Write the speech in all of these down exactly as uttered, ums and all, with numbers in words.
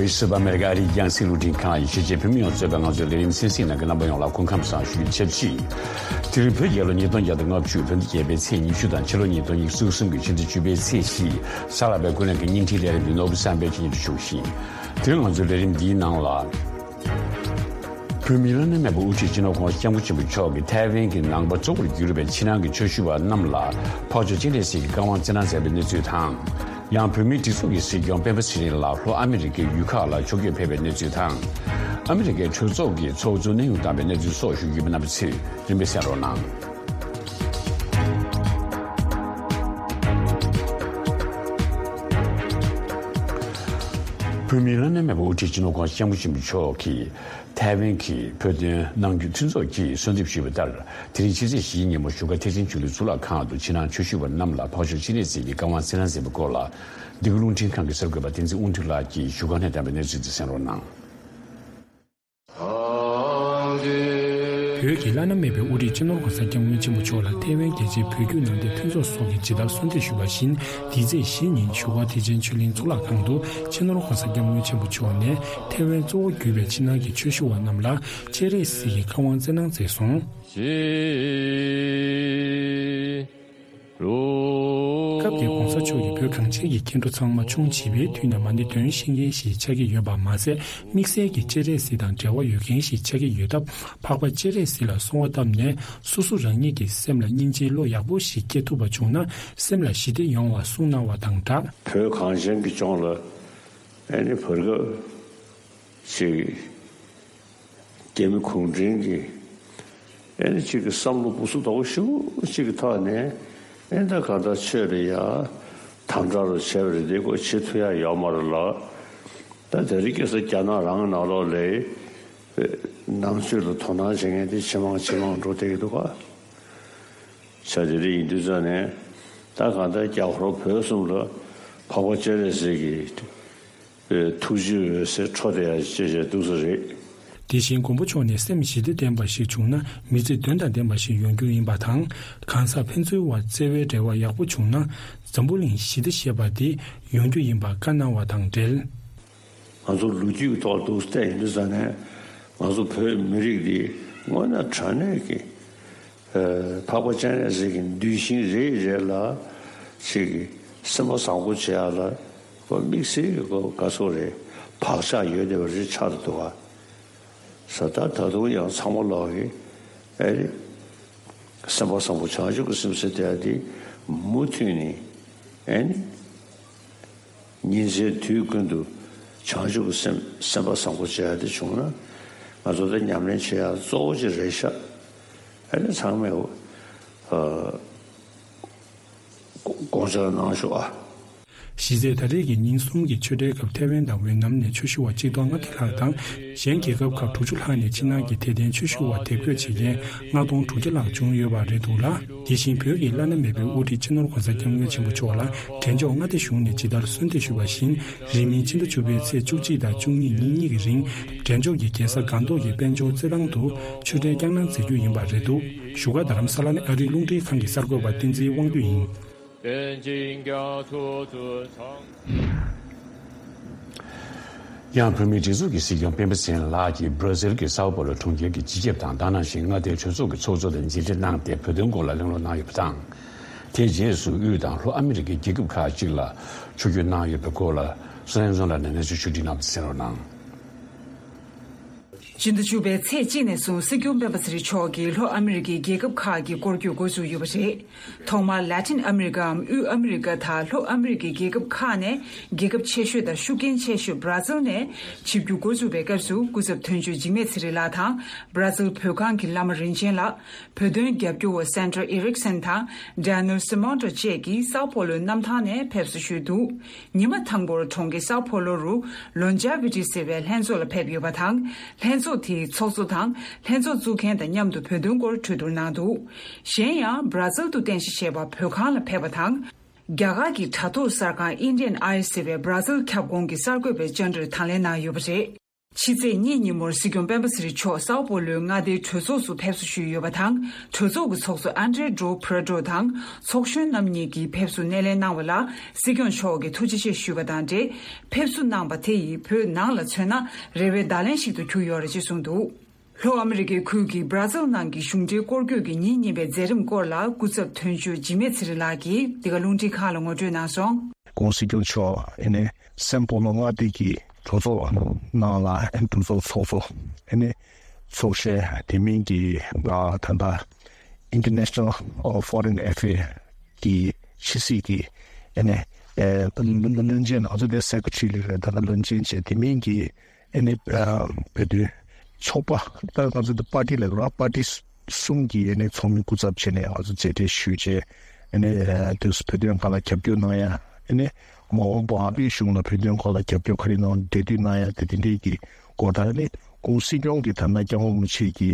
སྲིད་པ་ཨ་མེ་རི་ཀ་ཨ་རིའི་རྒྱང་སྲིང་རླུང་འཕྲིན་ཁང་གི་གཞིས་བྱེས་བོད་མི་ཡོངས་གཙོས་པའི་ང་ཚོའི་ལས་རིམ་གསན་གཟིགས་གནང་མཁན་རྣམ་པ་ཡོངས་ལ་སྐུ་ཁམས་བཟང་ཞུ་རྒྱུ་ཆེད་ཕྱིན། དེ་རིང་བོད་རྒྱལ་ལོ་ཉིས་སྟོང་བརྒྱ་དང་ལྔ་བཅུ་བོད་ཟླ་བརྒྱད་པའི་ཚེས་ཉི་ཤུ་དང་ཕྱི་ལོ་ཉིས་སྟོང་ཉི་ཤུ་རྩ་གསུམ་གྱི་ཕྱི་ཟླ་བཅུ་པའི་ཚེས་བཞི། གཟའ་ལྷག་པའི་ཀུན་གླེང་གི་སྙིང་ཐིག་ལས་རིམ་འདི་ནོར་བུ་བསམ་འཕེལ་གྱིས་སྙན་སྒྲོན་ཞུ་བཞིན། དེ་རིང་ང་ཚོའི་ལས་རིམ་འདིའི་ནང་ལ། བོད་མིའི་བླ་ན་མེད་པའི་དབུ་ཁྲིད་སྤྱི་ནོར་༧གོང་ས་༧སྐྱབས་མགོན་ཆེན་པོ་མཆོག་གིས་ཐའེ་ཝན་གྱི་ནང་པ་གཙོ་བོར་གྱུར་པའི་ཕྱི་ནང་གི་ཆོས་ཞུ་བ་རྣམས་ལ་འཕགས་མཆོག་སྤྱན་རས་གཟིགས་ཀྱི་བཀའ་དབང་བསྩལ་གནང་མཛད་པའི་གནས་ཚུལ་དང་། ཡང་བོད་མིའི་སྒྲིག་འཛུགས་ཀྱི་སྲིད་སྐྱོང་སྤེན་པ་ཚེ་རིང་ལགས་ལྷོ་ཨ་མི་རི་ཀའི་ཡུལ་ཁག་ལ་ཕྱོགས་བསྐྱོད་ཕེབས་པའི་གནས་ཚུལ་དང་། ཨ་མི་རི་ཀའི་གྲོས་ཚོགས་ཀྱི་ཚོགས་གཙོ་གནས་དབྱུང་བཏང་བའི་གནས་ཚུལ་སོགས་ཞུ་རྒྱུ་ཡིན་པ། རྣམ་པ་ཚོས་རིམ་པས་གསན་རོགས་གནང་། བོད་མིའི་བླ་ན་མེད་པའི་དབུ་ཁྲིད་སྤྱི་ནོར་༧གོང་ས་༧སྐྱབས་མགོན་ཆེན་པོ་མཆོག་གིས་ཐའེ་ཝན་གྱི་བོད་དོན་ནང་ཁུལ་མཐུན་ཚོགས་ཀྱིས་གསོལ་འདེབས་ཞུས་པ་ལྟར། དེ་རིང་ཕྱི་ཚེས་བཞིའི་ཉིན་མོ་བཞུགས་སྒར་ཐེག་ཆེན་ཆོས་གླིང་གཙུག་ལག་ཁང་དུ་ཕྱི་ནང་ཆོས་ཞུ་བ་རྣམས་ལ་འཕགས་མཆོག་སྤྱན་རས་གཟིགས་ཀྱི་བཀའ་དབང་བསྩལ་གནང་མཛད་པའི་སྐོར་ལ། འདི་ག་རླུང་འཕྲིན་ཁང་གི་གསར་འགོད་པ་བསྟན་འཛིན་དབང་འདུས་ལགས་ཀྱིས་བཞུགས་སྒར་ནས་བཏང་བའི་གནས་ཚུལ་དེ་གསན་རོགས་གནང་། བོད་ཀྱི་བླ་ན་མེད་པའི་དབུ་ཁྲིད་སྤྱི་ནོར་༧གོང་ས་༧སྐྱབས་མགོན་ཆེན་པོ་མཆོག་ལ་ཐའེ་ཝན་རྒྱལ་སྤྱིའི་བོད་བརྒྱུད་ནང་བསྟན་མཐུན་ཚོགས་སོགས་ཀྱིས་ཇི་ལྟར་གསོལ་འདེབས་ཞུས་པ་བཞིན། འདི་ཚེས་བཞིའི་ཉིན་བཞུགས་སྒར་ཐེག་ཆེན་ཆོས་གླིང་གཙུག་ལག་ཁང་དུ་སྤྱི་ནོར་༧གོང་ས་༧སྐྱབས་མགོན་ཆེན་པོ་མཆོག་ནས་ཐའེ་ཝན་གཙོ་བོ་གྱུར་པའི་ཕྱི་ནང་གི་ཆོས་ཞུ་བ་རྣམས་ལ་སྤྱན་རས་གཟིགས་ཀྱི་བཀའ་དབང་བསྩལ་གནང་མཛད་སོང་། སྐབས་དེར་༧གོང་ས་མཆོག་གིས་བོད་གངས་ཅན་གྱི་སྐྱེ་འགྲོ་ཚང་མ་ཆུང་བྱིས་པའི་དུས་ནས་མ་ཎི་འདོན་ཤེས་མཁན་ཞིག་ཆགས་ཀྱི་ཡོད་པ་མ་ཟད། དམིགས་བསལ་གྱི་སྤྱན་རས་གཟིགས་དང་འབྲེལ་བ་ཡོད་མཁན་ཞིག་ཆགས་ཀྱི་ཡོད་སྟབས། འཕགས་པ་སྤྱན་རས་གཟིགས་ལ་གསོལ་བ་བཏབ་ནས། སོ་སོ་རང་ཉིད་ཀྱི་སེམས་ལ་སྙིང་རྗེའི་བློ་ཡག་པོ་ཞིག་སྐྱེ་ཐུབ་པ་བྱུང་ན། སེམས་ལ་ཞི་བདེ་ཡོང་བ་གསུངས་གནང་བ་དང་སྦྲགས། བོད་གངས་ཅན་གྱི་ལྗོངས་ལ་ཨ་ནི་བར་སྐབས་ཅིག་རྒྱ་མི་གུང་ཁྲན་གྱིས་ཨེ་ནི་གཅིག་གི་བསམ་བློ་སྦུ་སུ་དོག་ཞུ་གཅིག་གི་ཐོག་ནས་ཨེ་ད་ག་ད་ཆོས་རེད་ཡ། དམ་དྲག་རུ་བྱས་པ་རེད། དེ་ཁོ་བྱེད་ཐུབ་ཡ་ཡོད་མ་རེད་ལ། ད་དེ་རིང་ཁ་སང་རྒྱ་ནག་རང་ནང་ལོགས་ལ་ནང་ཆོས་ལ་དོ་སྣང་བྱེད་མཁན་དེ་ཇེ་མང་ཇེ་མང་འགྲོ་བསྡད་ཀྱི་འདུག་ག་ཆ་དེ་རིང་ཡིན་དུས་ཙང་ནས་ད་གང་ལྟར་རྒྱ་ཧོར་བོད་གསུམ་ལ་འཕགས་པ་སྤྱན་རས་གཟིགས་ཀྱི་ཐུགས་རྗེའི་འོད་ཟེར་འཕྲོ་བསྡད་ཡ་ཅེས་བཤད་འདུག་ས་རེད། དེ་བཞིན་མགོན་པོ་མཆོག་ནས་སེམས་ཞི་བདེ་ལྡན་པ་ཞིག་བྱུང་ན་མི་ཚེ་དོན་དང་ལྡན་པ་ཞིག་ཡོང་རྒྱུ་ཡིན་པ་དང་། གང་ཟག་ཕན་ཚུན་བར་བརྩེ་བའི་འབྲེལ་བ་ཡག་པོ་བྱུང་ན་འཛམ་བུ་གླིང་ཞི་བདེ་ཞེས་པ་དེ་ཡོང་རྒྱུ་ཡིན་པ་བཀའ་གནང་བ་དང་འབྲེལ། ང་ཚོ་ལོ་རྒྱུས་ཀྱི་ཐོག་ཏུ་བལྟས་ཡིན་དུས་ཙང་ནས་ང་ཚོ་བོད་མི་རིགས་འདི་དངོས་གནས་དྲང་གནས་ཀྱི་འཕགས་པ་སྤྱན་རས་གཟིགས་ཀྱི་གདུལ་ཞིང་རེ་རེ་ལ་ཅིག་སེམས་པ་བཟང་པོ་བྱེད་ཡ་ལ་ཁོ་དམིགས་བསལ་གྱི་ཁོ་དགའ་ཚོར་རེ་བག་ཆགས་ཡོད་བསྡད་པ་རེ་ཆགས་འདུག་ག་ས་ད་ད་དུང་ཡང་ཚང་མ་ལོག་གི་ཨེ་རེད། སེམས་པ་བཟང་པོ་བྱང་ཆུབ་ཀྱི་སེམས་ཟེར་དེ་འདི་མུ་མཐུད་ནས་ཨེ་ནི་ཉིན་མཚན་དུས་ཀུན་ཏུ་བྱང་ཆུབ་ཀྱི་སེམས་སེམས་པ་བཟང་པོ་བྱེད་ཡ་དེ་བྱུང་ན་ང་ཚོ་ད་ཉམས་ལེན་བྱེད་ཡ་གཙོ་བོ་ཅིག་རེད་ཤག་ཨེ་ནི་ཚང་མས་ཨ། དགོངས་འཆར་གནང་ཤོག་ཨ། གཞི་རྩའི་ད་རེས་ཀྱི་ཉིན་གསུམ་གྱི་ཆོས་འབྲེལ་སྐབས་ཐའེ་ཝན་དང་ཝེ་ནམ་ནས་ཆོས་ཞུ་བ་གཅིག་སྟོང་ལྔ་བརྒྱ་ལྷག་དང་གཞན་རྒྱལ་ཁབ་ཁག་དྲུག་ཅུ་ལྷག་ནས་ཕྱི་ནང་གི་དད་ལྡན་ཆོས་ཞུ་བ་དེབ་འགོད་བྱེད་མཁན་ལྔ་སྟོང་དྲུག་བརྒྱ་ལྷག་བྱུང་ཡོད་པ་རེད་འདུག་ལ། དེ་བཞིན་བོད་ཀྱི་བླ་ན་མེད་པའི་དབུ་ཁྲིད་སྤྱི་ནོར་༧གོང་ས་༧སྐྱབས་མགོན་ཆེན་པོ་མཆོག་ལ་འབྲས་ལྗོངས་མངའ་སྡེ་གཞུང་ནས་ཇི་ལྟར་གསོལ་འདེབས་ཞུས་པ་བཞིན། རིང་མིན་ཕྱི་ཟླ་བཅུ་པའི་ཚེས་བཅུ་གཅིག་དང་བཅུ་གཉིས་ཉིན་གཉིས་ཀྱི་རིང་འབྲས་ལྗོངས་ཀྱི་རྒྱལ་ས་སྒང་ཏོག་གི་དཔལ་འབྱོར་རྩེད་ཐང་དུ་ཆོས་འབྲེལ་བསྐྱངས་གནང་མཛད་རྒྱུ་ཡིན་པ་རེད་འདུག་བཞུགས་སྒར་རྡ་རམ་ས་ལ་ནས་ཨ་རིའི་རླུང་འཕྲིན་ཁང་གི་གསར་འགོད་པ་བསྟན་འཛིན་དབང་འདུས་ཡིན། ཡང་བོད་མིའི་སྒྲིག་འཛུགས་ཀྱི་སྲིད་སྐྱོང་སྤེན་པ་ཚེ་རིང་ལགས་ཀྱིས་བྷར་ཛིལ་གྱི་སའོ་པོ་ལོ་གྲོང་ཁྱེར་གྱི་སྤྱི་ཁྱབ་དང་ད་ག་ནང་བཞིན་མངའ་སྡེའི་གྲོས་ཚོགས་ཀྱི་ཚོགས་གཙོ་དང་མཇལ་འཕྲད་གནང་སྟེ་བོད་དོན་སྐོར་ལ་གླེང་སློང་གནང་ཡོད་པ་དང་། དེའི་རྗེས་སུ་དབུས་དང་ལྷོ་ཨ་མི་རི་ཀའི་རྒྱལ་ཁབ་ཁག་ཅིག་ལ་ཆོས་བསྐྱོད་གནང་ཡོད་པའི་སྐོར་ལ་སུ་ལེན་ཛོན་ལགས་ནས་གནས་ཚུལ་ཞུ་སྒྲིག་གནང་བ་གསན་རོགས་གནང་། སྤྱི་ཟླ་བཅུ་པའི་ཚེས་གཅིག་ནས་བཟུང་སྲིད་སྐྱོང་སྤེན་པ་ཚེ་རིང་མཆོག་གིས་ལྷོ་ཨ་མི་རི་ཀའི་རྒྱལ་ཁབ་ཁག་གི་སྐོར་སྐྱོད་འགོ་བཙུགས་ཡོད་པ་རེད། ཐོག་མར་ལ་ཏིན་ཨ་མི་རི་ཀའམ་དབུས་ཨ་མི་རི་ཀ་དང་ལྷོ་ཨ་མི་རི་ཀའི་རྒྱལ་ཁབ་ཁག་ནས་རྒྱལ་ཁབ་ཆེ་ཤོས་དང་ཤུགས་རྐྱེན་ཆེ་ཤོས་བྷར་ཛིལ་ནས་ཆིབས་བསྒྱུར་འགོ་བཙུགས་པའི་སྐབས་སུ་སྐུ་ཚབ་དོན་གཅོད་འཇིགས་མེད་ཚེ་རིང་ལགས་དང་བྷར་ཛིལ་བོད་ཁང་གི་བླ་མ་རིན་ཆེན་ལགས། བོད་དོན་རྒྱབ་སྐྱོར་བ་སན་ཏྲ་ཨེ་རིག་སན་དང་ཌེ་ནེལ་སི་མོན་ཏྲོ་བཅས་ཀྱིས་སའོ་པོ་ལོའི་གནམ་ཐང་ནས་ཕེབས་བསུ་ཞུས་འདུག་ཉི་མ་དང་པོར་གྲོང་ཁྱེར་སའོ་པོ་ལོ་རུ་ལོན་ཇ་བི་ཏི་ཟེར་བའི་ལྷན་ཚོགས་ལ་ཕེབས་ཡོད་པ་དང་། ལྷན་ཚོགས་དེའི་ཚོགས་གཙོ་དང་ལྷན་ཚོགས་བཙུགས་མཁན་དང་མཉམ་དུ་བོད་དོན་སྐོར་གྲོས་བསྡུར་གནང་འདུག་གཞན་ཡང་བྷར་ཛིལ་དུ་རྟེན་གཞི་བྱས་པ་བོད་ཁང་ལ་ཕེབས་པ་དང་། རྒྱ་གར་གྱི་དྲ་ཐོག་གསར་ཁང་ཨིན་ཌི་ཡན་ཨའི་ཟེར་བའི་བྷར་ཛིལ་ཁྱབ་ཁོངས་ཀྱི་གསར་འགོད་པའི་བཅར་འདྲིར་དང་ལེན་གནང་ཡོད་པ་རེད། ཕྱི་ཚེས་གཉིས་ཉིན་མོར་སྲིད་སྐྱོང་སྤེན་པ་ཚེ་རིང་མཆོག་སའོ་པོ་ལོའི་མངའ་སྡེའི་གྲོས་ཚོགས་སུ་ཕེབས་བསུ་ཞུས་ཡོད་པ་དང་། གྲོས་ཚོགས་ཀྱི་ཚོགས་གཙོ་ཨན་ཏྲེ་ཌོ་པྲ་ཌོ་དང་ཚོགས་གཞོན་རྣམ་གཉིས་ཀྱིས་ཕེབས་བསུ་སྣེ་ལེན་གནང་བ་ལ། སྲིད་སྐྱོང་མཆོག་གིས་ཐུགས་རྗེ་ཆེ་ཞུས་པ་དང་འབྲེལ། ཕེབས་བསུ་གནང་བ་དེ་ཡིས་བོད་ནང་ལ་མཚོན་ན་རེ་བའི་བརྡ་ལན་ཞིག་ཏུ་གྱུར་ཡོད་རེད་ཅེས་གསུངས་འདུག་ལྷོ་ཨ་མི་རི་ཀའི་ཁུལ་གྱི་སྦྲ་ཛིལ་ནང་གི་གཞུང་འབྲེལ་སྐོར་སྐྱོད་ཀྱི་ཉིན་གཉིས་པའི་མཛད་རིམ་སྐོར་ལ། སྐུ་ཚབ་དོན་གཅོད་འཇིགས་མེད་ཚེ་རིང་ལགས་ཀྱིས་འདི་ག་རླུང་འཕྲིན་ཁང་ལ་ངོ་སྤྲོད་གནང་སོང་། ྋགོང་སྲིད་སྐྱོང་མཆོག་ཨེ་ནས་སན་པོ་ལོ་མངའ་སྡེ་གི་གྲོས་ཚོགས་ནང་ལ་ཨེ་གྲོས་ཚོགས་ཚོགས་གཙོ་ཨེ་ནས་ཚོགས་གཞོན་དེ་མིན་གྱི་ད་ལྟ་International Foreign Affairs གི་ཕྱི་སྲིད་ཀྱི་ཨེ་ནས་བློན་ཆེན། ང་ཚོ་དེ་སེ་ཀེ་ཊ་རི་ལ་ད་ལྟ་བློན་ཆེན་བྱས། དེ་མིན་གྱི་ཨེ་ནི་ཨ་བོད་དོན་ཚོགས་པ། ད་ང་ཚོ་འདི་པར་ཊི་ལབ་ར། པར་ཊི་གསུམ་གྱི་ཨེ་ནི་ཚོགས་མི་སྐུ་ཚབ་བྱས་ནས་ང་ཚོ་མཇལ་འཕྲད་ཞུས་བྱས། ཨེ་ནི་ཨ་དུས་སུ་བོད་དོན་སྒང་ལ་རྒྱབ་སྐྱོར་གནང་ཡ། ཨེ་ནི་མ་འོངས་པ་ཨ་རིའི་གཞུང་ལ་བོད་དོན་སྐོར་ལ་རྒྱབ་སྐྱོར་ག་རེ་གནང་འབྲེལ་མཐུད་གནང་ཡ་དེ་དེ་འདྲས་ཀྱི་སྐོར་དང་། ཨེ་ནི་ྋགོང་སྲིད་སྐྱོང་གི་ཐ་ན་སྐྱབས་མགོན་རིན་པོ་ཆེ་གི་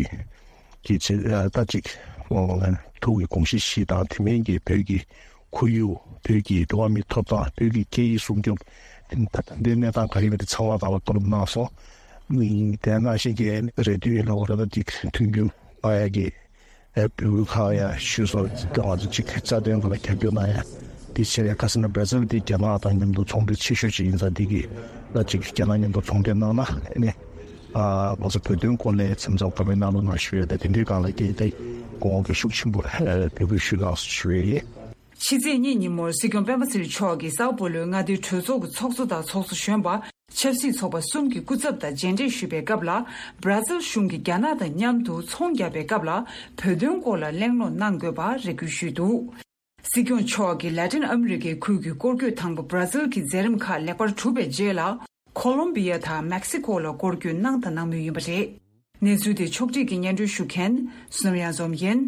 གི་ཆེ་ད་ཅིག་ཐུགས་ཀྱི་དགོངས་གཞི་བཞི་དང་། དེ་མིན་གྱི་བོད་ཀྱི་ཁོར་ཡུག་བོད་ཀྱི་འགྲོ་བ་མིའི་ཐོབ་ཐང་། བོད་ཀྱི་སྐད་ཡིག་སྲུང་སྐྱོབ། དེ་དེ་གནས་སྟངས་ག་རེ་ཡིན་པ་དེ་ཚང་མ་ལ་བསྡུར་གནང་སོང་། དེ་ནང་བཞིན་གྱི་རེ་འདུན་ཡིན་ལ་འོ་ར་ད་ཅིག་མཐུན་འགྱུར་གནང་ཡ་གི་འབོད་སྐུལ་ཁག་ཡ་ཞུས་སོང་། ང་ཚོ་ཅིག་རྩ་དོན་སྒང་ལ་རྒྱབ་སྐྱོར་གནང་ཡ། དེ་བྱས་ཡ་ཁ་སང་ན་སྦྲ་ཛིལ་དེ་རྒྱ་ནག་དང་མཉམ་དུ་ཚོང་འབྲེལ་ཆེ་ཤོས་ཅིག་ཡིན་ཙང་། དེ་གི་ལ་ཅིག་རྒྱ་ནག་མཉམ་དུ་ཚོང་འབྲེལ་གནང་ན་ནི། ང་ཚོ་བོད་དོན་སྐོར་ལ་མཚམས་མཚམས་བཀའ་མོལ་གནང་རོགས་གནང་ཞུ་ཡ་དང་། དེ་འདྲའི་སྒང་ལ་སྐད་བཏང་དགོངས་པ་ཤུགས་ཆེན་པོ་འབོད་སྐུལ་ཞུ་གནང་ཞུ་ཡ་ཡིན། ཕྱི་ཚེས་གཉིས་ཉིན་མོར་སྲིད་སྐྱོང་སྤེན་པ་ཚེ་རིང་མཆོག་གིས་སའོ་པོ་ལོའི་མངའ་སྡེའི་གྲོས་ཚོགས་ཀྱི་ཚོགས་གཙོ་དང་ཚོགས་གཙོ་གཞོན་པ། ཆབ་སྲིད་ཚོགས་པ་གསུམ་གྱི་སྐུ་ཚབ་དང་མཇལ་འཕྲད་ཞུས་པའི་སྐབས་ལ། སྦྲ་ཛིལ་གཞུང་གིས་རྒྱ་ནག་དང་མཉམ་དུ་ཚོང་བརྒྱབ་པའི་སྐབས་ལ་བོད་དོན་སྐོར་ལ་གླེང་སློང་གནང་དགོས་པར་རེ་སྐུལ་ཞུས་འདུག་སྲིད་སྐྱོང་མཆོག་གིས་ལ་ཏིན་ཨ་མི་རི་ཀའི་ཁུལ་གྱི་སྐོར་སྐྱོད་དང་པོ་སྦྲ་ཛིལ་གྱི་མཛད་རིམ་ཁག་ལེགས་པར་གྲུབ་པའི་རྗེས་ལ། ཁོ་ལོམ་བི་ཡ་དང་མེག་སི་ཀོ་ལ་སྐོར་སྐྱོད་གནང་དང་གནང་མུས་ཡིན་པ་རེད། གནས་ཚུལ་དེ་ཕྱོགས་སྒྲིག་གིས་སྙན་སྒྲོན་ཞུ་མཁན་བསོད་ནམས་གཡང་འཛོམས་ཡིན།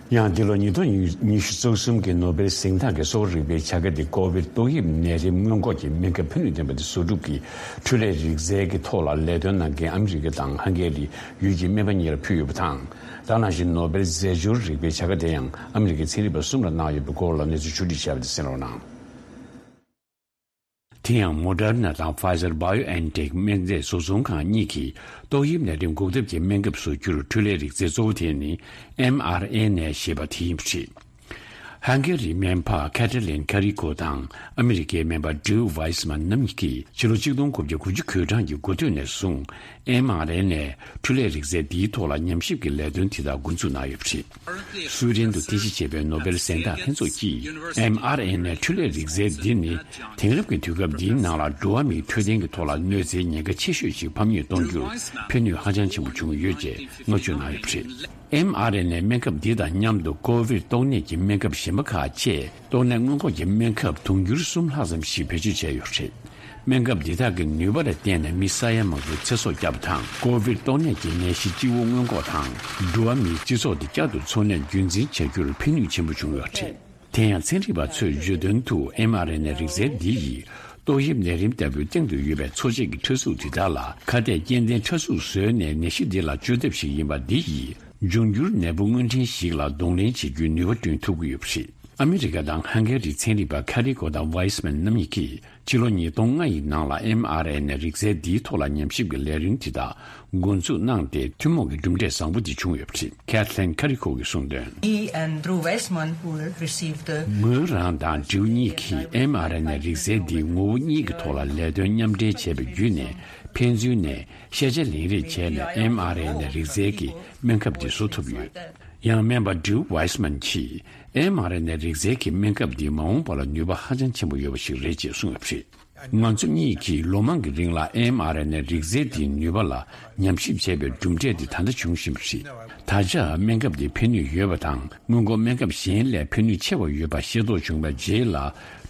ཡང་འདི་ལོ་ཉིས་སྟོང་ཉི་ཤུ་རྩ་གསུམ་གྱི་ནོ་བེལ་གཟེངས་རྟགས་ཀྱི་གསོ་བ་རིག་པའི་བྱ་དགའ་དེ་ཀོ་བིཌ་ཏོག་དབྱིབས་ནད་རིམས་སྔོན་འགོག་གི་སྨན་ཁབ་ཕན་ནུས་ལྡན་པ་དེ་བཟོ་སྒྲུབ་ཀྱི་འཕྲུལ་ལས་རིག་རྩལ་གྱི་ཐོག་ལ་ལས་དོན་གནང་མཁན་ཨ་མི་རི་ཀ་དང་ཧང་གེ་རི་ཡུལ་གྱི་སྨན་པ་གཉིས་ལ་ཕུལ་ཡོད་པ་དང་། ད་ནང་བཞིན་ནོ་བེལ་རྫས་སྦྱོར་རིག་པའི་བྱ་དགའ་དེ་ཡང་ཨ་མི་རི་ཀའི་ཚན་རིག་པ་གསུམ་ལ་གནང་ཡོད་པའི་སྐོར་ལ་གནས་ཚུལ་ཕྱོགས་སྒྲིག་བྱས་པ་དེ་གསན་རོགས་གནང་། དེ་ཡང་མོ་ཌར་ན་དང་ཕ་ཛར་བྷ་ཡོ་ཨེན་ཊེག་སྨན་རྫས་བཟོ་ཚོང་ཁང་གཉིས་ཀྱིས་ཏོག་དབྱིབས་ནད་རིམས་འགོག་ཐབས་ཀྱི་སྨན་ཁབ་བཟོ་རྒྱུར་འཕྲུལ་ལས་རིག་རྩལ་གཙོ་བོ་དེ་ནི་ཨེམ་ཨར་ཨེན་ཨེ་ཞེས་པ་དེ་ཡིན་པ་རེད། ཧང་གེ་རིའི་སྨན་པ་ཁེ་ཏྲ་ལིན་ཁ་རི་ཀོ་དང་ཨ་མི་རི་ཀའི་སྨན་པ་ཌིའུ་ཝའི་སི་མན་རྣམ་གཉིས་ཀྱིས་ཕྱི་ལོ་ཆིག་སྟོང་དགུ་བརྒྱ་དགུ་བཅུ་གོ་གྲངས་ཀྱི་འགོ་སྟོད་ནས་བཟུང་ཨེམ་ཨར་ཨེན་ཨེ་འཕྲུལ་ལས་རིག་རྩལ་འདིའི་ཐོག་ལ་ཉམས་ཞིབ་ཀྱི་ལས་དོན་དེ་དག་འགོ་འཛུགས་གནང་ཡོད་པ་རེད། སུའེ་ཌེན་དུ་རྟེན་གཞི་བྱས་པའི་ནོ་བེལ་གཟེངས་རྟགས་ལྷན་ཚོགས་ཀྱིས་ཨེམ་ཨར་ཨེན་ཨེ་འཕྲུལ་ལས་རིག་རྩལ་འདི་ནི་དེང་རབས་ཀྱི་དུས་སྐབས་འདིའི་ནང་ལ་འགྲོ་བ་མིའི་འཕྲོད་བསྟེན་གྱི་ཐོག་ལ་གནོད་འཚེའི་ཉེན་ཁ་ཆེ་ཤོས་ཤིག་ཕམ་ཉེས་གཏོང་རྒྱུར་ཕན་ནུས་ཧ་ཅང་ཆེན་པོ་བྱུང་ཡོད་ཅེས་བསྔགས་བརྗོད་གནང་ཡོད་པ་རེད། ཨེམ་ཨར་ཨེན་ཨེ་སྨན་ཁབ་འདི་དང་མཉམ་དུ་ཀོ་བིཌ་ཏོག་ནད་ཀྱི་སྨན་ཁབ་གཞན་པ་ཁག་བཅས་ཏོག་ནད་སྔོན་འགོག་གི་སྨན་ཁབ་དུང་ཕྱུར་གསུམ་ལྷག་ཙམ་ཞིག་བེད་སྤྱོད་བྱས་ཡོད་པ་རེད། སྨན་ཁབ་འདི་དག་གི་ནུས་པ་ལ་བརྟེན་ནས་མི་ས་ཡ་མང་པོའི་ཚེ་སྲོག་བསྐྱབས་པ་དང་། ཀོ་བིཌ་ཏོག་ནད་ཀྱི་ནད་གཞི་སྤྱི་བོ་སྔོན་འགོག་དང་། འགྲོ་བ་མིའི་སྤྱི་ཚོགས་དེ་བསྐྱར་དུ་འཚོ་གནས་རྒྱུན་འཛིན་བྱ་རྒྱུར་ཕན་ནུས་ཆེན་པོ་བྱུང་ཡོད་པ་རེད། དེ་ཡང་ཚན་རིག་པ་ཚོས་བརྗོད་དོན་དུ་ཨེམ་ཨར་ཨེན་ཨེ་རིག་རྩལ་འདི་ཡིས་ཏོག་དབྱིབས་ནད་རིམས་ལྟ་བུའི་སྟེང་དུ་ཡོད་པའི་འཚོ་བྱེད་ཀྱི་ཕྲ་གཟུགས་དེ་དག་ལ་ཁ་གཏད་སྐྱེལ་ལྡན་ཕྲ་གཟུགས་བཟོས་ནས་ནད་གཞི་འདི་ལ་བཅོས་ཐབས་ཤིག་ཡིན་པ་འདི་ཡིས་འབྱུང་འགྱུར་ནད་འབུ་སྔོན་འདྲེན་ཞིག་ལ་གདོང་ལེན་བྱེད་རྒྱུའི་ནུས་པ་བསྐྲུན་ཐུབ་ཀྱི་ཡོད་པ་རེད། ཨ་མི་རི་ཀ་དང་ཧང་གེ་རིའི་ཚན་རིག་པ་ཁ་རི་ཀོ་དང་ཝའི་སི་མན་རྣམ་གཉིས་ཀྱིས་ཕྱི་ལོ་ཉིས་སྟོང་ལྔ་ཡི་ནང་ལ་ཨེམ་ཨར་ཨེན་ཨེ་རིག་རྩལ་འདིའི་ཐོག་ལ་ཉམས་ཞིབ་ཀྱི་ལས་རིམ་དེ་དག་འགོ་འཛུགས་གནང་སྟེ་ཐུན་མོང་གི་གྲུབ་འབྲས་བཟང་པོ་དེ་བྱུང་ཡོད་པ་རེད། Kathleen Kariko གིས་གསུངས་དོན། He and Drew Weissman will receive the ངོས་རང་དང་ཌིའུ་གཉིས་ཀྱིས་ཨེམ་ཨར་ཨེན་ཨེ་རིག་རྩལ་འདིའི་ངོ་བོ་གཉིས་ཀྱི་ཐོག་ལ་ལས་དོན་མཉམ་འབྲེལ་བྱས་པ་བརྒྱུད་ནས་ཕན་ཚུན་ནས་ཤེས་བྱ་ལེན་རེས་བྱས་ནས་ཨེམ་ཨར་ཨེན་ཨེ་རིག་རྩལ་གྱི་སྨན་ཁབ་འདི་བཟོ་ཐུབ་ཡོད། ཡང་སྨན་པ་ཌིའུ་ཝའི་སི་མན་གྱིས་ཨེམ་ཨར་ཨེན་ཨེ་རིག་རྩལ་གྱི་སྨན་ཁབ་འདི་མ་འོངས་པ་ལ་ནུས་པ་ཧ་ཅང་ཆེན་པོ་ཡོད་པ་ཞིག་རེད་ཅེས་གསུངས་ཡོད་པ་རེད། ང་ཚོ་གཉིས་ཀྱིས་ལོ་མང་གི་རིང་ལ་ཨེམ་ཨར་ཨེན་ཨེ་རིག་རྩལ་འདིའི་ནུས་པ་ལ་ཉམས་ཞིབ་བྱས་པའི་གྲུབ་འབྲས་འདི་ད་ལྟ་བྱུང་བཞིན་པ་རེད། ད་ཆ་སྨན་ཁབ་འདི་ཕན་ནུས་ཡོད་པ་དང་སྔོན་འགོག་སྨན་ཁབ་གཞན་ལས་ཕན་ནུས་ཆེ་བ་ཡོད་པ་ཤེས་རྟོགས་བྱུང་བའི་རྗེས་ལ་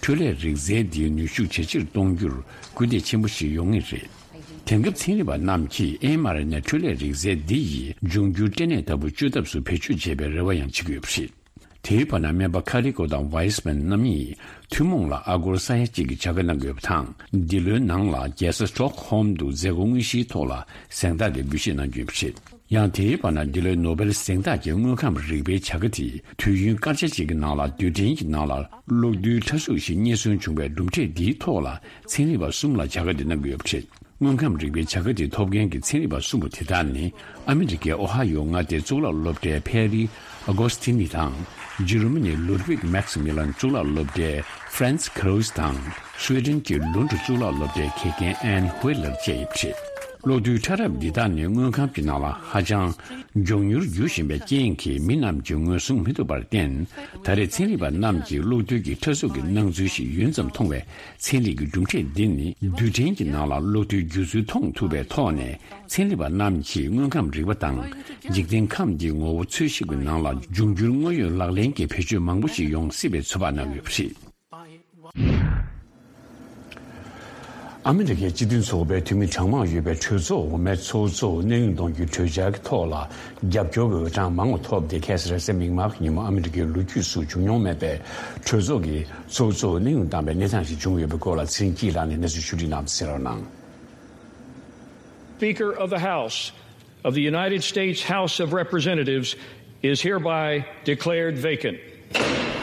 འཕྲུལ་ལས་རིག་རྩལ་འདིའི་ནུས་ཤུགས་ཇེ་ཆེར་གཏོང་རྒྱུར་སྐུལ་འདེད་ཆེན་པོ་ཞིག་ཡོང་ངེས་རེད། དེང་སྐབས་ཚན་རིག་པ་རྣམས་ཀྱིས་ཨེམ་ཨར་ཨེན་ཨེ་འཕྲུལ་ལས་རིག་རྩལ་འདི་ཡིས་འབྱུང་འགྱུར་སྐྲན་ནད་ལྟ་བུ་བཅོས་ཐབས་སུ་བེད་སྤྱོད་བྱེད་པའི་རེ་བ་ཡང་བྱེད་ཀྱི་ཡོད་པ་རེད། དེའི་བར་ན་སྨན་པ་ཁ་རི་ཀོ་དང་ཝའི་སི་མན་རྣམ་གཉིས་ཐུན་མོང་ལ་ཨ་སྒོར་ས་ཡ་གཅིག་གི་བྱ་དགའ་གནང་གི་ཡོད་པ་དང་། འདི་ལོའི་ནང་ལ་རྒྱལ་ས་སྟོག་ཧོམ་དུ་མཛད་སྒོ་དངོས་གཞིའི་ཐོག་ལ་གཟེངས་རྟགས་དེ་འབུལ་བཞེས་གནང་རྒྱུ་ཡིན་པ་རེད། ཡང་དེའི་བར་ན་འདི་ལོའི་ནོ་བེལ་གཟེངས་རྟགས་ཀྱི་དངོས་ཁམས་རིག་པའི་བྱ་དགའ་དེ་དུས་ཡུན་སྐར་ཆ་གཅིག་གི་ནང་ལ་རྡུལ་ཕྲན་གྱི་ནང་ལ་གློག་རྡུལ་ཕྲ་གཟུགས་ཤིག་རྙེད་སོན་བྱུང་བའི་གྲུབ་འབྲས་འདིའི་ཐོག་ལ་ཚན་རིག་པ་གསུམ་ལ་བྱ་དགའ་འདི་གནང་གི་ཡོད་པ་རེད། དངོས་ཁམས་རིག་པའི་བྱ་དགའ་དེ་ཐོབ་མཁན་གྱི་ཚན་རིག་པ་གསུམ་པོ་དེ་དག་ནི་ཨ་མི་རི་ཀའི་ཨོ་ཧ་ཡོ་མངའ་སྡེའི་གཙུག་ལག་སློབ་གྲྭའི་ཕེ་རི་ཨ་གོ་སི་ཐི་ནི་དང་། འཇར་མ་ནིའི་ལུད་ཝིག་མེག་སི་མི་ལན་གཙུག་ལག་སློབ་གྲྭའི་ཧྥ་རན་སི་ཁ་རུ་སི་དང་། སུའེ་ཏེན་གྱི་ལུན་ཌི་གཙུག་ལག་སློབ་གྲྭའི་དགེ་རྒན་ཨན་ཧུའེ་ལར་བཅས་ཡིན་པ་རེད། གློག་རྡུལ་ཕྲ་རབ་འདི་དག་ནི་དངོས་ཁམས་ཀྱི་ནང་ལ་ཧ་ཅང་མགྱོགས་མྱུར་འགྱུར་བཞིན་པའི་རྐྱེན་གྱིས་མི་རྣམས་ཀྱིས་ངོས་བཟུང་མི་ཐུབ་པར་བརྟེན། ད་རེས་ཚན་རིག་པ་རྣམས་ཀྱིས་གློག་རྡུལ་གྱི་ཕྲ་གཟུགས་ཀྱི་སྣང་ཚུལ་ཞིག་ཡུན་ཙམ་མཐོང་བའི་ཚན་རིག་གི་གྲུབ་འབྲས་འདི་ནི་རྡུལ་ཕྲན་གྱི་ནང་ལ་གློག་རྡུལ་འགྱུར་ཚུལ་མཐོང་ཐུབ་པའི་ཐོག་ནས། ཚན་རིག་པ་རྣམས་ཀྱིས་དངོས་ཁམས་རིག་པ་དང་འཇིག་རྟེན་ཁམས་འདིའི་ངོ་བོ་འཚོལ་ཞིབ་ཀྱི་ནང་ལ་འབྱུང་འགྱུར་དངོས་ཡོད་ལག་ལེན་གྱི་བེད་སྤྱོད་མང་པོ་ཞིག་ཡོང་སྲིད་པའི་ཚོད་དཔག་གནང་ཡོད་པ་རེད། ཨ་མི་རི་ཀའི་སྤྱི་མཐུན་ཚོགས་པའི་འཐུས་མི་གྲངས་མང་ཡོད་པའི་གྲོས་ཚོགས་འོག་མའི་ཚོགས་གཙོ་གནས་དབྱུང་གཏོང་རྒྱུའི་གྲོས་འཆར་གྱི་ཐོག་ལ་རྒྱབ་སྐྱོར་གྱི་འོས་གྲངས་མང་བ་ཐོབ་སྟེ། ཁ་སང་རེས་གཟའ་མིག་དམར་གྱི་ཉིན་མོ་ཨ་མི་རི་ཀའི་ལོ་རྒྱུས་སུ་བྱུང་མྱོང་མེད་པའི་གྲོས་ཚོགས་ཀྱི་ཚོགས་གཙོ་གནས་དབྱུང་བཏང་བའི་གནས་སྟངས་ཤིག་བྱུང་ཡོད་པའི་སྐོར་ལ་ཚེ་རིང་སྐྱིད་ལགས་ནས་གནས་ཚུལ་ཞིབ་ཕྲ་གནང་བ་དང་། Speaker of the House of the United States House of Representatives is hereby declared vacant.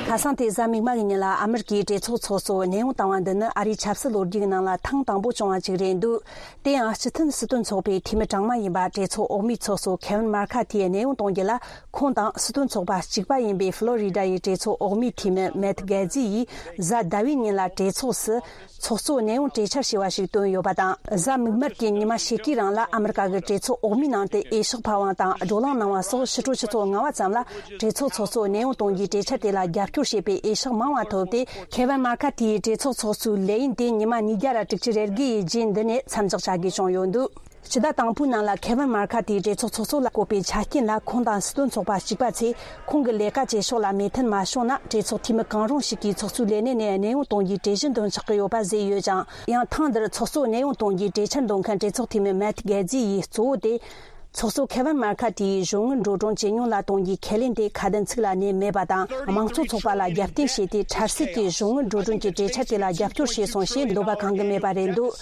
ཁ་སང་སྟེ་གཟའ་མིག་དམར་གྱི་ཉིན་ལ་ཨ་མི་རི་ཀའི་གྲོས་ཚོགས་ཚོགས་གཙོ་གནས་དབྱུང་བཏང་བ་འདི་ནི་ཨ་རིའི་ཆབ་སྲིད་ལོ་རྒྱུས་ཀྱི་ནང་ལ་ཐེངས་དང་པོ་བྱུང་བ་ཅིག་རེད་འདུག་དེ་ཡང་སྤྱི་མཐུན་སྲིད་དོན་ཚོགས་པའི་འཐུས་མི་གྲངས་མང་ཡིན་པ་གྲོས་ཚོགས་འོག་མའི་ཚོགས་གཙོ་ཁེ་ཝིན་མར་ཁ་ཐིའི་གནས་དབྱུང་གཏོང་རྒྱུ་ལ། ཁོང་དང་སྲིད་དོན་ཚོགས་པ་གཅིག་པ་ཡིན་པའི་ཕློ་རི་ཌ་ཡི་གྲོས་ཚོགས་འོག་མའི་འཐུས་མི་མེད་གྷེ་ཛི་ཡིས་གཟའ་ཟླ་བའི་ཉིན་ལ་གྲོས་ཚོགས་སུ་ཚོགས་གཙོ་གནས་དབྱུང་གྲོས་འཆར་ཞེས་པ་ཞིག་བཏོན་ཡོད་པ་དང་། གཟའ་མིག་དམར་གྱི་ཉི་མ་ཕྱེད་ཀའི་རིང་ལ་ཨ་མི་རི་ཀ་གི་གྲོས་ཚོགས་འོག་མའི་ནང་དུ་འོས་ཤོག་འཕར་བ་དང་བགྲོ་གླེང་གནང་བ་སོགས་ཕྱི་དྲོ་ཆུ་ཚོད་ལྔ་པ་ཙམ་ལ་གྲོས་ཚོགས་ཚོགས་གཙོ་གནས་དབྱུང་གཏོང་རྒྱུའི་གྲོས་འཆར་དེ་ལ་རྒྱབ་སྐྱོར་བྱེད་པའི་འོས་ཤོག་མང་བ་ཐོབ་སྟེ། ཁེ་ཝིན་མར་ཁ་ཐིའི་གྲོས་ཚོགས་ཚོགས་གཙོའི་ལས་ཡུན་དེ་ཉི་མ་ཉིས་བརྒྱ་ར་དྲུག་ཅུ་རེ་དགུ་ཡི་རྗེས་འདི་ནས་མཚམས་འཇོག་བྱ་དགོས་བྱུང་ཡོད་འདུག་སྤྱི་ཟླ་དང་པོའི་ནང་ལ་ཁེ་ཝིན་མར་ཁ་ཐིའི་གྲོས་ཚོགས་ཚོགས་གཙོ་ལ་བསྐོས་པའི་ཆ་རྐྱེན་ལ། ཁོང་དང་སྲིད་དོན་ཚོགས་པ་གཅིག་པ་ཚོས་ཁོང་གི་ལས་ཀ་བྱེད་ཕྱོགས་ལ་མོས་མཐུན་མ་བྱུང་ན། གྲོས་ཚོགས་འཐུས་མི་གང་རུང་ཞིག་གིས་ཚོགས་གཙོའི་ལས་གནས་ནས་གནས་དབྱུང་གཏོང་རྒྱུའི་གྲོས་གཞི་འདོན་ཆོག་གི་ཡོད་པ་བཟོས་ཡོད་ཅིང་། ཡང་ཐེངས་འདིར་ཚོགས་གཙོ་གནས་དབྱུང་གཏོང་རྒྱུའི་གྲོས་འཆར་འདོན་མཁན་གྲོས་ཚོགས་འཐུས་མི་མེད་གྷེ་ཛི་ཡིས་གཙོ་བོ་དེ། ཚོགས་གཙོ་ཁེ་ཝིན་མར་ཁ་ཐིའི་གཞུང་དངུལ་འགྲོ་གྲོན་ཇེ་ཉུང་ལ་གཏོང་རྒྱུའི་ཁས་ལེན་དེ་ཁ་དན་ཚིག་ལ་གནས་མེད་པ་དང་། དམངས་གཙོ་ཚོགས་པ་ལ་རྒྱབ་རྟེན་བྱས་ཏེ། འཕྲལ་སེལ་གྱིས་གཞུང་དངུལ་འགྲོ་གྲོན་གྱི་གྲོས་འཆར་དེ་ལ་རྒྱབ་སྐྱོར་བྱས་སོང་ཞེས་འདོད་པ་གང་གི་མེད་པ་རེད་འདུག་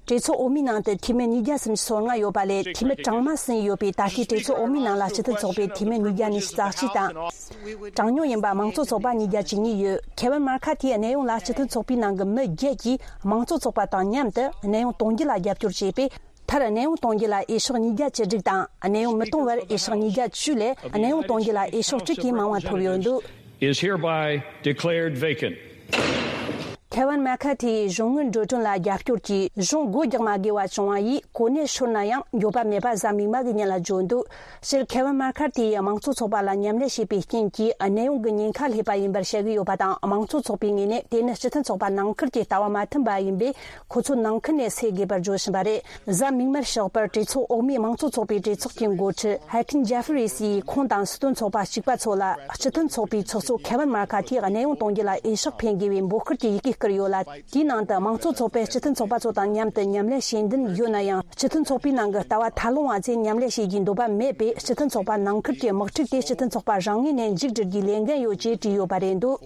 གྲོས་ཚོགས་འོག་མའི་ནང་དུ་འཐུས་མི་ཉིས་བརྒྱ་སུམ་ཅུ་སོ་ལྔ་ཡོད་པ་ལས། འཐུས་མི་གྲངས་མང་ཟིན་ཡོད་པས། ད་ལྟའི་གྲོས་ཚོགས་འོག་མའི་ནང་ལ་སྤྱི་མཐུན་ཚོགས་པའི་འཐུས་མི་ཉིས་བརྒྱ་ཉི་ཤུ་རྩ་གཅིག་དང་། གྲངས་ཉུང་ཡིན་པ་དམངས་གཙོ་ཚོགས་པ་ཉིས་བརྒྱ་བཅུ་གཉིས་ཡོད། ཁེ་ཝིན་མར་ཁ་ཐིའི་གནས་དབྱུང་ལ་སྤྱི་མཐུན་ཚོགས་པའི་ནང་གི་མི་བརྒྱད་ཀྱིས་དམངས་གཙོ་ཚོགས་པ་དང་མཉམ་དུ་གནས་དབྱུང་གཏོང་རྒྱུ་ལ་རྒྱབ་སྐྱོར་བྱས་པས། མཐར་གནས་དབྱུང་གཏོང་རྒྱུ་ལ་འོས་ཤོག་ཉིས་བརྒྱ་བཅུ་དྲུག་དང་། གནས་དབྱུང་མི་གཏོང་བར་འོས་ཤོག་ཉིས་བརྒྱ་བཅུ་ལས། གནས་དབྱུང་གཏོང་རྒྱུ་ལ་འོས་ཤོག་དྲུག་གིས་མང་བ་ཐོབ་ཡོད་འདུག Is hereby declared vacant. ཁེ་ཝིན་མར་ཁ་ཐིའི་གཞུང་དངུལ་འགྲོ་གྲོན་ལ་རྒྱབ་སྐྱོར་གྱིས་གཞུང་སྒོ་རྒྱག་མ་དགོས་པ་བྱུང་བ་ཡིས། གོ་གནས་ཤོར་ན་ཡང་འགྱོད་པ་མེད་པ་གཟའ་མིག་དམར་གྱི་ཉིན་ལ་བརྗོད་འདུག་སྤྱིར་ཁེ་ཝིན་མར་ཁ་ཐིའི་དམངས་གཙོ་ཚོགས་པ་ལ་མཉམ་ལས་བྱས་པའི་རྐྱེན་གྱིས། གནས་དབྱུང་གི་ཉེན་ཁ་སླེབས་པ་ཡིན་པར་བཤད་ཀྱི་ཡོད་པ་དང་། དམངས་གཙོ་ཚོགས་པའི་ངོས་ནས་དེ་ནི་སྤྱི་མཐུན་ཚོགས་པ་ནང་ཁུལ་གྱི་ལྟ་བ་མ་མཐུན་པ་ཡིན་པས། ཁོ་ཚོ་ནང་ཁུལ་ནས་སེལ་དགོས་པར་བརྗོད་བཞིན་པ་རེད། གཟའ་མིག་དམར་ཞོགས་པར་གྲོས་ཚོགས་འོག་མའི་དམངས་གཙོ་ཚོགས་པའི་གྲོས་ཚོགས་ཀྱི་འགོ་ཁྲིད་ཧེ་ཁིན་ཇེ་ཧྥི་རི་སིས་ཁོང་དང་སྲིད་དོན་ཚོགས་པ་གཅིག་པ་ཚོ་ལ། སྤྱི་མཐུན་ཚོགས་པའི་ཚོགས་གཙོ་ཁེ་ཝིན་མར་ཁ་ཐིའི་གནས་དབྱུང་གཏོང་རྒྱུ་ལ་འོས་ཤོག་འཕེན་དགོས་པའི་འབོད་སྐུལ་གྱི་ཡི་གེ་བསྐུར་ཡོད་ལ། དེའི་ནང་དུ་དམངས་གཙོ་ཚོགས་པས་སྤྱི་མཐུན་ཚོགས་པ་ཚོ་དང་མཉམ་དུ་མཉམ་ལས་བྱེད་འདུན་ཡོད་ན་ཡང་། སྤྱི་མཐུན་ཚོགས་པའི་ནང་གི་ལྟ་བ་ཐབས་ལོང་བ་ཚོས་མཉམ་ལས་བྱེད་རྒྱུའི་འདོད་པ་མེད་པས། སྤྱི་མཐུན་ཚོགས་པ་ནང་ཁུལ་གྱི་དམག་འཁྲུག་དེ་སྤྱི་མཐུན་ཚོགས་པ་རང་ངོས་ནས་མཇུག་སྒྲིལ་རྒྱུའི་ལས་འགན་ཡོད་ཅེས་བྲིས་ཡོད་པ་རེད་འདུག་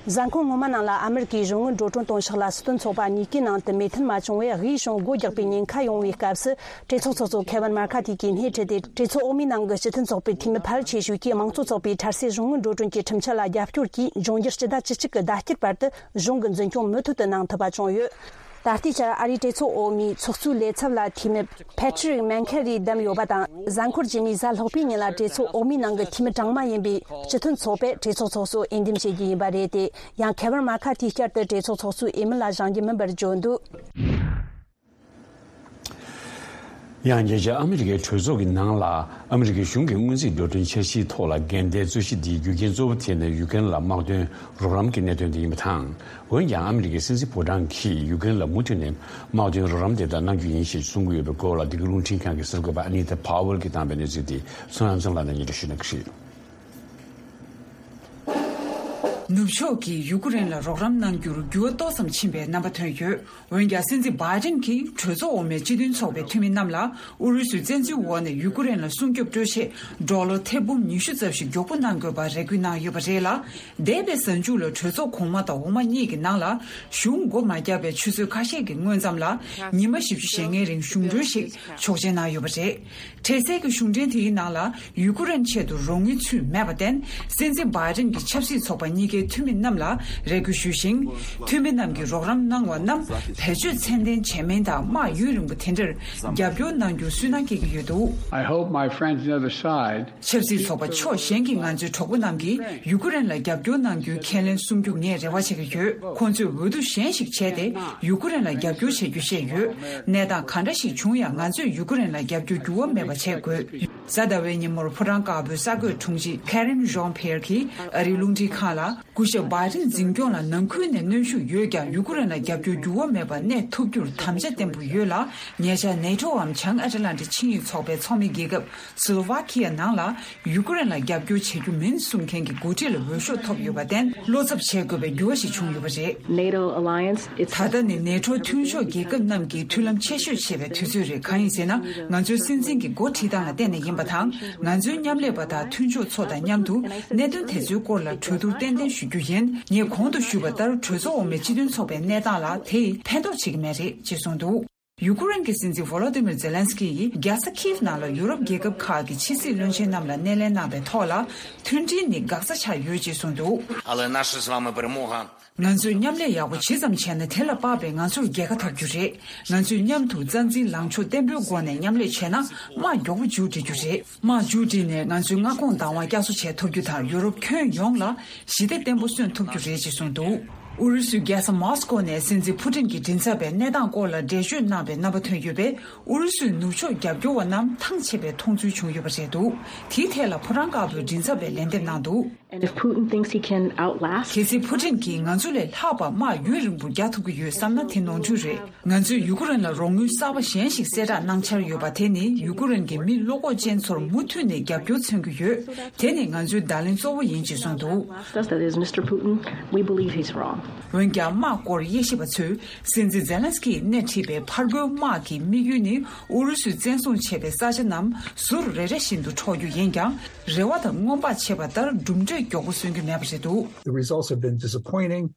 གཟའ་འཁོར་སྔོན་མ་ནང་ལ་ཨ་མི་རི་ཀའི་གཞུང་དངུལ་འགྲོ་གྲོན་གཏོང་ཕྱོགས་ལ་སྲིད་དོན་ཚོགས་པ་གཉིས་ཀའི་ནང་དུ་མོས་མཐུན་མ་བྱུང་བས། དབུས་གཞུང་སྒོ་རྒྱག་པའི་ཉེན་ཁ་ཡོང་བའི་སྐབས་སུ། གྲོས་ཚོགས་ཚོགས་གཙོ་ཁེ་ཝིན་མར་ཁ་ཐི་གིས་སྣེ་ཁྲིད་དེ། གྲོས་ཚོགས་འོག་མའི་ནང་གི་སྤྱི་མཐུན་ཚོགས་པའི་འཐུས་མི་ཕལ་ཆེ་ཤོས་ཀྱིས་དམངས་གཙོ་ཚོགས་པའི་འཕྲལ་སེལ་གཞུང་དངུལ་འགྲོ་གྲོན་གྱི་ཁྲིམས་འཆར་ལ་རྒྱབ་སྐྱོར་གྱིས། འབྱུང་འགྱུར་སྤྱི་ཟླ་བཅུ་གཅིག་གི་ཟླ་དཀྱིལ་བར་དུ་གཞུང་གི་འཛིན་སྐྱོང་མུ་མཐུད་དུ་གནང་ཐུབ་པ་བྱུང་ཡོད། ད་ལྟའི་ཆར་ཨ་རིའི་གྲོས་ཚོགས་འོག་མའི་ཚོགས་གཙོའི་ལས་ཚབ་ལ་འཐུས་མི་ཕེ་ཁྲི་རིག་མན་ཁེ་རི་བདམས་ཡོད་པ་དང་། གཟའ་འཁོར་རྗེས་མའི་གཟའ་ལྷག་པའི་ཉིན་ལ་གྲོས་ཚོགས་འོག་མའི་ནང་གི་འཐུས་མི་གྲངས་མང་ཡིན་པའི་སྤྱི་མཐུན་ཚོགས་པས་གྲོས་ཚོགས་ཚོགས་གཙོ་འོས་འདེམས་བྱེད་རྒྱུ་ཡིན་པ་རེད་དེ། ཡང་ཁེ་ཝིན་མར་ཁ་ཐི་བསྐྱར་དུ་གྲོས་ཚོགས་ཚོགས་གཙོའི་འོས་མི་ལ་བཞེངས་རྒྱུ་མིན་པར་བརྗོད་འདུག་ཡང་རྒྱལ་སྤྱིའི་ཨ་མི་རི་ཀའི་གྲོས་ཚོགས་ཀྱི་ནང་ལ་ཨ་མི་རི་ཀའི་གཞུང་གི་སྔོན་རྩིས་འགྲོ་གྲོན་འཆར་གཞིའི་ཐོག་ལ་འགལ་ཟླའི་རྩོད་གཞི་འདིའི་རྒྱུ་རྐྱེན་གཙོ་བོ་དེ་ནི་ཡུ་ཀེ་རེན་ལ་དམག་དོན་རོགས་རམ་གྱི་གནད་དོན་དེ་ཡིན་པ་དང་། འོན་ཀྱང་ཨ་མི་རི་ཀའི་སྲིད་འཛིན་ཕོ་བྲང་གིས་ཡུ་ཀེ་རེན་ལ་མུ་མཐུད་ནས་དམག་དོན་རོགས་རམ་དེ་དག་གནང་རྒྱུ་ཡིན་ཞེས་གསུང་གི་ཡོད་པའི་སྐོར་ལ། འདི་ག་རླུང་འཕྲིན་ཁང་གི་གསར་འགོད་པ་ཨ་ནི་ཏཱ་ཕཱ་ཝེལ་གྱིས་བཏང་བའི་གནས་ཚུལ་དེ་ཚོང་ཡང་ཚོང་ལ་ནས་སྙན་སྒྲོན་ཞུ་གནང་གི་རེད། ནུབ་ཕྱོགས་ཀྱིས་ཡུ་ཀེ་རེན་ལ་རོགས་རམ་གནང་རྒྱུར་འགྱུར་བ་ཏོག་ཙམ་ཕྱིན་པའི་རྣམ་པ་ཐོན་ཡོད། འོན་ཀྱང་སྲིད་འཛིན་བྷའི་ཌེན་གྱིས་གྲོས་ཚོགས་འོག་མའི་སྤྱི་མཐུན་ཚོགས་པའི་འཐུས་མི་རྣམས་ལ་ཨུ་རུ་སུའི་བཙན་འཛུལ་འོག་ནས་ཡུ་ཀེ་རེན་ལ་སྲུང་སྐྱོབ་སྤྲོད་ཆེད་ཌོ་ལར་ཐེར་འབུམ་ཉི་ཤུ་ཙམ་ཞིག་མགྱོགས་པོ་གནང་དགོས་པར་རེ་སྐུལ་གནང་ཡོད་པ་རེད་ལ། འདས་པའི་གཟའ་མཇུག་ལ་གྲོས་ཚོགས་གོང་མ་དང་འོག་མ་གཉིས་ཀྱི་ནང་ལ་གཞུང་སྒོ་མ་བརྒྱབ་པའི་ཆུ་ཚོད་ཁ་ཤས་ཀྱི་སྔོན་ཙམ་ལ་ཉི་མ་བཞི་བཅུ་ཞེ་ལྔའི་རིང་གཞུང་གྲོན་ཞིག་ཆོག་མཆན་གནང་ཡོད་པ་རེད། འཕྲལ་སེལ་གྱི་གཞུང་འབྲེལ་དེའི་ནང་ལ་ཡུ་ཀེ་རེན་ཆེད་དུ་རོགས་དངུལ་ཚུད་མེད་པར་བརྟེན། སྲིད་འཛིན་བྷའི་ཌེན་གྱི་ཆབ་སྲིད་ཚོགས་པ་གཉིས་ཀའི་འཐུས་མི་རྣམས་ལ་རེ་སྐུལ་ཞུས་ཤིང་། འཐུས་མི་རྣམས་ཀྱིས་རོགས་རམ་གནང་བ་རྣམས་བེད་སྤྱོད་ཚད་ལྡན་བྱས་མིན་དང་། དམག་ཡུན་རིང་པོ་དེ་འདྲར་རྒྱབ་སྐྱོར་གནང་རྒྱུར་སུན་སྣང་སྐྱེ་གི་ཡོད་འདུག I hope my friends on the other side. ཆབ་སྲིད་ཚོགས་པ་ཕྱོགས་གཞན་གྱི་ང་ཚོའི་གྲོགས་པོ་རྣམས་ཀྱིས་ཡུ་ཀེ་རེན་ལ་རྒྱབ་སྐྱོར་གནང་རྒྱུའི་ཁས་ལེན་གསུང་རྒྱུ་ངས་རེ་བ་བྱེད་ཀྱི་ཡོད། ཁོང་ཚོས་འོས་བསྡུ་གཞན་ཞིག་བྱས་ཏེ་ཡུ་ཀེ་རེན་ལ་རྒྱབ་སྐྱོར་བྱེད་རྒྱུ་བཤད་ཡོད། གནས་སྟངས་ག་འདྲ་ཞིག་བྱུང་ཡང་ང་ཚོས་ཡུ་ཀེ་རེན་ལ་རྒྱབ་སྐྱོར་འགྱུར་བ་མེད་པ་བྱེད་དགོས། གཟའ་ཟླ་བའི་ཉིན་མོར་ཕོ་བྲང་དཀར་པོའི་གསར་འགོད་དྲུང་ཆེ་Karine Jean-Pierre གྱིས་ཨ་རིའི་རླུང་འཕྲིན་ཁང་ལ། སྐུ་ཞབས་བྷའི་ཌེན་འཛིན་སྐྱོང་ལ་ནང་ཁུལ་ནས་གནོན་ཤུགས་ཡོད་ཀྱང་། ཡུ་ཀེ་རེན་ལ་རྒྱབ་སྐྱོར་འགྱུར་བ་མེད་པར་གནས་ཐུབ་རྒྱུར་དམ་བཅའ་བརྟན་པོ་ཡོད་ལ། ཉེ་ཆར་ནེ་ཊོའམ་བྱང་ཨ་ཊ་ལན་ཊིག་ཆིངས་ཡིག་ཚོགས་པའི་ཚོགས་མི་རྒྱལ་ཁབ་སི་ལོ་ཝ་ཁི་ཡ་ནང་ལ་ཡུ་ཀེ་རེན་ལ་རྒྱབ་སྐྱོར་བྱེད་རྒྱུ་མིན་གསུང་མཁན་གྱི་འགོ་ཁྲིད་ལ་འོས་ཤོག་ཐོབ་ཡོད་པར་བརྟེན། བློ་འཚབ་བྱེད་དགོས་པའི་འགྱུར་བ་ཞིག་བྱུང་ཡོད་པ་རེད། NATO alliance, it's ད་ལྟ་ནི་ནེ་ཊོ་མཐུན་ཕྱོགས་རྒྱལ་ཁབ་རྣམས་ཀྱིས་མཐུན་ལམ་ཆེ་ཤོས་བྱེད་པའི་དུས་ཚོད་རེད། གང་ཡིན་ཟེར་ན། ང་ཚོའི་སྲིད་འཛིན་གྱི་འགོ་ཁྲིད་སྟངས་ལ་བརྟེན་ནས་ཡིན་པ་དང་། ང་ཚོའི་མཉམ་ལས་པ་དང་མཐུན་ཕྱོགས་ཚོ་དང་མཉམ་དུ་གནད་དོན་དེ་ཚོའི་སྐོར་ལ་གྲོས་བསྡུར་ཏན་ཏན་ཞུ་རྒྱུ་ཡིན། ངས་གོང་དུ་ཞུས་པ་ལྟར། གྲོས་ཚོགས་འོག་མའི་སྤྱི་མཐུན་ཚོགས་པའི་གནས་སྟངས་ལ་དེས་ཕན་ཐོགས་བྱེད་ཀྱི་མེད་རེད་ཅེས་གསུངས་འདུག་ཡུ་ཀེ་རེན་གྱི་སྲིད་འཛིན་ཝོ་ལོ་ཏི་མིར་ཛེ་ལན་སི་ཀི་ཡིས་རྒྱལ་ས་ཁིབ་ནང་ལ་ཡུ་རོབ་རྒྱལ་ཁབ་ཁག་གི་ཕྱི་སྲིད་བློན་ཆེན་རྣམས་ལ་སྣེ་ལེན་གནང་བའི་ཐོག་ལ། མཐུན་སྒྲིལ་ནི་འགག་རྩ་ཆགས་ཡོད་ཅེས་གསུངས་འདུག Але наша з вами перемога. ང་ཚོས་མཉམ་ལས་ཡག་པོ་ཇི་ཙམ་བྱས་ན། དེ་ལ་དཔག་པའི་ང་ཚོར་རྒྱལ་ཁ་ཐོབ་རྒྱུ་རེད། ང་ཚོས་མཉམ་དུ་རྩ་འཛིན་ལངས་ཕྱོགས་བརྟན་པོའི་སྒོ་ནས་མཉམ་ལས་བྱས་ན། དམག་མགྱོགས་པོ་མཇུག་སྒྲིལ་རྒྱུ་རེད། དམག་མཇུག་སྒྲིལ་ནས་ང་ཚོའི་མངའ་ཁོངས་བདག་དབང་བསྐྱར་གསོ་བྱེད་ཐུབ་རྒྱུ་དང་། ཡུ་རོབ་ཁྱོན་ཡོངས་ལ་ཞི་བདེ་བརྟན་པོ་སོན་ཐུབ་རྒྱུ་རེད་ཅེས་གསུངས་འདུག་ཨུ་རུ་སུའི་རྒྱལ་ས་མོ་སི་ཀོ་ནས་སྲིད་འཛིན་ཕུ་ཏིན་གྱི་མགྲིན་ཚབ་པས་གནས་སྟངས་སྐོར་ལ་འགྲེལ་བརྗོད་གནང་བའི་རྣམ་པ་ཐོན་ཡོད་པས། ཨུ་རུ་སུའི་ནུབ་ཕྱོགས་རྒྱབ་སྐྱོར་བ་རྣམས་ཐང་ཆད་པའི་མཐོང་ཚུལ་བྱུང་ཡོད་པ་རེད་འདུག་དེའི་ཐད་ལ་ཕོ་བྲང་དཀར་པོའི་མགྲིན་ཚབ་པས་ལན་འདེབས་གནང་འདུག And if Putin thinks he can outlast གལ་སྲིད་ཕུ་ཏིན་གྱིས་ང་ཚོ་ལས་ལྷག་པར་དམག་ཡུན་རིང་པོར་རྒྱག་ཐུབ་ཀྱི་ཡོད་བསམ་ན། དེ་ནོར་འཁྲུལ་རེད། ང་ཚོས་ཡུ་ཀེ་རེན་ལ་རོགས་དངུལ་གསར་པ་གཞན་ཞིག་གསལ་བསྒྲགས་གནང་འཆར་ཡོད་པ། དེ་ནི་ཡུ་ཀེ་རེན་གྱི་མི་བློ་ཁོག་ཅན་ཚོར་མུ་མཐུད་ནས་རྒྱབ་སྐྱོར་མཚོན་གྱི་ཡོད། དེ་ནི་ང་ཚོའི་བརྡ་ལན་གཙོ་བོ་ཡིན་ཅེས་གསུངས་འདུག That is, Mister Putin, we believe he's wrong. འོན་ཀྱང་། དམག་སྐོར་དབྱེ་ཞིབ་པ་ཚོས་སྲིད་འཛིན་ཛེ་ལན་སི་ཀིས་སྣེ་ཁྲིད་པའི་ཕར་རྒོལ་དམག་གི་དམིགས་ཡུལ་ནི། ཨུ་རུ་སུས་བཙན་བཟུང་བྱས་པའི་ས་ཆ་རྣམས་ཟུར་རེ་རེ་བཞིན་དུ་འཕྲོག་རྒྱུ་ཡིན་ཀྱང་། རེ་བ་དང་སྔོན་དཔག་བྱས་པ་ལྟར་གྲུབ་འབྲས་མགྱོགས་པོ་སོན་རྒྱུ་མེད་པ་རེད་འདུག The results have been disappointing.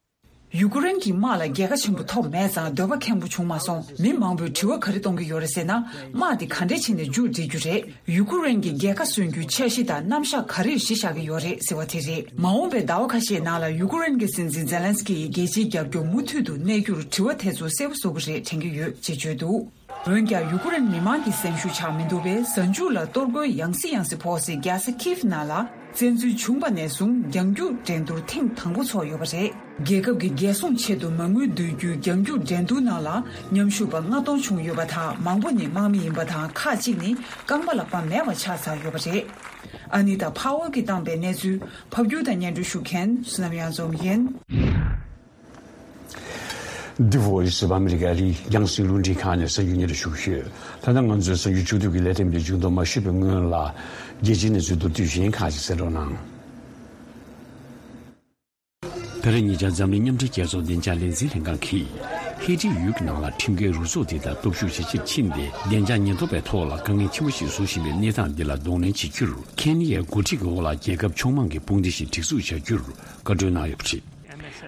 ཡུ་ཀེ་རེན་གྱི་དམག་ལ་རྒྱལ་ཁ་ཆེན་པོ་ཐོབ་མེད་ཙང་། འདོད་པ་ཁེངས་པོ་བྱུང་མ་སོང་། མི་མང་པོས་དྲི་བ་ག་རེ་གཏོང་གི་ཡོད་རེད་ཟེར་ན། དམག་འདི་ག་འདྲས་བྱས་ནས་མཇུག་སྒྲིལ་རྒྱུ་རེད། ཡུ་ཀེ་རེན་གྱི་རྒྱལ་ཁ་སོན་རྒྱུའི་འཆར་གཞི་དང་རྣམ་གཞག་ག་རེ་གཞི་བཞག་གི་ཡོད་རེད་ཟེར་བ་དེ་རེད། མ་འོངས་པའི་ཟླ་བ་ཁ་ཤས་ནང་ལ་ཡུ་ཀེ་རེན་གྱི་སྲིད་འཛིན་ཛེ་ལན་སི་ཀི་ཡིས་རྒྱལ་སྤྱིའི་རྒྱབ་སྐྱོར་མུ་མཐུད་དུ་གནས་རྒྱུར་དྲི་བ་དེ་ཚོ་གསལ་པོ་བཟོ་གི་རེད་དྲན་གྱི་ཡོད་ཅེས་བརྗོད་འདུག་འོན་ཀྱང་། ཡུ་ཀེ་རེན་མི་མང་གི་སེམས་ཤུགས་ཆག་མི་འདུག་པས། གཟའ་མཇུག་ལ་གཏོར་རྒོལ་ཡང་སེ་ཡང་སེ་ཕོག་སའི་རྒྱལ་ས་ཁིབ་ནང་ལ། བཙན་འཛུལ་བྱུང་བ་ནས་བཟུང་རྒྱང་རྒྱུག་འགྲན་བསྡུར་ཐེངས་དང་པོ་ཚོགས་ཡོད་པ་རེད། རྒྱལ་ཁབ་ཀྱི་རྒྱལ་སྲུང་ཆེད་དུ་མ་དངུལ་བསྡུ་རྒྱུའི་རྒྱང་རྒྱུག་འགྲན་བསྡུར་ནང་ལ་མཉམ་ཞུགས་པ་ལྔ་སྟོང་བྱུང་ཡོད་པ་དང་། མང་པོ་ནི་དམག་མི་ཡིན་པ་དང་། ཁག་ཅིག་ནི་རྐང་པ་ལག་པ་མེད་པ་ཆགས་ཚར་ཡོད་པ་རེད། ཨ་ནི་ཏཱ་ཕ་ཝལ་གྱིས་བཏང་པའི་གནས་ཚུལ། ཕབ་སྒྱུར་དང་སྙན་སྒྲོན་ཞུ་མཁན་བསོད་ནམས་གཡང་འཛོམས་ཡིན། འདི་Voice of America ཨ་རིའི་རྒྱང་སྲིང་རླུང་འཕྲིན་ཁང་ནས་གསར་འགྱུར་སྙན་སྒྲོན་ཞུ་གི་ཡོད། ད་ལྟ་ང་ཚོའི་གསར་འགྱུར་ཕྱོགས་བསྡུས་ཀྱི་ལས་རིམ་འདི་མཇུག་བསྡོམས་མ་ཞུས་པའི་སྔོན་ལ། རྒྱལ་སྤྱིའི་གནས་ཚུལ་མདོར་བསྡུས་གཞན་ཁག་ཅིག་གསན་རོགས་གནང་། ད་རེས་ཉེ་ཆར་འཛམ་གླིང་མཉམ་འབྲེལ་རྒྱལ་ཚོགས་བདེ་འཇགས་ལས་འཛིན་ལྷན་ཁང་གིས། ཧེ་ཊི་ཡུལ་གྱི་ནང་ལ་ཁྲིམས་འགལ་རུ་ཚོགས་དེ་དང་སྟོབས་ཤུགས་ཇེ་ཆེར་ཕྱིན་ཏེ། བདེ་འཇགས་ཉེན་རྟོག་པའི་ཐོག་ལ་དཀའ་ངལ་ཆེན་པོ་ཞིག་བཟོ་བཞིན་པའི་གནས་སྟངས་འདི་ལ་གདོང་ལེན་བྱེད་རྒྱུར། ཁེན་ཡའི་འགོ་ཁྲིད་ཀྱི་འོག་ལ་རྒྱལ་ཁབ་ཕྱོགས་མང་གི་དཔུང་སྡེ་ཞིག་སྒྲིག་འཛུགས་བྱ་རྒྱུར་བཀའ་འཁྲོལ་གནང་ཡོད་པ་རེད།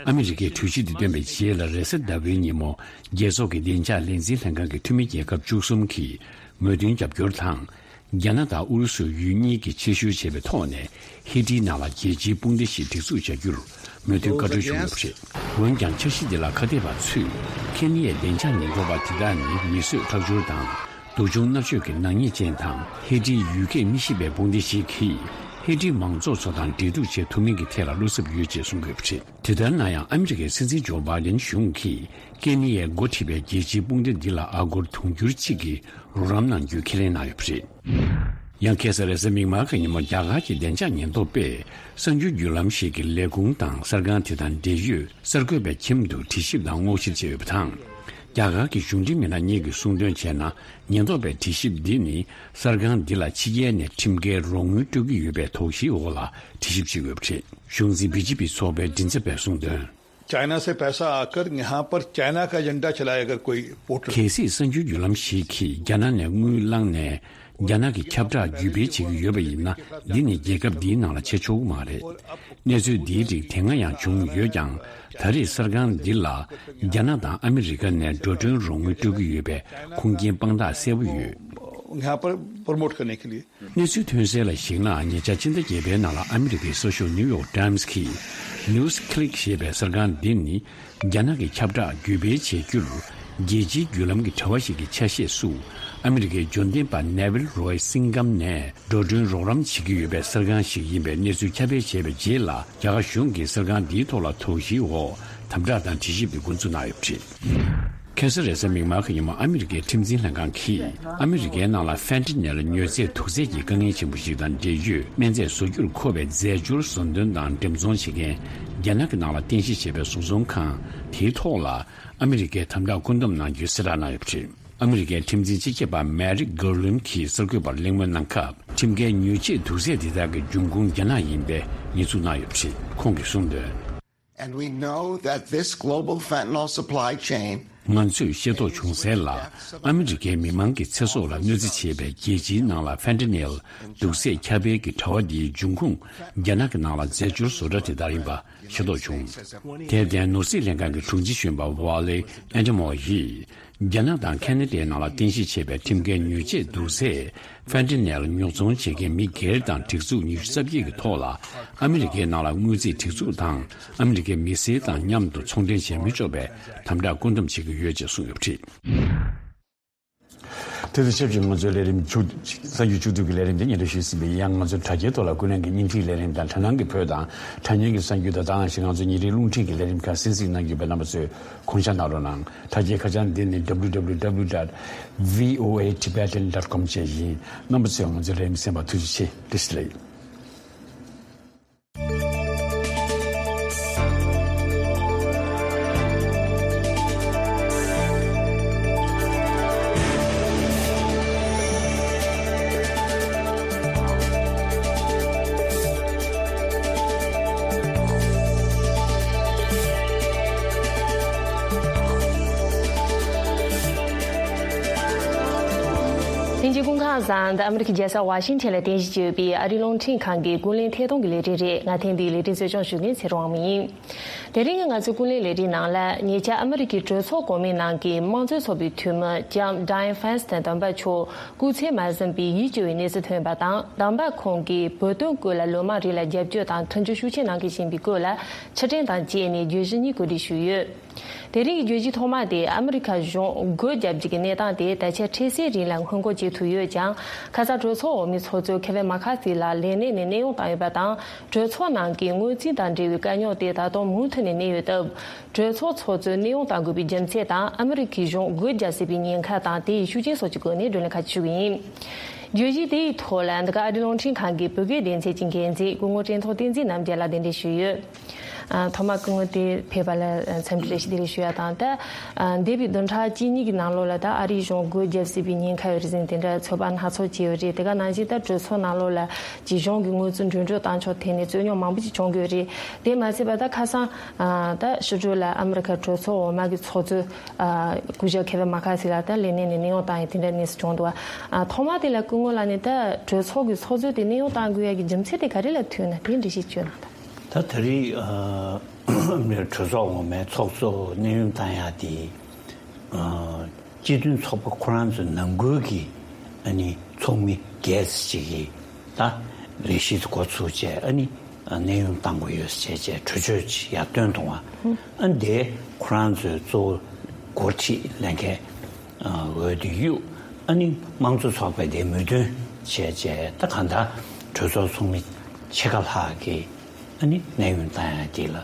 ཨ་མི་རི་ཀས་གྲོས་གཞི་འདི་བཏོན་པའི་རྗེས་ལ། རེས་གཟའ་ཟླ་བའི་ཉིན་མོ། རྒྱལ་ཚོགས་ཀྱི་བདེ་འཇགས་ལས་འཛིན་ལྷན་ཁང་གི་འཐུས་མི་རྒྱལ་ཁབ་བཅུ་གསུམ་གྱིས་མོས་མཐུན་རྒྱབ་སྐྱོར་དང་། རྒྱ་ནག་དང་ཨུ་རུ་སུ་ཡུལ་གཉིས་ཀྱིས་ཕྱིར་བཤོལ་བྱས་པའི་ཐོག་ནས། ཧེ་ཊིའི་ནང་ལ་རྒྱལ་སྤྱིའི་དཔུང་སྡེ་ཞིག་སྒྲིག་འཛུགས་བྱ་རྒྱུར་མོས་མཐུན་བཀའ་འཁྲོལ་བྱུང་ཡོད་པ་རེད། འོན་ཀྱང་། འཆར་གཞི་འདི་ལ་ཁ་གཏད་པ་ཚོས། ཁེན་ཡའི་བདེ་འཇགས་ཉེན་རྟོག་པ་དེ་དག་ནི་མི་གསོད་ཁྲག་སྦྱོར་དང་། སྡུག་སྦྱོང་མནར་གཅོད་ཀྱི་ནག་ཉེས་ཅན་དང་། ཧེ་ཊིའི་ཡུལ་སྐད་མི་ཤེས་པའི་དཔུང་སྡེ་ཞིག་གིས། ཧེ་ཊིའི་མང་ཚོགས་ཚོ་དང་འབྲེལ་གཏུག་བྱེད་ཐུབ་མིན་གྱི་ཐད་ལ་བློ་འཚབ་ཡོད་ཅེས་གསུང་གི་ཡོད་པ་རེད། དེ་ལྟར་ན་ཡང་། ཨ་མི་རི་ཀའི་སྲིད་འཛིན་ཇོ་བྷའི་ཌེན་གཞུང་གིས། ཀེན་ནི་ཡས་འགོ་ཁྲིད་པའི་རྒྱལ་སྤྱིའི་དཔུང་སྡེ་འདི་ལ་ཨ་སྒོར་དུང་ཕྱུར་གཅིག་གི་རོགས་རམ་གནང་རྒྱུའི་ཁས་ལེན་གནང་ཡོད་པ་རེད། ཡང་། ཁ་སང་རེས་གཟའ་མིག་དམར་གྱི་ཉིན་མོ། རྒྱ་གར་གྱི་བདེ་འཇགས་ཉེན་རྟོག་པས། གསར་འགྱུར་བརྒྱུད་ལམ་ཞིག་གི་ལས་ཁུངས་དང་གསར་ཁང་དེ་དང་འབྲེལ་ཡོད་གསར་འགོད་པའི་ཁྱིམ་དུ་དྲི་ཞིབ་དང་སྔོག་བཤེར་བྱས་ཡོད་པ་དང་། རྒྱ་གར་གྱི་གཞུང་འབྲེལ་མི་སྣ་གཉིས་ཀྱིས་གསུངས་དོན་བྱས་ན། ཉེན་རྟོག་པའི་དྲི་ཞིབ་འདི་ནི་གསར་ཁང་འདི་ལ་ཕྱི་རྒྱལ་ནས་ཁྲིམས་འགལ་རོགས་དངུལ་སྤྲོད་ཀྱི་ཡོད་པའི་དོགས་གཞིའི་འོག་ལ་དྲི་ཞིབ་བྱེད་དགོས་པ་རེད། གཞུང་འཛིན་བི་ཇེ་པི་ཚོགས་པའི་མགྲིན་ཚབ་པས་གསུངས་དོན། चाइना से पैसा आकर यहाँ पर चाइना का एजेंडा चलाया अगर कोई पोर्टल། གལ་སྲིད་གསར་འགྱུར་བརྒྱུད་ལམ་ཞིག་གིས་རྒྱ་ནག་ནས་དངུལ་བླངས་ནས། རྒྱ་ནག་གི་ཁྱབ་བསྒྲགས་བརྒྱུད་སྤེལ་བྱེད་ཀྱི་ཡོད་པ་ཡིན་ན། འདི་ནི་རྒྱལ་ཁབ་འདིའི་ནང་ལ་བྱེད་ཆོག་གི་མ་རེད། གནས་ཚུལ་འདིའི་རིགས་དེ་སྔ་ཡང་བྱུང་ཡོད་ཀྱང་། ད་རེས་གསར་ཁང་འདི་ལ་རྒྱ་ནག་དང་ཨ་མི་རི་ཀ་ནས་འགྲོ་གྲོན་རོགས་དངུལ་སྤྲོད་ཀྱི་ཡོད་པའི་ཁུངས་སྐྱེལ་དཔང་རྟགས་གསལ་པོ་ཡོད། यहाँ पर प्रमोट करने के लिए གནས་ཚུལ་ཐོན་གསལ་ལ་གཞིགས་ན། ཉེ་ཆར་ཕྱི་ཟླ་བརྒྱད་པའི་ནང་ལ་ཨ་མི་རི་ཀའི་གསར་ཤོག་ནིའུ་ཡོག་ཊའིམ་སི་གིས། ནིའུ་སི་ཁི་ལིག་ཞེས་པའི་གསར་ཁང་འདི་ནི། རྒྱ་ནག་གི་ཁྱབ་བསྒྲགས་བརྒྱུད་སྤེལ་བྱེད་རྒྱུར། རྒྱལ་སྤྱིའི་བརྒྱུད་ལམ་གྱི་དྲ་བ་ཞིག་གི་ཆ་ཤས་སུ། ཨ་མི་རི་ཀའི་འབྱོར་ལྡན་པ་ནེ་ཝིལ་རོའི་སིང་གམ་ནས་འགྲོ་གྲོན་རོགས་རམ་བྱེད་ཀྱི་ཡོད་པའི་གསར་ཁང་ཞིག་ཡིན་པའི་གནས་ཚུལ་ཁྱབ་སྤེལ་བྱས་པའི་རྗེས་ལ། རྒྱ་གར་གཞུང་གིས་གསར་ཁང་འདིའི་ཐོག་ལ་དོགས་གཞིའི་འོག་དམ་དྲག་དང་དྲི་ཞིབ་ཀྱི་འགོ་འཛུགས་གནང་ཡོད་པ་རེད། ཁ་སང་རེས་གཟའ་མིག་དམར་གྱི་ཉིན་མོ། ཨ་མི་རི་ཀའི་ཁྲིམས་འཛིན་ལྷན་ཁང་གིས་ཨ་མི་རི་ཀའི་ནང་ལ་ཧྥེན་ཏི་ནེལ་མྱོས་རྫས་དུག་རྫས་ཀྱི་དཀའ་ངལ་ཆེན་པོ་ཞིག་དང་འབྲེལ་ཡོད་སྨན་རྫས་བཟོ་རྒྱུར་མཁོ་བའི་རྫས་སྦྱོར་བཟོ་འདོན་དང་འགྲེམས་ཚོང་བྱེད་མཁན་རྒྱ་ནག་གི་ནང་ལ་རྟེན་གཞི་བྱས་པའི་བཟོ་ཚོང་ཁང་དེའི་ཐོག་ལ་ཨ་མི་རི་ཀས་དམ་དྲག་བཀོད་འདོམས་གནང་རྒྱུའི་གསལ་བསྒྲགས་གནང་ཡོད་པ་རེད། ཨ་མི་རི་ཀའི་ཁྲིམས་འཛིན་སྤྱི་ཁྱབ་པ་མེ་རིག་གྷར་ལིན་གྱིས་གསར་འགོད་པར་གླེང་མོལ་གནང་སྐབས། ཁྲིམས་འགལ་མྱོས་ཆས་དུག་རྫས་འདི་དག་གི་འབྱུང་ཁུངས་རྒྱ་ནག་ཡིན་པའི་ཉེས་འཛུགས་གནང་ཡོད་པ་རེད། ཁོང་གིས་གསུངས་དོན། And we know that this global fentanyl supply chain ང་ཚོས་ཤེས་རྟོགས་བྱུང་གསལ་ལ། ཨ་མི་རི་ཀའི་མི་མང་གི་ཚེ་སྲོག་ལ་གནོད་འཚེ་བྱེད་པའི་རྒྱལ་སྤྱིའི་ནང་ལ་ཧྥེན་ཏི་ནེལ་དུག་རྫས་ཁྱབ་སྤེལ་གྱི་དྲ་བ་འདིའི་འབྱུང་ཁུངས་རྒྱ་ནག་གི་ནང་ལ་རྫས་སྦྱོར་བཟོ་གྲྭ་དེ་དག་ཡིན་པ་ཤེས་རྟོགས་བྱུང་། དེར་བརྟེན། ནོར་སྲིད་ལྷན་ཁང་གི་དྲུང་ཆེ་གཞོན་པ་ཝ་ལེ་ཨན་ཏྲེ་མོ་ཡིས། རྒྱ་ནག་དང་ཁ་ན་ཌའི་ནང་ལ་རྟེན་གཞི་བྱས་པའི་ཁྲིམས་འགལ་མྱོས་ཆས་དུག་རྫས་ཧྥེན་ཏི་ནེལ་ཉོ་ཚོང་བྱེད་མཁན་མི་སྒེར་དང་སྒྲིག་འཛུགས་ཉི་ཤུ་རྩ་བརྒྱད་ཀྱི་ཐོག་ལ། ཨ་མི་རི་ཀའི་ནང་ལ་དངུལ་རྩིས་སྒྲིག་འཛུགས་དང་ཨ་མི་རི་ཀའི་མི་སེར་དང་མཉམ་དུ་ཚོང་འབྲེལ་བྱེད་མི་ཆོག་པའི་དམ་དྲག་བཀོད་འདོམས་བྱེད་ཀྱི་ཡོད་ཅེས་གསུངས་ཡོད་པ་རེད། དེ་དང་ཆབས་ཅིག་ང་ཚོའི་ལས་རིམ་མཇུག་གསར་འགྱུར་མཇུག་བསྡུ་གི་ལས་རིམ་དེ་སྙན་སྒྲོན་ཞུས་ཟིན་པ་ཡིན། ཡང་ང་ཚོའི་དྲ་རྒྱའི་ཐོག་ལ་ཀུན་གླེང་གི་བརྙན་འཕྲིན་ལས་རིམ་དང་དྲ་སྣང་གི་བོད་དང་དྲ་བརྙན་གྱི་གསར་འགྱུར་དང་། ད་ག་ནང་བཞིན་ང་ཚོའི་ཉིན་རེའི་རླུང་འཕྲིན་གྱི་ལས་རིམ་ཁག་གསན་གཟིགས་གནང་རྒྱུ་བས། རྣམ་པ་ཚོས་དགོངས་འཇགས་གནང་རོགས་གནང་། དྲ་རྒྱའི་ཁ་བྱང་འདི་ནི་W W W dot V O A Tibetan dot com བཅས་ཡིན། རྣམ་པ་ཚོས་ང་ཚོའི་ལས་རིམ་གསན་པར་ཐུགས་རྗེ་ཆེ། བཀྲ་ཤིས་བདེ་ལེགས། ལྷན་རྒྱས་སྐུ་ཁམས་བཟང་། འདི་ཨ་མི་རི་ཀའི་རྒྱལ་ས་ཝ་ཤིང་ཊོན་ལ་རྟེན་གཞི་བྱས་ཡོད་པའི་ཨ་རིའི་རླུང་འཕྲིན་ཁང་གི་ཀུན་གླེང་ཐད་གཏོང་གི་ལས་རིམ་རེད། ང་ཐེངས་འདིའི་ལས་རིམ་གཙོ་སྐྱོང་ཞུ་མཁན་ཚེ་རིང་དབང་མོ་ཡིན། དེ་རིང་ང་ཚོའི་ཀུན་གླེང་ལས་རིམ་ནང་ལ། ཉེ་ཆར་ཨ་མི་རི་ཀའི་གྲོས་ཚོགས་གོང་མའི་ནང་གི་དམངས་གཙོའི་ཚོགས་པའི་འཐུས་མི་ལྕམ་Dianne Feinstein དམ་པ་མཆོག་སྐུ་ཚེ་མ་ཟིན་པའི་ཡིད་སྐྱོ་བའི་གནས་ཚུལ་ཐོན་པ་དང་། དམ་པ་ཁོང་གིས་བོད་དོན་སྐོར་ལ་ལོ་མང་རིང་ལ་རྒྱབ་སྐྱོར་དང་མཐུན་འགྱུར་ཤུགས་ཆེ་གནང་གི་བཞིན་པའི་སྐོར་ལ་ཕྱིར་དྲན་དང་བཅས་ནས་བརྗོད་གཞི་གཉིས་གོ་སྒྲིག་ཞུས་ཡོད། དེ་རིང་གི་བརྗོད་གཞི་ཐོག་མ་དེ། ཨ་མི་རི་ཁ་གཞུང་སྒོ་བརྒྱབ་རྒྱུ་གི་གནས་སྟངས་དེ་ད་ཆ་འཕྲལ་སེལ་རིང་ལ་སྔོན་འགོག་བྱེད་ཐུབ་ཡོད་ཀྱང་། ཁ་སང་གྲོས་ཚོགས་འོག་མའི་ཚོགས་གཙོ་ཁེ་ཝིན་མ་ཁ་ཐི་ལགས་ལས་གནས་ནས་གནས་དབྱུང་བཏང་ཡོད་པ་དང་། གྲོས་ཚོགས་ནང་གི་དངུལ་རྩིས་དང་འབྲེལ་བའི་དཀའ་རྙོག་དེ་ད་དུང་མུ་མཐུད་ནས་གནས་ཡོད་སྟབས། གྲོས་ཚོགས་ཚོགས་གཙོས་གནས་དབྱུང་གཏང་དགོས་པའི་རྒྱུ་མཚན་དང་། ཨ་མི་རི་ཁའི་གཞུང་སྒོ་བརྒྱབ་སྲིད་པའི་ཉེན་ཁ་དང་། དེའི་ཤུགས་རྐྱེན་སོགས་ཀྱི་སྐོར་ནས་བགྲོ་གླེང་ཁག་ཅིག་ཞུ་གི་ཡིན། བརྗོད་གཞི་དེའི་ཐོག་ལ་འདི་ག་ཨ་རིའི་རླུང་འཕྲིན་ཁང་གི་བོད་སྐད་སྡེ་ཚན་གྱི་འགན་འཛིན་སྐུ་ངོ་ཀྲེང་ཐོག་བསྟན་འཛིན་རྣམ་རྒྱལ་ལགས་གདན་འདྲེན་ཞུས་ཡོད། ཨ། ཐོག་མར་སྐུ་ངོ་དེ་ཕེབས་པ་ལ་འཚམས་འདྲི་བཀྲ་ཤིས་བདེ་ལེགས་ཞུ་ཡ་དང་། ད་ཨ་འདས་པའི་བདུན་ཕྲག་གཅིག་གཉིས་ཀྱི་ནང་ལོགས་ལ་ད་ཨ་རིའི་གཞུང་སྒོ་བརྒྱབ་སྲིད་པའི་ཉེན་ཁ་ཡོད་རེད་ཟེར་ནས་དེ་འདྲ་ཚོད་དཔག་སྣ་ཚོགས་བྱས་ཡོད་རེད། དེ་ག་ནང་བཞིན་ད་གྲོས་ཚོགས་ནང་ལོགས་ལ་ཅིག་གཞུང་གི་དངུལ་རྩིས་འགྲོ་གྲོན་བཏང་ཕྱོགས་ཐད་ནས་རྩོད་རྙོག་མང་པོ་ཅིག་བྱུང་གི་ཡོད་རེད། དེ་མ་ཟད་པ་ད་ཁ་སང་ཨ་ད་ཕྱི་དྲོ་ལ་ཨ་མི་རི་ཁ་གྲོས་ཚོགས་འོག་མ་གི་ཚོགས་གཙོས་ཨ་སྐུ་ཞབས་ཁེ་ཝིན་མ་ཁ་ཐི་ལགས་ད་ལས་གནས་ནས་གནས་དབྱུང་བཏང་ཡོད། དེ་འདྲ་གནས་ཚུལ་བྱུང་འདུག་ཨ་ཐོག་མ་དེ་ལ་སྐུ་ངོ་ལགས་ནས་ད་གྲོས་ཚོགས་ཀྱི་ཚོགས་གཙོས་དེ་གནས་དབྱུང་བཏང་དགོས་ཡ་གི་རྒྱུ་མཚན་དེ་ག་རེ་ལ་ཐུག་ན་དེ་འགྲེལ་བཤད་བྱོས་གནང་དང་། ད་ད་རེས་ཨ་གྲོས་ཚོགས་འོག་མའི་ཚོགས་གཙོ་གནས་དབྱུང་བཏང་ཡ་དེ་ཨ་སྤྱི་མཐུན་ཚོགས་པ་ཁོ་རང་ཚོའི་ནང་ཁུལ་གྱི་ཨ་ནི་ཚོགས་མི་སྒེར་ཅིག་གིས་ད་ལས་གཞི་འགོ་ཚུགས་བྱས། ཨ་ནི་གནས་དབྱུང་བཏང་དགོས་ཡོད་ཟེར་བྱས་གྲོས་ཆོད་ཅིག་ཡར་བཏོན་འདུག་བ། ཨ་འདི་ཁོ་རང་ཚོའི་གཙོ་བོ་འགོ་ཁྲིད་ལས་འགན་འོས་བསྡུ་གཡུག་ཨ་ནི་དམངས་གཙོ་ཚོགས་པས་དེ་མོས་མཐུན་བྱས་བྱས། ད་གང་ལྟར་གྲོས་ཚོགས་ཚོགས་མི་ཕྱེད་ཀ་ལྷག་གིས་ཨ་ནི་གནས་དབྱུང་བཏང་ཡ་དེ་ལ་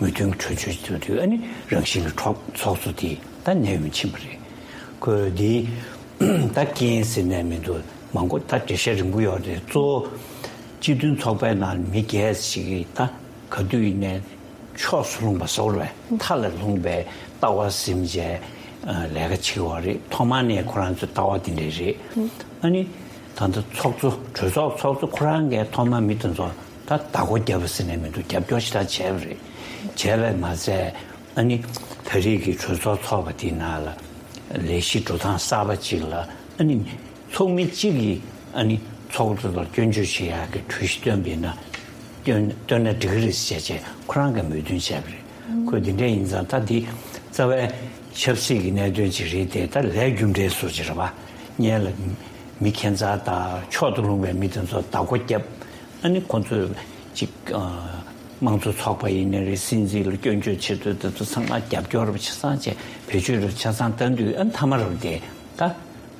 མོས་མཐུན་གྱི་གྲོས་ཆོད་བཟོས་དུས། ཨ་ནི་རང་བཞིན་གྱི་ཚོགས་ཚོགས་གཙོ་དེ་ད་གནས་དབྱུང་ཕྱིན་པ་རེད། ཁོས་དེ་ད་རྐྱེན་ཟེར་ནས་མི་འདུག་མང་པོ་ད་འགྲེལ་བཤད་རིང་པོ་ཡོད་རེད། གཙོ་བོ་སྤྱི་མཐུན་ཚོགས་པའི་ནང་མི་སྒེར་ཞིག་གིས་ད་ག་དུས་ཡིན་ནའི་ཕྱོགས་སུ་ལྷུང་བ་ཟེར་བ་རེད། མཐའ་ལ་ལྷུང་བའི་ལྟ་བ་ཟིན་བྱས། ལས་ཀ་བྱེད་པ་རེད། ཐོག་མ་ནས་ཁོ་རང་ཚོའི་ལྟ་བ་དེ་འདྲ་རེད། ཨ་ནི་ད་ལྟ་ཚོགས་གཙོ་གྲོས་ཚོགས་ཚོགས་གཙོ་ཁོ་རང་གིས་ཐོག་མ་མི་དེ་ཚོ་ད་བདག་པོ་རྒྱབ་པ་ཟེར་ནས་མི་འདུག་རྒྱབ་སྐྱོར་ཞེ་དྲག་བྱས་པ་རེད། བྱས་པས་མ་ཚད་ཨ་ནི་ད་རེས་ཀྱི་གྲོས་ཚོགས་ཚོགས་པ་དེའི་ནང་ལ་ལས་གཞི་འགྲོ་སྟངས་གསར་པ་ཅིག་ལ་ཨ་ནི་ཚོགས་མི་གཅིག་གིས་ཨ་ནི་ཚོགས་གཙོ་ལ་སྐྱོན་བརྗོད་བྱེད་ཡག་གི་གྲོས་གཞི་བཏོན་པ་ཡིན་ན་བཏོན་བཏོན་ན་འགྲིག་གི་རེད་ཟེར་བྱས་ཁོ་རང་གིས་མོས་མཐུན་བྱས་པ་རེད། ཁོས་འདི་འདྲ་ཡིན་ཙང་ད་འདི་རྩ་བའི་ཆབ་སྲིད་ཀྱི་གནད་དོན་ཅིག་རེད་དེ། ད་ལས་རྒྱུ་འབྲས་བཟོ་ཅིག་རེད་པ། སྔོན་ལ་མི་ཁྱད་མཚར་དང་ཕྱོགས་དང་ལྷུང་བའི་མི་དེ་ཚོ་བདག་པོ་བརྒྱབ། ཨ་ནི་ཁོ་ཚོས་ཅིག་ཨ་དམངས་གཙོ་ཚོགས་པ་ཡིན་ནའི་རེད། སྲིད་འཛིན་ལ་སྐྱོན་བརྗོད་བྱེད་དུས་དེ་ཚོ་ཚང་མ་རྒྱབ་སྐྱོར་རུ་ཆ་ཚང་བྱས། བེད་སྤྱོད་རུ་ཆ་ཚང་བཏང་དུས་ཨ་ནི་མཐའ་མ་རུ་དེ་ད་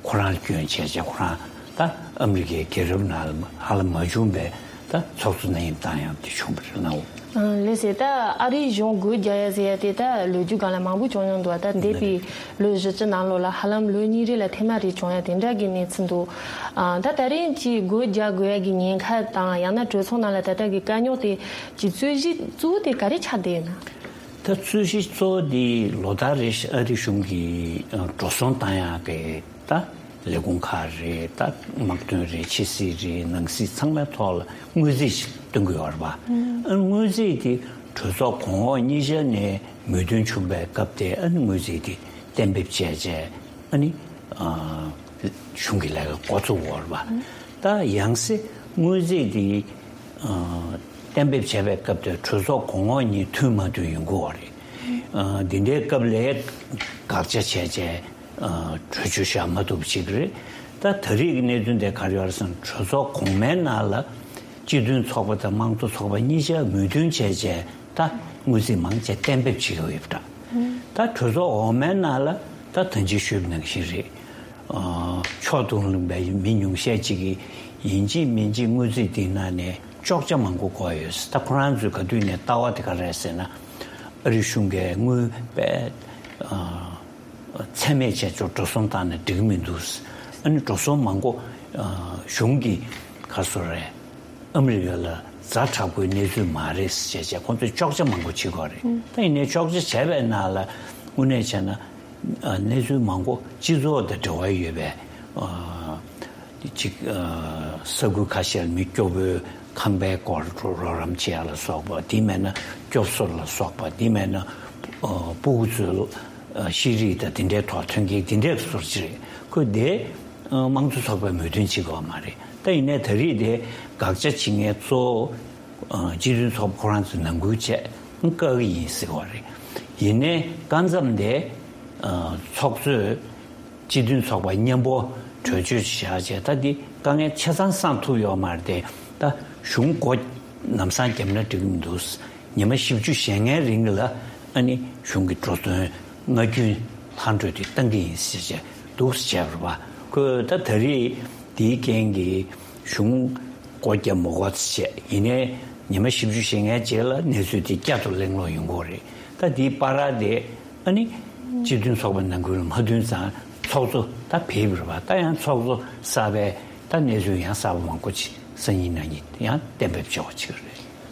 ཁོ་རང་ལ་སྐྱོན་བྱས་བྱས་ཁོ་རང་ད་ཨ་མི་རི་ཀའི་རྒྱལ་རབས་ནང་ལ་ཧ་ལམ་མ་བྱུང་བའི་ད་ཚོགས་གཙོ་ནད་ཡམས་བཏང་ཡག་དེ་བྱུང་བ་རེད་ནའོ། ཨང་། ལགས་སེ། ད་ཨ་རིའི་གཞུང་སྒོ་རྒྱག་ཡ་ཟེར་ཡ་དེ་ད་ལོ་རྒྱུས་སྒང་ལ་མང་པོ་བྱུང་མྱོང་འདུག་ད་འདས་པའི་ལོ་བཞི་བཅུ་ནང་ལོགས་ལ་ཧ་ལམ་ལོ་གཉིས་རེ་ལ་ཐེངས་མ་རེ་བྱུང་ཡ་དེ་འདྲ་གི་གནས་ཚུལ་འདུག་ཨང་། ད་ད་རིང་གི་སྒོ་རྒྱག་དགོས་ཡ་གི་ཉེན་ཁ་དང་ཡང་ན་གྲོས་ཚོགས་ནང་ལ་ད་ལྟ་གི་དཀའ་རྙོག་དེ་གི་རྩོད་གཞི་གཙོ་བོ་དེ་ག་རེ་ཆགས་བསྡད་ཡོད་ན། ད་རྩོད་གཞི་གཙོ་བོ་དེ་ལོ་ལྟར་རེ་བཞིན་ཨ་རི་གཞུང་གིས་འགྲོ་སོང་བཏང་ཡག་གི་ད་ལས་ཁུངས་ཁག་རེད། ད་དམག་དོན་རེད། ཕྱི་སྲིད་རེད། ནང་སྲིད་ཚང་མའི་ཐོག་ལ་དངུལ་རྩིས་ཤིག་གཏོང་གི་ཡོད་རེད་པ། ཨ་དངུལ་རྩིས་དེ་གྲོས་ཚོགས་གོང་འོག་གཉིས་ཆ་ནས་མོས་མཐུན་བྱུང་བའི་སྐབས་དེ་ཨ་ནི་དངུལ་རྩིས་དེ་གཏན་འབེབས་བྱས་བྱས་ཨ་ནི་ཨ་གཞུང་གི་ལས་ཀ་འགོ་ཚུགས་ཡོད་རེད་པ། ད་ཡང་སེ་དངུལ་རྩིས་དེ་ཨ་གཏན་འབེབས་བྱས་པའི་སྐབས་དེ་གྲོས་ཚོགས་གོང་འོག་གཉིས་མཐུན་མ་མཐུན་ཡོང་གི་ཡོད་རེད། ཨ་འདི་འདྲའི་སྐབས་ལ་དགག་བྱ་བྱས་བྱས། ཨ་གྲོས་ཆོད་བཞག་མ་ཐུབ་པ་ཅིག་རེད། ད་ད་རེས་ཀྱི་གནད་དོན་དེ་ག་རེ་ཡོད་རེད་ཟེར་ན། གྲོས་ཚོགས་གོང་མའི་ནང་ལ་སྤྱི་མཐུན་ཚོགས་པ་དང་དམངས་གཙོ་ཚོགས་པ་གཉིས་ཆ་མོས་མཐུན་བྱས་བྱས་ད་དངུལ་རྩིས་མང་ཆེ་གཏན་འབེབས་བྱེད་ཀྱི་ཡོད་པ་འདྲ། ད་གྲོས་ཚོགས་འོག་མའི་ནང་ལ་ད་ད་ཅི་ཞུས་པ་ནང་བཞིན་རེད། ཨ་ཕྱོགས་དང་ལྷུང་བའི་མི་ཉུང་ཤས་ཅིག་གིས་ཡིན་གཅིག་མིན་གཅིག་དངུལ་རྩིས་དེའི་ནང་ནས་གཅོག་ཆ་མང་པོ་དགོས་ཡོད། ད་ཁོ་རང་ཚོས་ག་དུས་ནས་ལྟ་བ་དེ་ག་རེ་རེད་ཟེར་ན། ཨ་རི་གཞུང་གིས་དངུལ་དཔེ་ཨ་ཚད་མེད་བྱས་ཆོག་འགྲོ་སོང་བཏང་ན་འགྲིག་གི་མི་འདུག་ཨ་ནི་འགྲོ་སོང་མང་པོ་ཨ་གཞུང་གིས་ག་སོ་རེད། ཨ་མི་རི་ཀ་ལ་ཛ་དྲག་པོའི་གནས་ཚུལ་མ་རེད་ཟེར་བྱས་ཁོང་ཚོས་གཅོག་ཆ་མང་པོ་བྱེད་དགོས་རེད། ད་ཡིན་ནའི་གཅོག་ཆ་བྱས་པའི་ནང་ལ་དངོས་གནས་བྱས་ན་ཨ་གནས་ཚུལ་མང་པོ་སྤྱི་ཚོགས་དང་འབྲེལ་བ་ཡོད་པའི་ཨ་ཅིག་ཨ་ས་ཁུལ་ཁ་ཤས་ལ་མི་སྐྱོ་པོའི་ཁང་པའི་སྐོར་རོགས་རམ་བྱེད་ཡ་ལ་སོགས་པ། དེ་མེད་ན་སྐྱོབ་གསོ་ལ་སོགས་པ། དེ་མེད་ན་ཨ་སྤུ་གུ་ཚོའི་ཨ་ཤེས་རིག་དང་དེ་འདྲའི་ཐོག་མཐུན་རྐྱེན་དེ་འདྲའི་སོར་ཅིག་རེད། ཁོས་དེ་ཨ་དམངས་གཙོ་ཚོགས་པས་མོས་མཐུན་བྱེད་དགོས་མ་རེད། ད་ཡིན་ནའི་ད་རེས་དེ་དགག་བྱ་བྱེད་མཁན་གཙོ་བོ་ཨ་སྤྱི་མཐུན་ཚོགས་པ་ཁོ་རང་ཚོས་ནང་ཁུལ་བྱས་བཀག་གི་ཡིན་ཟེར་བ་རེད། ཡིན་ནའི་སྐབས་མཚམས་དེ་ཨ་ཚོགས་གཙོས་སྤྱི་མཐུན་ཚོགས་པ་མཉམ་པོ་གྲོས་ཆོད་བཞག་བྱས། ད་འདི་དཀའ་ངལ་ཆ་ཚང་སངས་ཐུབ་ཡོད་མ་རེད་དེ། ད་གཞུང་སྒོ་ལམ་སང་བརྒྱབ་ན་འགྲིག་གི་མི་འདུག་ཉི་མ་བཞི་བཅུ་ཞེ་ལྔའི་རིང་ལ་ཨ་ནི་གཞུང་གི་འགྲོ་དོན་སྔ་རྒྱུན་ལྷག་འགྲོ་དེ་བཏང་གི་ཡིན་ཟེར་བྱས་འདུག་སེ་བྱས་པ་རེད་པ། ཁོས་ད་ད་རེས་དེའི་རྐྱེན་གྱིས་གཞུང་སྒོ་བརྒྱབ་མ་དགོས་ཟེར་བྱས། ཡིན་ནའི་ཉི་མ་བཞི་བཅུ་ཞེ་ལྔའི་རྗེས་ལ་གནས་ཚུལ་དེ་བསྐྱར་དུ་གླེང་སློང་ཡོང་གི་རེད། ད་དེའི་བར་དེ་ཨ་ནི་སྤྱི་མཐུན་ཚོགས་པ་ནང་ཁུལ་ལ་མ་མཐུན་ཙང་ཚོགས་གཙོ་ད་བེད་པ་རེད་པ། ད་ཡང་ཚོགས་གཙོ་གསར་པས་ད་གནས་ཚུལ་ཡང་གསར་པ་མང་པོ་ཅིག་སང་ཉིན་གནངས་ཉིན་ཡང་གཏན་འབེབས་བྱེད་དགོས་ཀྱི་རེད།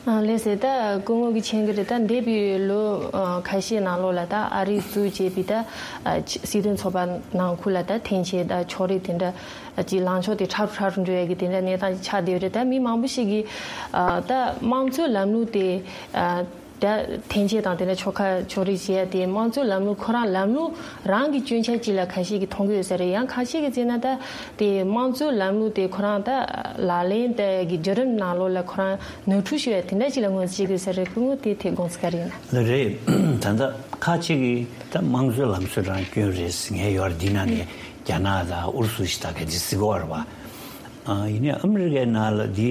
ཨ་ལགས་སེ། ད་སྐུ་ངོ་གིས་མཁྱེན་གྱི་རེད། ད་འདས་པའི་ལོ་ཨ་ཁ་ཤས་ནང་ལོགས་ལ་ད་ཨ་རིས་འཛུགས་བྱས་པའི་ད་ཨ་སྤྱི་མཐུན་ཚོགས་པ་ནང་ཁུལ་ལ་ད་འཐེན་འཁྱེར་ད་ཕྱོགས་རིས་དེ་འདྲ་ཨ་ཅིག་ལངས་ཕྱོགས་དེ་ཕྲ་རུ་ཕྲ་རུ་འགྲོ་ཡ་གི་དེ་འདྲ་གནས་སྟངས་ཅིག་ཆགས་བསྡད་ཡོད་རེད། ད་མི་མང་པོ་ཞིག་གིས་ཨ་ད་དམངས་གཙོའི་ལམ་ལུགས་དེ་ཨ་ད་འཐེན་འཁྱེར་དང་དེ་འདྲ་ཕྱོགས་ཁ་ཕྱོགས་རིས་བྱེད་ཡ་དེ་དམངས་གཙོའི་ལམ་ལུགས་ཁོ་རང་ལམ་ལུགས་རང་གི་སྐྱོན་ཆ་ཅིག་ལ་ཁ་ཤས་ཀྱིས་མཐོང་གི་ཡོད་ས་རེད། ཡང་ཁ་ཤས་ཀྱིས་བརྩིས་ན་ད་དེ་དམངས་གཙོའི་ལམ་ལུགས་དེ་ཁོ་རང་ད་ལག་ལེན་དེ་གི་བརྒྱུད་རིམ་ནང་ལོགས་ལ་ཁོ་རང་ནོར་འཁྲུལ་ཞིག་ཡོད་དེ་འདྲ་ཞིག་ལ་ངོས་འཛིན་བྱེད་དགོས་ས་རེད། སྐུ་ངོ་དེའི་ཐད་དགོངས་ཚུལ་ག་རེ་ཡིན་ན། ལགས་རེད། ད་ལྟ་ཁ་ཅིག་གིས་ད་དམངས་གཙོའི་ལམ་སྲོལ་རང་སྐྱོན་རེད་ཟེར་མཁན་ཡོད་རེད། འདི་ནང་ནས་རྒྱ་ནག་དང་ཨུ་རུ་སུ་ཞིག་ད་ག་འདྲ་ཟེར་གྱི་ཡོད་རེད་པ། ཨ་ཡིན་ནའི་ཨ་མི་རི་ཀའི་ནང་ལ་འདི་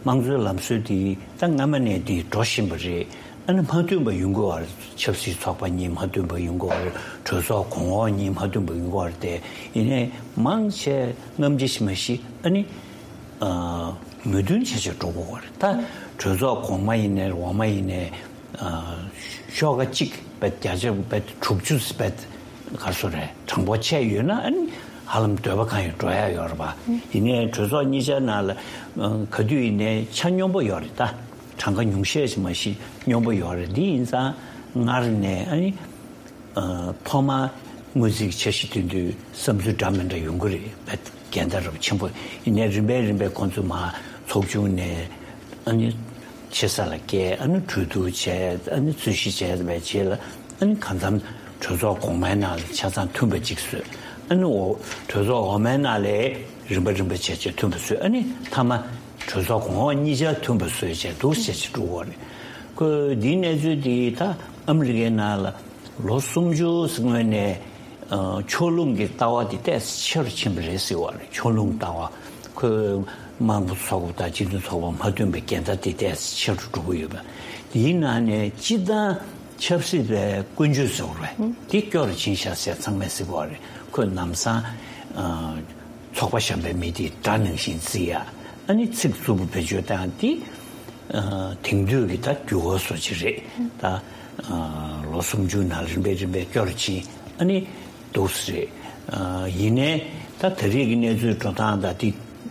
དམངས་གཙོའི་ལམ་སྲོལ་དེ་ད་སྔ་མ་ནས་འདི་འགྲོ་བཞིན་པ་རེད། ཨ་ནི་མ་མཐུན་པ་ཡོང་གི་ཡོད་རེད། ཆབ་སྲིད་ཚོགས་པ་གཉིས་མ་མཐུན་པ་ཡོང་གི་ཡོད་རེད། གྲོས་ཚོགས་གོང་འོག་གཉིས་མ་མཐུན་པ་ཡོང་གི་ཡོད་རེད་དེ། ཡིན་ནའི་མང་ཆེ་སྔ་ཕྱི་ཞིག་མ་ཞིག་ཨ་ནི་ཨ་མོས་མཐུན་བྱས་བྱས་འགྲོ་དགོས་པ་རེད། ད་གྲོས་ཚོགས་གོང་མ་ཡིན་ནའི་འོག་མ་ཡིན་ནའི་ཨ་ཤོག་ཁ་གཅིག་བེད་བརྒྱ་ཆ་བེད་དྲུག་ཅུ་བེད་ག་སོ་རེད། དྲང་པོ་བྱས་ཡོད་ན་ཨ་ནི་ཧ་ལམ་འདོད་པ་གང་ཡོད་འགྲོ་ཡ་ཡོད་རེད་པ། ཡིན་ནའི་གྲོས་ཚོགས་གཉིས་ཆ་ནང་ལ་ཨ་ག་དུས་ཡིན་ནའི་ཆ་སྙོམས་པོ་ཡོད་རེད། ད་གྲངས་ཀ་ཉུང་ཤས་ཤིག་མ་ཞིག་སྙོམས་པོ་ཡོད་རེད། འདི་ཡིན་ཙང་སྔར་ནས་ཨ་ནི་ ཐོག་མར་དངོས་རྫས་ཀྱི་འཆར་གཞི་བཏོན་དུས་བསམ་ཚུལ་འདྲ་མི་འདྲ་ཡོང་གི་རེད། དཔེ་འགལ་ཟླ་རབ་ཆེན་པོ་ཡིན་ནའི་རིམ་པས་རིམ་པས་ཁོང་ཚོས་མར་ཚོགས་ཆུང་ནས་ཨ་ནི་ཆེ་ས་ལ་བསྐྱལ། ཨ་ནི་གྲོས་བསྡུར་བྱས། ཨ་ནི་རྩོད་གཞི་བྱས་པའི་རྗེས་ལ་ཨ་ནི་གང་འཚམ་གྲོས་ཚོགས་གོང་མའི་ནང་ལ་ཆ་ཚང་མཐུན་པ་གཅིག་བཟོས། ཨ་ནི་འོ་གྲོས་ཚོགས་འོག་མའི་ནང་ལ་རིམ་པ་རིམ་པ་བྱས་བྱས་མཐུན་པ་བཟོས། ཨ་ནི་མཐའ་མ་གྲོས་ཚོགས་གོང་འོག་གཉིས་ཆར་མཐུན་པ་བཟོས་བྱས་འདུག་བྱས་བྱས་འགྲོ་གི་ཡོད་རེད། ཁོས་འདིའི་གནས་ཚུལ་འདི་ད་ཨ་མི་རི་ཀའི་ནང་ལ་ལོ་སུམ་ཅུ་སྔོན་ནས་ཕྱོགས་ལྷུང་གི་ལྟ་བ་འདི་ཏོག་ཙམ་ཆེ་རུ་ཕྱིན་པ་རེད་ཟེར་བ་རེད། ཕྱོགས་ལྷུང་ལྟ་བ། ཁོས་དམངས་གཙོ་ཚོགས་པ་དང་སྤྱི་མཐུན་ཚོགས་པ་མ་མཐུན་པའི་འགལ་ཟླ་འདི་ཏོག་ཙམ་ཆེ་རུ་འགྲོ་གི་ཡོད་པ། དེའི་ནང་ནས་སྤྱི་བཏང་ཆབ་སྲིད་པའི་ཀུན་སྤྱོད་ཟེར་བ་རེད། འདི་སྐྱོ་རུ་ཕྱིན་ཤག་ཟེར་ཚང་མས་ཟེར་གི་ཡོད་རེད། ཁོས་ལམ་སང་ཚོགས་པ་གཞན་པའི་མི་དེ་དགྲ་ནང་བཞིན་བརྩི་ཡ། ཨ་ནི་ཚིག་རྩུབ་པོ་བེད་སྤྱོད་བཏང་ཡ་འདི། ཨ་དེང་དུས་ཀྱི་ད་འགྱུར་བ་བཟོ་ཅིག་རེད། ད་ཨ་ལོ་སུམ་ཅུ་ནང་རིམ་པས་རིམ་པས་སྐྱོ་རུ་ཕྱིན། ཨ་ནི་འདུག་སེ་རེད། ཨ་ཡིན་ནའི་ད་ད་རེས་ཀྱི་གནས་ཚུལ་འགྲོ་སྟངས་དང་དེ་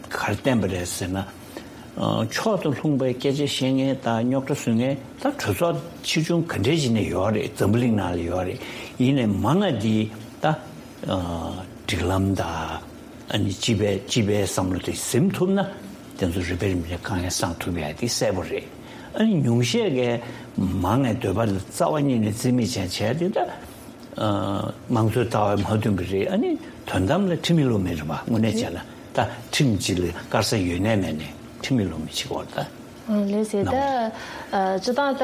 ག་རེ་བསྟན་པ་རེད་ཟེར་ན། ཨ་ཕྱོགས་དང་ལྷུང་བའི་སྐད་ཆ་བཤད་མཁན་དང་རྙོག་དྲ་བཟོ་མཁན་ད་གྲོས་ཚོགས་ཆེ་ཆུང་ག་འདྲས་ཅིག་ནས་ཡོད་རེད། འཛམ་བུ་གླིང་ནང་ལ་ཡོད་རེད། ཡིན་ནའི་མང་ང་འདི་ད་ཨ་སྒྲིག་ལམ་དང་། ཨ་ནི་སྤྱི་པའི་སྤྱི་པའི་བསམ་བློ་དེ་ཟིན་ཐུབ་ན་དེ་ཚོ་རིམ་པས་རིམ་པས་དཀའ་ངལ་སངས་ཐུབ་ཡ་དེ་གསལ་པོ་རེད། ཨ་ནི་ཉུང་ཤས་ཀྱིས་མང་ངའི་འདོད་པ་ལ་རྩ་བ་ཉིད་ནས་རྩིས་མེད་བྱས་བྱས་དེ་ད་ཨ་དམངས་གཙོའི་ལྟ་བ་མ་མཐུན་པ་རེད། ཨ་ནི་དོན་དམ་ལ་ཁྲིམས་མེད་ལུགས་མེད་རེད་པ། དངོས་གནས་བྱས་ན་ད་ཁྲིམས་སྤྱི་ལ་དཀར་ས་ཡོད་ནའི་མེད་ནའི་ཁྲིམས་མེད་ལུགས་མེད་བྱེད་ཀྱི་ཡོད་རེད་ད། ཨ་ལགས་སེ། ད་ཨ་སྤྱི་བཏང་ད་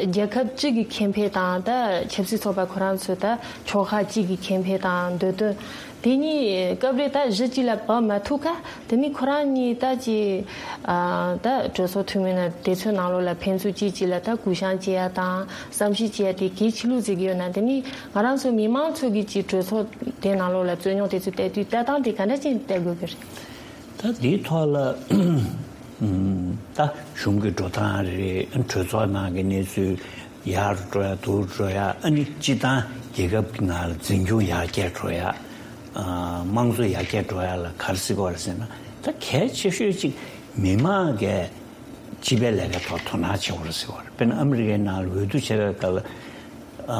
རྒྱལ་ཁབ་གཅིག་གི་ཁེ་ཕན་དང་ད་ཆབ་སྲིད་ཚོགས་པ་ཁོ་རང་ཚོའི་ད་ཕྱོགས་ཁག་གཅིག་གི་ཁེ་ཕན་དང་འདོད་དོན་དེ་གཉིས་སྐབས་རེ་ད་གཞི་གཅིག་ལ་བབས་མ་ཐུབ་ཁ། དེ་ནི་ཁོ་རང་གཉིས་ད་ཅི་ཨ་ད་གྲོས་ཚོགས་འཐུས་མི་ནང་དེ་ཚོའི་ནང་ལོགས་ལ་ཕན་ཚུན་གཅིག་གཅིག་ལ་ད་གུ་བཤངས་བྱེད་ཡ་དང་བསམ་ཤེས་བྱེད་ཡ་དེ་གལ་ཆེ་ལུགས་བརྩི་གི་ཡོད་ན། དེ་ནི་ང་རང་ཚོ་མི་མང་ཚོ་གི་ཅི་གྲོས་ཚོགས་དེ་ནང་ལོགས་ལ་རྩོད་རྙོག་དེ་ཚོ་བལྟས་དུས་ལྟ་སྟངས་དེ་ག་འདྲ་ཅིག་བལྟ་དགོས་ཀྱི་རེད། ད་འདིའི་ཐོག་ལ་ཨུམ། ད་གཞུང་གི་འགྲོ་སྟངས་རེད། གྲོས་ཚོགས་ནང་གི་གནས་ཚུལ་ཡར་འགྲོ་ཡ་འདུར་འགྲོ་ཡ། ཨ་ནི་སྤྱི་བཏང་རྒྱལ་ཁབ་ཀྱི་ནང་ལ་འཛིན་སྐྱོང་ཡར་རྒྱས་འགྲོ་ཡ། ཨ་དམངས་གཙོ་ཡར་རྒྱས་འགྲོ་ཡ་ལ་ག་རེ་ཟེར་གྱི་ཡོད་རེད་ཟེར་ན། ད་གལ་ཆེ་ཤོས་གཅིག་མི་མང་གིས་སྤྱི་པའི་ལས་ཀའི་ཐོག་དོ་སྣང་བྱེད་དགོས་རེད་ཟེར་བ་རེད། དཔེར་ན་ཨ་མི་རི་ཀའི་ནང་ལ་འོས་བསྡུ་བྱེད་པའི་སྐབས་ལ། ཨ་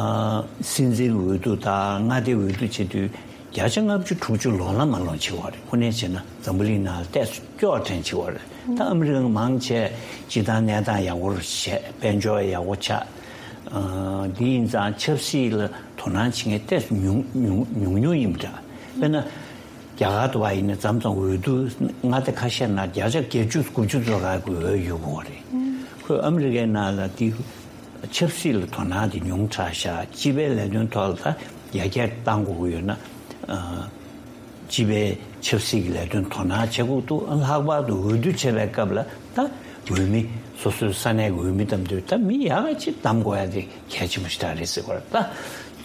སྲིད་འཛིན་འོས་བསྡུ་དང་མངའ་སྡེ་འོས་བསྡུ་བྱེད་དུས་བརྒྱ་ཆ་ལྔ་བཅུ་དྲུག་ཅུ་ལོག་ལམ་མ་ལོག་བྱེད་པ་རེད། དངོས་གནས་བྱས་ན་འཛམ་བུ་གླིང་ནང་ལ་ཏོག་ཙམ་སྐྱོ་བ་དྲན་བྱེད་པ་རེད། ད་ཨ་མི་རི་ཀ་མང་ཆེ་སྤྱི་བཏང་གནས་སྟངས་ཡག་པོ་རུ་བྱས། དཔལ་འབྱོར་ཡག་པོ་ཆགས། ཨ་འདི་ཡིན་ཙང་ཆབ་སྲིད་ལ་དོ་སྣང་བྱེད་མཁན་ཏོག་ཙམ་ཉུང་ཉུང་ཉུང་ཉུང་ཡིན་པ་འདྲ། དཔེར་ན། རྒྱ་གར་དུ་བ་ཡིན་ན་མཚམས་མཚམས་འོས་བསྡུ་མངའ་སྡེ་ཁ་ཤས་ནང་བརྒྱ་ཆ་བརྒྱད་ཅུ་དགུ་བཅུ་ཙམ་ག་གི་འོས་ཡོད་དགོས་པ་རེད། ཁོས་ཨ་མི་རི་ཀའི་ནང་ལ་དེ་ཆབ་སྲིད་ལ་དོ་སྣང་དེ་ཉུང་དྲགས་ཤག་སྤྱི་པའི་ལས་དོན་ཐོག་ལ་ད་ཡར་རྒྱས་གཏང་དགོས་ཀྱི་ཡོད་ན། ཨ་སྤྱི་པའི་ཆབ་སྲིད་ཀྱི་ལས་དོན་དོ་སྣང་བྱེད་དགོས་འདུག་ལྷག་པར་དུ་འོས་བསྡུ་བྱེད་པའི་སྐབས་ལ་ད་འོས་མི་སོ་སོའི་ས་གནས་ཀྱི་འོས་མི་བདམས་དུས་ད་མི་ཡག་ག་ཅིག་བདམ་དགོས་ཡ་དེ་གལ་ཆེན་པོ་ཞིག་རེད་ཟེར་བ་རེད། ད་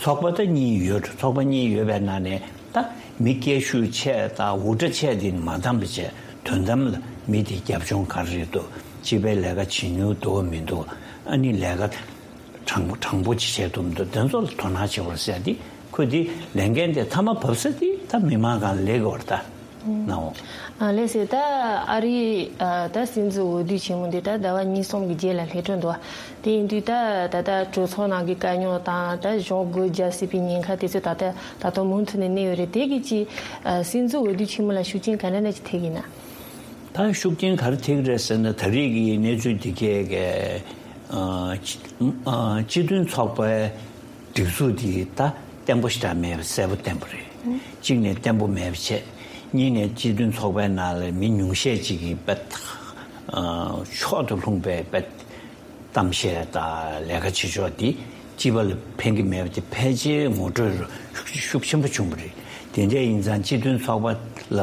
ཚོགས་པ་ད་གཉིས་ཡོད། ཚོགས་པ་གཉིས་ཡོད་པའི་ནང་ནས། ད་མི་སྐད་ཤུགས་ཆེ་དང་འུར་སྒྲ་ཆེ་དེ་མ་བདམས་པ་བྱས། དོན་དམ་ལ་མི་དེ་རྒྱབ་ལྗོངས་ག་རེ་རེད་འདུག་སྤྱི་པའི་ལས་ཀ་བྱེད་མྱོང་འདུག་མི་འདུག་ཨ་ནི་ལས་ཀ་དྲང་པོ་དྲང་པོ་ཅིག་བྱས་འདུག་མི་འདུག་དེ་ཚོ་ལ་དོ་སྣང་བྱེད་དགོས་ཟེར་ཏེ། ཁོས་དེ་ལས་འགན་དེ་མཐའ་མ་བབས་ས་དེ་ད་མི་མང་སྒང་ལ་སླེབས་ཀྱི་ཡོད་རེད་ད། ནའོ། ཨ་ལགས་སེ། ད་ཨ་རིའི་ཨ་ད་སྲིད་འཛིན་འོས་བསྡུ་ཆེན་མོ་འདི་ད་ཟླ་བ་གཉིས་གསུམ་གྱི་རྗེས་ལ་སླེབས་འགྲོ་འདུག་དེ་ཡིན་དུས་ད་ད་ལྟ་གྲོས་ཚོགས་ནང་གི་དཀའ་རྙོག་དང་ད་གཞུང་སྒོ་རྒྱག་སྲིད་པའི་ཉེན་ཁ་དེ་ཚོ་ད་ལྟ་ད་དུང་མུ་མཐུད་ནས་གནས་ཡོད་རེད། དེ་གི་ཅི་ཨ་སྲིད་འཛིན་འོས་བསྡུ་ཆེན་མོ་ལ་ཤུགས་རྐྱེན་ག་འདྲ་ཅིག་ཐེབས་ཀྱི་ན། ད་ཤུགས་རྐྱེན་ག་རེ་ཐེབས་ཀྱི་རེད་ཟེར་ན། ད་རེས་ཀྱི་གནས་ཚུལ་འདི་གས་ཀྱི་ཨ་སྤྱི་ཨ་སྤྱི་མཐུན་ཚོགས་པའི་སྒྲིག་འཛུགས་འདི་ད་བརྟན་པོ་ཞེ་དྲག་མེད་པ་གསལ་པོ་བསྟན་པ་རེད། གཅིག་ནས་བརྟན་པོ་མེད་པ་བྱས། གཉིས་ནས་སྤྱི་མཐུན་ཚོགས་པའི་ནང་ལ་མི་ཉུང་ཤས་ཅིག་གིས་དཔེ་ཕྱོགས་དང་ལྷུང་པའི་དཔེ་གཏམ་བཤད་དང་ལས་ཀ་བྱེད་ཕྱོགས་འདི་སྤྱི་པ་ལ་ཕན་གྱི་མེད་པ་དེ་ཕལ་ཆེར་ངོ་སྤྲོད་ཤུགས་ཆེན་པོ་བྱུང་བ་རེད། དེ་འདྲ་ཡིན་ཙང་སྤྱི་མཐུན་ཚོགས་པ་ལ་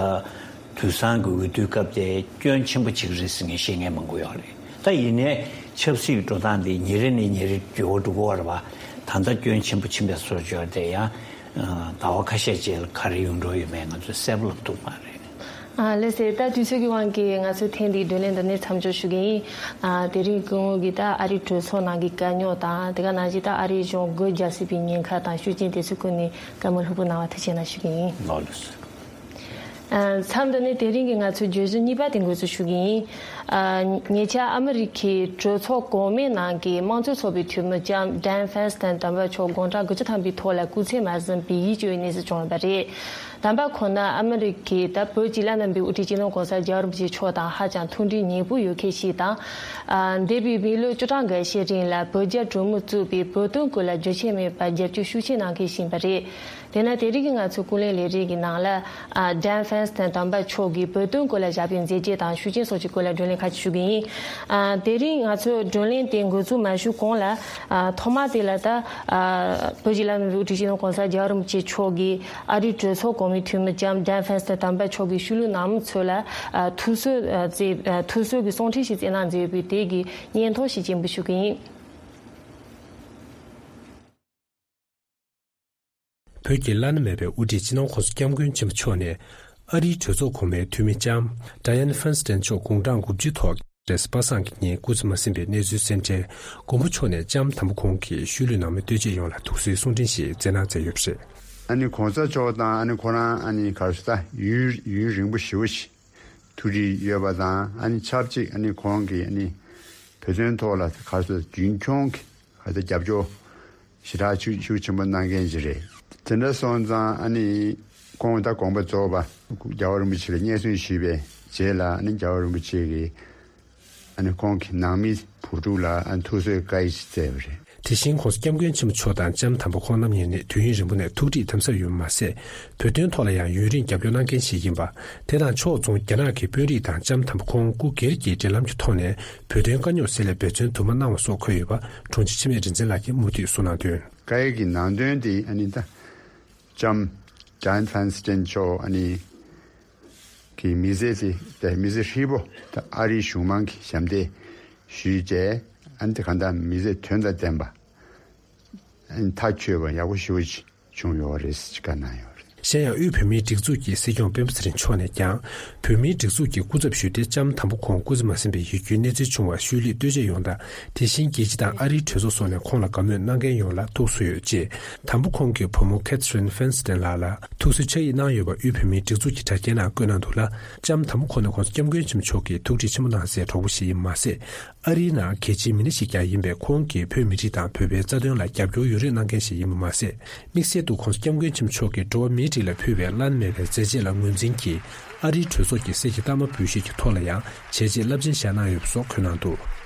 དུས་སང་གི་འོས་བསྡུའི་སྐབས་དེ་སྐྱོན་ཆེན་པོ་ཅིག་རེད་ཟེར་མཁན་བཤད་མཁན་མང་པོ་ཡོད་རེད། ད་ཡིན་ནའི་ཆབ་སྲིད་འགྲོ་སྟངས་འདི་ཉིན་རེ་ནས་ཉིན་རེ་འགྱུར་བ་འགྲོ་གི་ཡོད་རེད་པ། ད་ལྟ་སྐྱོན་ཆེན་པོ་ཕྱིན་པའི་བཟོ་བཅོས་དེ་ཡང་ཟླ་བ་ཁ་ཤས་རྗེས་ལ་ག་རེ་ཡོང་འགྲོ་ཡོད་མེད་ང་ཚོས་གསལ་པོ་ལབ་ཐུབ་མ་རེད། ཨ་ལགས་སེ། ད་དུས་ཚོད་ཀྱི་དབང་གིས་ང་ཚོའི་ཐེངས་འདིའི་བགྲོ་གླེང་འདི་ནས་མཚམས་འཇོག་ཞུ་གི་ཡིན། ཨ་དེ་རིང་སྐུ་ངོ་གིས་ད་ཨ་རིའི་གྲོས་ཚོགས་ནང་གི་དཀའ་རྙོག་དང་དེ་ག་ནང་བཞིན་ད་ཨ་རིའི་གཞུང་སྒོ་རྒྱག་སྲིད་པའི་ཉེན་ཁ་དང་ཤུགས་རྐྱེན་དེ་ཚོའི་སྐོར་ནས་བཀའ་མོལ་ལྷུག་པོ་གནང་བ་ཐུགས་རྗེ་གནང་ཞུ་གི་ཡིན། ལགས་སོ། མཚམས་འདི་ནས་དེ་རིང་གི་ང་ཚོའི་བརྗོད་གཞི་གཉིས་པ་དེ་འགོ་འཛུགས་ཞུ་གི་ཡིན། ཉེ་ཆར་ཨ་མི་རི་ཁའི་གྲོས་ཚོགས་གོང་མའི་ནང་གི་དམངས་གཙོའི་ཚོགས་པའི་འཐུས་མི་ལྕམ་ཌན་ཧྥན་སི་ཏན་དམ་པ་མཆོག་དགུང་གྲངས་དགུ་བཅུ་ཐམ་པའི་ཐོག་ལ་སྐུ་ཚེ་མ་ཟིན་པའི་ཡིད་སྐྱོ་བའི་གནས་སུ་བྱུང་ཡོད་པ་རེད། དམ་པ་ཁོང་ནི་ཨ་མི་རི་ཁའི་ད་བོད་ཀྱི་བླ་ན་མེད་པའི་དབུ་ཁྲིད་སྤྱི་ནོར་གོང་ས་རྒྱལ་བ་རིན་པོ་ཆེ་མཆོག་དང་ཧ་ཅང་མཐུན་སྒྲིལ་ཉེ་པོ་ཡོད་མཁན་ཞིག་དང་། འདས་པའི་མི་ལོ་བཅུ་གྲངས་འགའ་ཤས་རིང་ལ་བོད་རྒྱ་གྲོས་མོལ་བཙུགས་པའི་བོད་དོན་སྐོར་ལ་རྒྱུན་ཆད་མེད་པར་རྒྱབ་སྐྱོར་ཤུགས་ཆེ་གནང་མཁན་ཞིག་ཡིན་པ་རེད། དེས་ན་དེ་རིང་གི་ང་ཚོའི་ཀུན་གླེང་ལས་རིམ་གྱི་ནང་ལ། ཨ། ཌན་ཧྥན་སི་ཏན་དམ་པ་མཆོག་གིས་བོད་དོན་སྐོར་ལ་བཞག་པའི་མཛད་རྗེས་དང་ཤུགས་རྐྱེན་སོགས་ཀྱི་སྐོར་ལ་བགྲོ་གླེང་ཁ་ཤས་ཞུ་གི་ཡིན། ཨ། དེ་རིང་ང་ཚོས་བགྲོ་གླེང་དེ་འགོ་འཛུགས་མ་ཞུས་གོང་ལ། ཨ། ཐོག་མ་དེ་ལ་ད། ཨ། བོད་ཀྱི་བླ་ན་མེད་པའི་དབུ་ཁྲིད་སྤྱི་ནོར་གོང་ས་རྒྱལ་བ་རིན་པོ་ཆེ་མཆོག་གིས་ཨ་རིའི་གྲོས་ཚོགས་གོང་མའི་འཐུས་མི་ལྕམ་ཌན་ཧྥན་སི་ཏན་དམ་པ་མཆོག་གི་ཤུལ་ལུས་ནང་མི་ཚོ་ལ། ཨ། ཐུགས་གསོ། ཨ། མཛད། ཨ། ཐུགས་གསོ་གི་གསུང་འཕྲིན་ཞིག་བསྩལ་གནང་མཛད་ཡོད་པའི་དེ་གི་སྙན་ཐོ་ཞིག་སྙན་སྒྲོན་ཞུ་གི་ཡིན། བོད་ཀྱི་བླ་ན་མེད་པའི་དབུ་ཁྲིད་སྤྱི་ནོར་༸གོང་ས་༸སྐྱབས་མགོན་ཆེན་པོ་མཆོག་ནས། ཨ་རིའི་གྲོས་ཚོགས་གོང་མའི་འཐུས་མི་ལྕམ་ཌ་ཡན་ཧྥན་སི་ཏན་མཆོག་དགུང་གྲངས་དགུ་བཅུའི་ཐོག་རེས་གཟའ་པ་སངས་ཀྱི་ཉིན་སྐུ་ཚེ་མ་ཟིན་པའི་གནས་ཚུལ་གསན་འཕྲལ། མགོན་པོ་མཆོག་ནས་ལྕམ་དམ་པ་ཁོང་གི་ཤུལ་ལུས་ནང་མི་ལྟོས་བཅས་ཡོངས་ལ་ཐུགས་གསོའི་གསུང་འཕྲིན་ཞིག་བསྩལ་གནང་མཛད་ཡོད་པ་རེད། ཨ་ནི་གོང་ས་མཆོག་དང་ཨ་ནི་ཁོ་རང་ཨ་ནི་ག་རེ་ཟེར་ད་ཡུན་ཡུན་རིང་པོ་ཞེ་པོ་ཞིག་ཐུགས་འདྲིས་ཡོད་པ་དང་། ཨ་ནི་ཆབས་ཅིག་ཨ་ནི་ཁོང་གིས་ཨ་ནི་བོད་དོན་ཐོག་ལ་ག་རེ་ཟེར་རྒྱུན་འཁྱོངས་ཀྱི་ག་རེ་ཟེར་རྒྱབ་སྐྱོར་ཞེ་དྲག་ཤུགས་ཤུགས་ཆེན་པོ་གནང་མཁན་ཞིག་རེད། དེ་འདྲ་སོང་ཙང་ཨ་ནི་ཁོང་ད་དགོངས་པ་རྫོགས་པ། རྒྱལ་བ་རིན་པོ་ཆེ་ལ་སྙན་སེང་ཞུས་པའི་རྗེས་ལ་ཨ་ནི་རྒྱལ་བ་རིན་པོ་ཆེ་གིས་ཨ་ནི་ཁོང་གི་ནང་མི་བུ་ཕྲུག་ལ་ཨ་ནི་ཐུགས་གསོའི་བཀའ་ཡིག་ཅིག་བསྩལ་བ་རེད། དེ་བཞིན་༸གོང་ས་༸སྐྱབས་མགོན་ཆེན་པོ་མཆོག་དང་ལྕམ་དམ་པ་ཁོང་རྣམ་གཉིས་ནི་དུས་ཡུན་རིང་པོ་ནས་ཐུགས་འདྲིས་དམ་ཟབ་ཡོད་པ་མ་ཟད། བོད་དོན་ཐོག་ལ་ཡང་ཡུན་རིང་རྒྱབ་སྐྱོར་གནང་མཁན་ཞིག་ཡིན་པ། དེ་དང་ཕྱོགས་མཚུངས་རྒྱ་ནག་གི་དཔོན་རིགས་དང་ལྕམ་དམ་པ་ཁོང་སྐུ་སྒེར་གྱི་འབྲེལ་ལམ་གྱི་ཐོག་ནས་བོད་དོན་དཀའ་རྙོག་སེལ་སླད་འབད་བརྩོན་དུ་མ་གནང་བ་སོགས་འཁོད་ཡོད་པ་དྲུང་ཆེ་འཆི་མེད་རིག་འཛིན་ལགས་ཀྱིས་མུ་མཐུད་གསུངས་གནང་དོན། བཀའ་ཡིག་གི་ནང་དོན་དེ་ཨ་ནི་ད་ལྕམ་ཌན་ཧྥན་སི་ཏན་མཆོག་ཨ་ནི་གི་མི་ཚེ་དེ་ད་མི་ཚེ་ཧྲིལ་པོ་ད་ཨ་རིའི་གཞུང་མང་གི་ཞབས་འདེགས་ཞུས་བྱས། ཨ་ནི་དེ་གང་ལྟར་མི་ཚེ་དོན་དང་ལྡན་པ། ཨ་ནི་མཐའ་ཆོད་པ་ཡག་པོ་ཞེ་པོ་ཅིག་བྱུང་ཡོད་རེད་ཅེས་བཀའ་གནང་ཡོད་རེད། གཞན་ཡང་དབུས་བོད་མིའི་སྒྲིག་འཛུགས་ཀྱི་སྲིད་སྐྱོང་སྤེན་པ་ཚེ་རིང་མཆོག་ནས་ཀྱང་། བོད་མིའི་སྒྲིག་འཛུགས་ཀྱི་སྐུ་ཚབ་ཞུས་ཏེ་ལྕམ་དམ་པ་ཁོང་སྐུ་ཚེ་མ་ཟིན་པའི་ཡིད་སྐྱོའི་གནས་ཚུལ་བྱུང་བར་ཤུལ་ལུས་ལྟོས་བཅས་ཡོངས་དང་། དེ་བཞིན་རྒྱལ་སྤྱི་དང་ཨ་རིའི་གྲོས་ཚོགས་སོགས་ནས་ཁོང་ལ་དགའ་མོས་གནང་མཁན་ཡོངས་ལ་ཐུགས་གསོ་ཡོད་ཅེས། དམ་པ་ཁོང་གི་བུ་མོ་ཁེ་ཐི་རིན་ཧྥན་སི་ཏན་ལགས་ལ་ཐུགས་གསོའི་ཕྱག་ཡིག་གནང་ཡོད་པ་དབུས་བོད་མིའི་སྒྲིག་འཛུགས་ཀྱི་དྲ་རྒྱའི་ནང་བཀོད་གནང་འདུག་ལ། ལྕམ་དམ་པ་ཁོང་ནི་༸གོང་ས་༸སྐྱབས་མགོན་ཆེན་པོ་མཆོག་གིས་ཐུགས་འདྲིས་ཆེན་པོ་གནང་སའི་གྲོགས་པོ་ཞིག་ཡིན་པ་མ་ཟད། ཨ་རིའི་ནང་གལ་ཆེའི་མི་སྣ་ཞིག་ཀྱང་ཡིན་པས། ཁོང་གིས་བོད་མི་རིགས་དང་བོད་པའི་རྩ་དོན་ལ་རྒྱབ་སྐྱོར་ཡོད་རེ་གནང་མཁན་ཞིག་ཡིན་པ་མ་ཟད། དམིགས་བསལ་དུ་༸གོང་ས་༸སྐྱབས་མགོན་ཆེན་པོ་མཆོག་གིས་འགྲོ་བ་མིའི་རིགས་ལ་ཕུལ་བའི་བླ་ན་མེད་པའི་མཛད་རྗེས་ལ་ངོས་འཛིན་གྱིས། ཨ་རིའི་གྲོས་ཚོགས་ཀྱི་གསེར་གྱི་རྟགས་མ་འབུལ་བཞེས་ཀྱི་ཐོག་ལ་ཡང་བྱས་རྗེས་རླབས་ཆེན་བཞག་གནང་ཡོད་པ་སོགས་འཁོད་གནང་འདུག།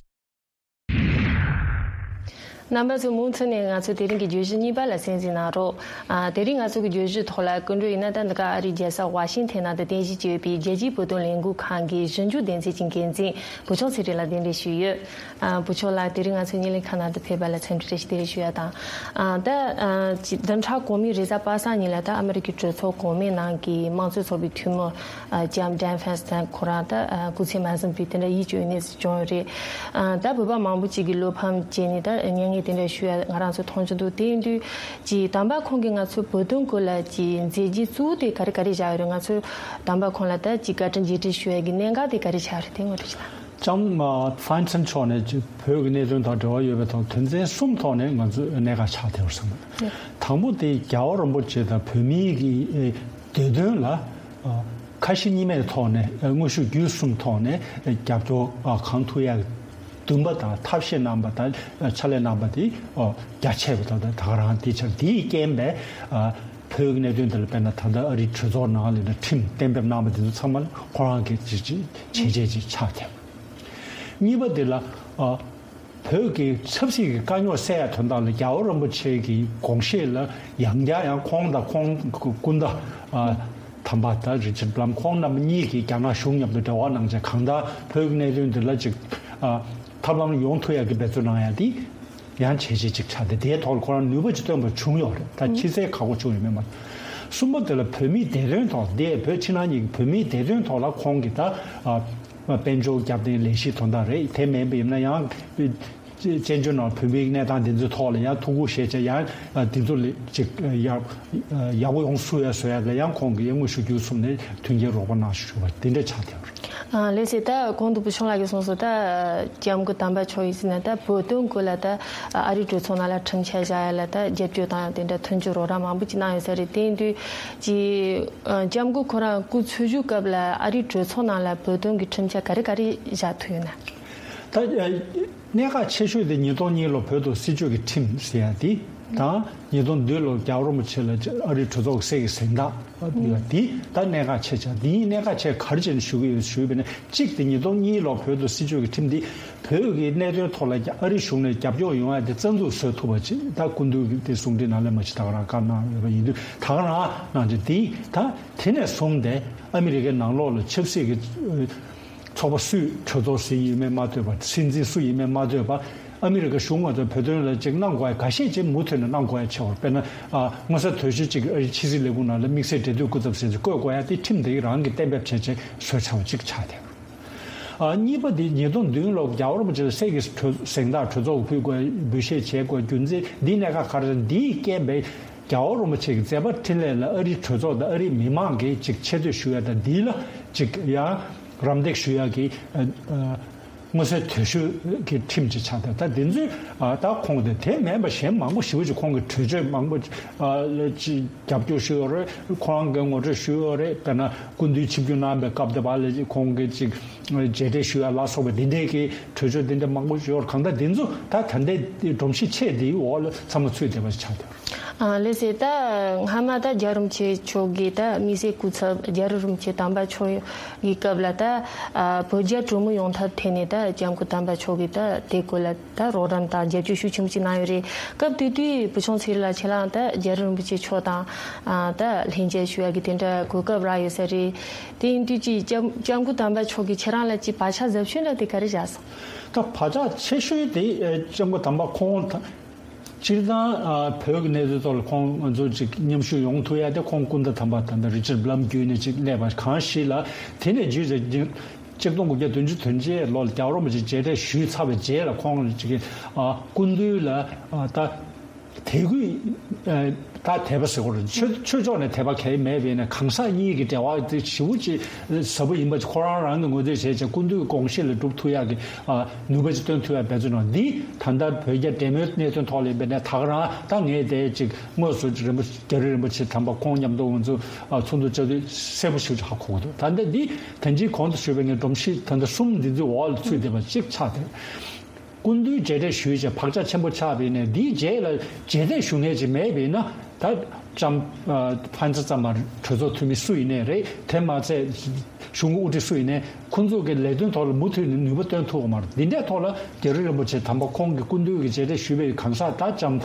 རྣམ་པ་ཚོས་མུ་མཐུད་ནས་ང་ཚོའི་དེ་རིང་གི་བརྗོད་གཞི་གཉིས་པ་ལ་གསན་གཟིགས་གནང་རོགས། ཨ། དེ་རིང་ང་ཚོ་གི་བརྗོད་གཞིའི་ཐོག་ལ་སྐུ་མགྲོན་ཡིན་ན། ད་འདི་ག་ཨ་རིའི་རྒྱལ་ས་ཝ་ཤིང་ཐན་ནང་དུ་རྟེན་གཞི་བྱས་ཡོད་པའི་རྒྱལ་སྤྱིའི་བོད་དོན་ལས་འགུལ་ཁང་གི་ཞིབ་འཇུག་སྡེ་ཚན་གྱི་འགན་འཛིན་བུ་ཆུང་ཚེ་རིང་ལགས་གདན་འདྲེན་ཞུས་ཡོད། ཨ། བུ་ཆུང་ལགས་དེ་རིང་ང་ཚོའི་བརྙན་ལེན་ཁང་ནང་དུ་ཕེབས་པ་ལ་འཚམས་འདྲི་བཀྲ་ཤིས་བདེ་ལེགས་ཞུ་ཡ་དང་། ཨ། ད། ཨ། ཅི། བདུན་ཕྲག་གོང་མའི་རེས་གཟའ་པ་སངས་ཉིན་ལ་ད་ཨ་མི་རི་ཀའི་གྲོས་ཚོགས་གོང་མའི་ནང་གི་དམངས་གཙོའི་ཚོགས་པའི་འཐུས་མི། ཨ། ལྕམ་ཌན་ཧྥན་སི་ཏན་ཁོ་རང་ད། ཨ། སྐུ་ཚེ་མ་ཟིན་པའི་དེ་འདྲ་ཡིད་སྐྱོ་བའི་གནས་སུ་བྱུང་ཡོད་རེད། ཨ། ད་བོད་པ་མང་པོ་ཅིག་གིས་བློ་ཕམ་བྱས་ནས་ད་མྱ་ངན་དེ་འདྲ་ཞུ་ཡ་ང་རང་ཚོ་མཐོང་རྒྱུ་འདུག། དེ་ཡིན་དུས་ཀྱི་དམ་པ་ཁོང་གིས་ང་ཚོའི་བོད་དོན་སྐོར་ལ་ཀྱི་མཛད་རྗེས་གཙོ་བོ་དེ་ག་རེ་ག་རེ་བཞག་ཡོད་རེད། ང་ཚོའི་དམ་པ་ཁོང་ལ་ད་ཀྱི་བཀའ་དྲིན་རྗེས་དྲན་ཞུ་ཡ་གི་གནད་འགག་དེ་ག་རེ་ཆགས་རེད། དེ་ངོ་སྤྲོད་ཅིག་གནང་། ལྕམ་ཧྥན་སི་ཏན་མཆོག་ནས་ཀྱི་བོད་ཀྱི་གནད་དོན་དང་འབྲེལ་བ་ཡོད་པའི་ཐོག་དོན་ཚན་གསུམ་ཐོག་ནས་ང་ཚོས་གནད་འགག་ཆགས་བསྡད་པར་བསམ་གྱི་འདུག། དང་པོ་དེ་རྒྱལ་བ་རིན་པོ་ཆེ་དང་བོད་མིའི་གི་ཨེ་བདེ་དོན་ལ་ཨ་ཁ་ཞེ་གཉིས་མེད་ཐོག་ནས། ཨ། དངོས་ཤུགས་བརྒྱུད་གསུམ་ཐོག་ནས་ཨ་རྒྱབ་སྐྱོར་ཨ་གང་ཐུབ་ཡ་འདུན་པ་དང་ཐབས་ཤེས་གནང་བ་དང་ཨ་ཕྱག་ལས་གནང་བ་དེ་ཨ་རྒྱ་ཆེ་བ་དང་། ད་ག་རང་དེ་ཆར་དེའི་རྐྱེན་པས་ཨ་བོད་ཀྱི་གནད་དོན་དེ་ལ་དཔེར་ན་ད་ལྟ་ཨ་རིའི་གྲོས་ཚོགས་ནང་ལ་ཁྲིམས་གཏན་འབེབས་གནང་བ་དེ་ཚོ་ཚང་མ་ཁོ་རང་གི་བྱས་རྗེས་ཅིག་ཆགས་བསྡད་པ། གཉིས་པ་དེ་ལ་ཨ་བོད་ཀྱི་ཆབ་སྲིད་ཀྱི་དཀའ་རྙོག་སེལ་ཡ་དོན་དག་ལ་རྒྱལ་བ་རིན་པོ་ཆེ་གི་དགོངས་བཞེད་ལ་ཡང་བསྐྱར་ཡང་ཁོང་དང་ཁོང་སྐུ་ཟླ་ཨ་དམ་པ་ད་རི་ཆར་ལམ་ཁོང་རྣམ་པ་གཉིས་ཀྱིས་རྒྱ་ནག་གཞུང་མཉམ་དུ་འབྲེལ་བ་གནང་བྱས། གང་ལྟར་བོད་ཀྱི་གནད་དོན་འདི་ལ་ཅིག་ཨ་ཐབས་ལམ་ཡོང་ཐུབ་ཡ་གི་འབད་བརྩོན་གནང་ཡ་དེ་ཡང་བྱས་རྗེས་ཅིག་ཆགས་ཏེ། དེའི་ཐོག་ལ་ཁོ་རང་ནུས་པ་ཅིག་བཏོན་པ་བྱུང་ཡོད་རེད། ད་ཕྱི་གསལ་ཁག་པོ་བྱུང་ཡོད་མེད་མ་རེད། གསུམ་པ་དེ་ལ་བོད་མིའི་བདེ་དོན་ཐོག་འདི་བོད་ཕྱི་ནང་གཉིས་ཀྱི་བོད་མིའི་བདེ་དོན་ཐོག་ལ་ཁོང་གིས་ད་ཨ། དཔལ་འབྱོར་རྒྱབ་རྟེན་ལས་གཞི་དོན་དག་རེད། དེ་མིན་པ་ཡིན་ན་ཡང་བཙན་བྱོལ་ནང་བོད་མིའི་གནས་སྟངས་འདི་ཚོའི་ཐོག་ལ་ཡང་ཐུགས་ཁུར་བཞེས་བྱས། ཡང་འདི་ཚོ་ལ་ཅིག་ཡག་ཡག་པོ་ཡོང་ཐུབ་ཡ་བཟོ་ཡ་ལ་ཡང་ཁོང་གིས་དངོས་ཤུགས་བརྒྱུད་གསུམ་ནས་མཐུན་རྐྱེན་རོགས་པ་གནང་ཞུ་བ་དེ་འདྲ་ཆགས་བསྡད་པ་རེད། ཨ་ལགས་སེ། ད་གོང་དུ་བུ་ཆུང་ལགས་ཀྱིས་གསུངས་སོང་། ད་ལྕམ་སྐུ་དམ་པ་མཆོག་ཡིན་ཟེར་ན། ད་བོད་དོན་སྐོར་ལ་ད་ཨ་རིའི་གྲོས་ཚོགས་ནང་ལ་ཁྲིམས་འཆར་བཞག་ཡ་ལ་ད་རྒྱབ་སྐྱོར་དང་དེ་འདྲ་མཐུན་འགྱུར་རོགས་རམ་མང་པོ་ཅིག་གནང་ཡོད་ས་རེད། དེ་ཡིན་དུས་ཀྱི་ཨ་ལྕམ་སྐུ་ཁོ་རང་སྐུ་འཚོ་བཞུགས་སྐབས་ལ་ཨ་རིའི་གྲོས་ཚོགས་ནང་ལ་བོད་དོན་གྱི་ཁྲིམས་འཆར་ག་རེ་ག་རེ་བཞག་ཐུབ་ཡོད་ན། ད་ཨ་གནད་འགག་ཆེ་ཤོས་དེ་ཉིས་སྟོང་གཉིས་ལོ་བོད་དོན་སྲིད་བྱུས་ཀྱི་ཁྲིམས་ཟེར་ཡ་དེ་དང་། ཉིས་སྟོང་བདུན་ལོ་རྒྱལ་བ་རིན་པོ་ཆེ་ལ་ཨ་རིའི་གྲོས་ཚོགས་ཀྱི་གསེར་གྱི་གཟེངས་རྟགས་ཕུལ་བ་དེ་ད་གནད་འགག་ཆེ་ཆགས། དེའི་གནད་འགག་ཆེ་ག་རེ་བྱས་ནས་ཞུ་གི་ཡོད་ཞུས་པ་ཡིན་ན། གཅིག་དེ་ཉིས་སྟོང་གཉིས་ལོ་བོད་དོན་སྲིད་བྱུས་ཀྱི་ཁྲིམས་འདི་བོད་ཀྱི་གནད་དོན་ཐོག་ལ་ཨ་རིའི་གཞུང་ནས་རྒྱབ་སྐྱོར་ཡོང་ཡ་དེ་རྩ་འཛུགས་བཟོ་ཐུབ་པ་ཅིག་ད་སྐུ་མདུན་གྱི་དེ་གསུང་འཕྲིན་ནང་ལ་མ་ཅིག་ད་ག་རང་བཀའ་གནང་ཡོད་པ་ཡིན་དུས། ད་ག་རང་གནང་རྒྱུ་དེ་ད་དེ་ནས་བཟུང་སྟེ་ཨ་མི་རི་ཀའི་ནང་ལོགས་ལ་ཆབ་སྲིད་ཀྱི་ཚོགས་པ་སུས་གྲོས་ཚོགས་སྲིད་ཡིན་མིན་མ་ལྟོས་པར། སྲིད་འཛིན་སུ་ཡིན་མིན་མ་ལྟོས་པར། ཨ་མི་རི་ཀ་གཞུང་ང་ཚོ་བོད་དོན་ལ་ཅིག་གནང་དགོས་ཡ་འགའ་ཤས་ཅིག་མུ་མཐུད་ནས་གནང་དགོས་ཡ་ཆེ་བར། དཔེར་ན་ཨ་མངོན་གསལ་དོད་ཤོས་ཅིག་ཨ་རིའི་ཕྱི་སྲིད་ལས་ཁུངས་ནང་ལ་དམིགས་བསལ་འབྲེལ་མཐུད་སྐུ་ཚབ་ཟེར་ཚེ་བསྐོས་དགོས་ཡ་དེ་ཁྲིམས་དེ་རང་གིས་གཏན་འབེབས་བྱས་བྱས་བཟོས་ཚར་བ་ཅིག་ཆགས་བསྡད་ཡོད། ཨ་གཉིས་པ་དེ་ཉིས་སྟོང་བདུན་ལོ་རྒྱལ་བ་རིན་པོ་ཆེ་ལ་གསེར་གྱི་གྲོས་གཟེངས་རྟགས་གྲོས་ཚོགས་ཕུལ་དགོས་འབུལ་བཞེས་བྱེད་དགོས་རྒྱུ་མཚན་འདིའི་གནད་འགག་ག་རེ་རེད། འདིའི་རྐྱེན་པས་རྒྱལ་བ་རིན་པོ་ཆེ་གི་མཛད་པ་འཕྲིན་ལས་ལ་ཨ་རིའི་གྲོས་ཚོགས་དང་ཨ་རིའི་མི་མང་གིས་ཅིག་ཆེ་བསྟོད་ཞུ་ཡ་དང་། འདི་ལ་ཅིག་ཡང་རམ་འདེགས་ཞུ་ཡ་གི་ཨ་ཨ་མངོན་གསལ་དོད་ཤོས་ཀྱི་ཁྲིམས་ཅིག་ཆགས་ཏེ། ད་འདི་ཚོས་ཨ་ད་ཁོང་དེ་དེ་མིན་པ་གཞན་མང་པོ་ཞེ་པོ་ཅིག་ཁོང་གི་གྲོས་ཆོད་མང་པོ་ཨ་ལ་ཅིག་རྒྱབ་སྐྱོར་ཞུས་ཡོད་རེད། ཁོ་རང་གིས་ངོ་སྤྲོད་ཞུས་ཡོད་རེད། དཔེར་ན་སྐུ་མདུན་ཆིབས་བསྒྱུར་གནང་བའི་སྐབས་དེ་བར་ལ་ཁོང་གིས་ཅིག་མཇལ་འཕྲད་ཞུ་ཡ་ལ་སོགས་པ་འདི་འདྲའི་གི་གྲོས་ཆོད་འདི་འདྲ་མང་པོ་ཡོད་རེད། གང་ལྟར་འདི་ཚོ་ད་ད་ལྟའི་སྒྲོམ་གཞི་ཆེ་འདིའི་འོག་ལ་ཚང་མ་ཚུད་བསྡད་པ་ཆགས་ཡོད་རེད། ཨ་ལགས་སེ། ད་སྔ་མ་ད་རྒྱལ་བ་རིན་པོ་ཆེ་མཆོག་གིས་ད་དམིགས་བསལ་སྐུ་ཚབ་རྒྱལ་བ་རིན་པོ་ཆེ་དམ་པ་མཆོག་གི་སྐབས་ལ་ད་ཨ་བོད་རྒྱ་གྲོས་མོལ་ཡོང་ཐབས་ཐད་ནས་ད་ལྕམ་སྐུ་དམ་པ་མཆོག་གིས་ད་དེ་སྐོར་ལ་ད་རོགས་རམ་དང་རྒྱབ་སྐྱོར་ཤུགས་ཆེན་པོ་ཅིག་གནང་ཡོད་རེད། སྐབས་དེ་དུས་བུ་ཆུང་ཚེ་རིང་ལགས་ཁྱེད་རང་ད་རྒྱལ་བ་རིན་པོ་ཆེ་མཆོག་དང་ཨ་ད་ལྷན་མཇལ་ཞུ་ཡ་གི་དེ་འདྲ་གོ་སྐབས་རག་ཡོད་ས་རེད། དེ་ཡིན་དུས་ཀྱི་ལྕམ་ལྕམ་སྐུ་དམ་པ་མཆོག་གིས་ཁྱེད་རང་ལ་ཅིག་བག་ཆགས་ཟབ་ཤོས་འདྲ་དེ་ག་རེ་བཞག་སོང་། ད་བག་ཆགས་ཆེ་ཤོས་དེ་ལྕམ་སྐུ་དམ་པ་ཁོང་ད་སྤྱིར་བཏང་ཨ་བོད་ཀྱི་གནས་ཚུལ་ཐོག་ལ་ཁོང་ང་ཚོ་ཅིག་མཉམ་ཞུགས་ཡོང་ཐུབ་ཡ་དེ་ཁོང་སྐུ་ཟླ་དམ་པ་ད་ལྟ་རི་ཅར་བྷ་ལམ་བརྒྱུད་ནས་ཅིག་སླེབས་པ་གང་ཞིག་ལ། དེ་ནས་བརྒྱུད་ཅིག་གཅིག་སྟོང་དགུ་བརྒྱ་བདུན་ཅུ་དོན་གཅིག་ལོ་ལ་རྒྱལ་བ་རིན་པོ་ཆེ་མཇལ་འཕྲད་ཞུས་ཚར་བའི་རྗེས་ལ་ཁོང་ཅིག་ཨ་སྐུ་མདུན་ལ་ཨ་ད་དད་གུས་ཨ་ད་དད་པ་ཟེར་དགོས་རེད། ཆོས་ཆོས་ཕྱོགས་ནས་དད་པ་གང་ཡང་མེད་པས་ན། གང་ཟག་གཉིས་ཀྱི་འབྲེལ་བ་དེ་ཞེ་པོ་ཅིག་ཟབ་པོ་ཡིན་པ་ཅིག་ཁོ་རང་རང་གིས་ངོས་འཛིན་བྱས་བྱས་སྐུ་མདུན་གྱི་དགོངས་གཞི་ལ་སྒྲུབ་ཐུབ་ཡག་གི་ཨ་ནུས་པ་ཅིག་སྟོན་ཐུབ་ཡག་འབད་བརྩོན་གནང་། འདི་ད་ལྟ་བོད་རྒྱ་འབྲེལ་མོལ་གནད་དོན་ཐོག་ལ་ཡིན་པས་ན། ད་ག་རང་ད་ངས་དེ་ཅིག་དངོས་སུ་རིན་པོ་རྒྱ་རི་རིན་པོ་ཆེ་དམ་པ་ཁོང་མཉམ་དུ་ང་ཚོ་ཨ་ཚོགས་འདུ་བཅར་དུས་གསལ་པོ་ཞིག་ཧ་གོ་གི་འདུག་ད་ལྟ་འདི་ད་ཅིག་གོང་དུ་ཞུས་པའི་ངའི་སྒྲོམ་གཞི་ད་ལྟ་གསུམ་འདི་ཚོའི་འོག་ལ་ཚུད་བསྡད་པ་ཅིག་ཆགས་ཏེ། སྐུ་མདུན་མཇལ་འཕྲད་ཞུས་བྱས་བག་ཆགས་ཆེན་པོ་ཆགས་པ་ཡིན་ན། འདིའི་རྗེས་ལ་མཇལ་འཕྲད་ཞུ་མཁན་ཅིག་མེད་པ་ཡིན་ན། ད་ལྕམ་ཨ་ཕན་ཚུན་ཙམ་མ་གྲོས་ཚོགས་འཐུས་མི་སུ་ཡིན་ནའི་རེད། དེ་མ་ཚད་གཞུང་གི་དབུ་ཁྲིད་སུ་ཡིན་ནའི་ཁོང་ཚོ་གི་ལས་དོན་ཐོག་ལ་མུ་མཐུད་ནས་ནུས་པ་བཏོན་ཐུབ་ཀྱི་མ་རེད། འདི་འདྲའི་ཐོག་ལ་རྒྱ་རི་རིན་པོ་ཆེ་དམ་པ་ཁོང་གི་སྐུ་མདུན་གྱི་མཇལ་འཕྲད་ཞུས་པའི་གང་ཟག་ད་ལྕམ་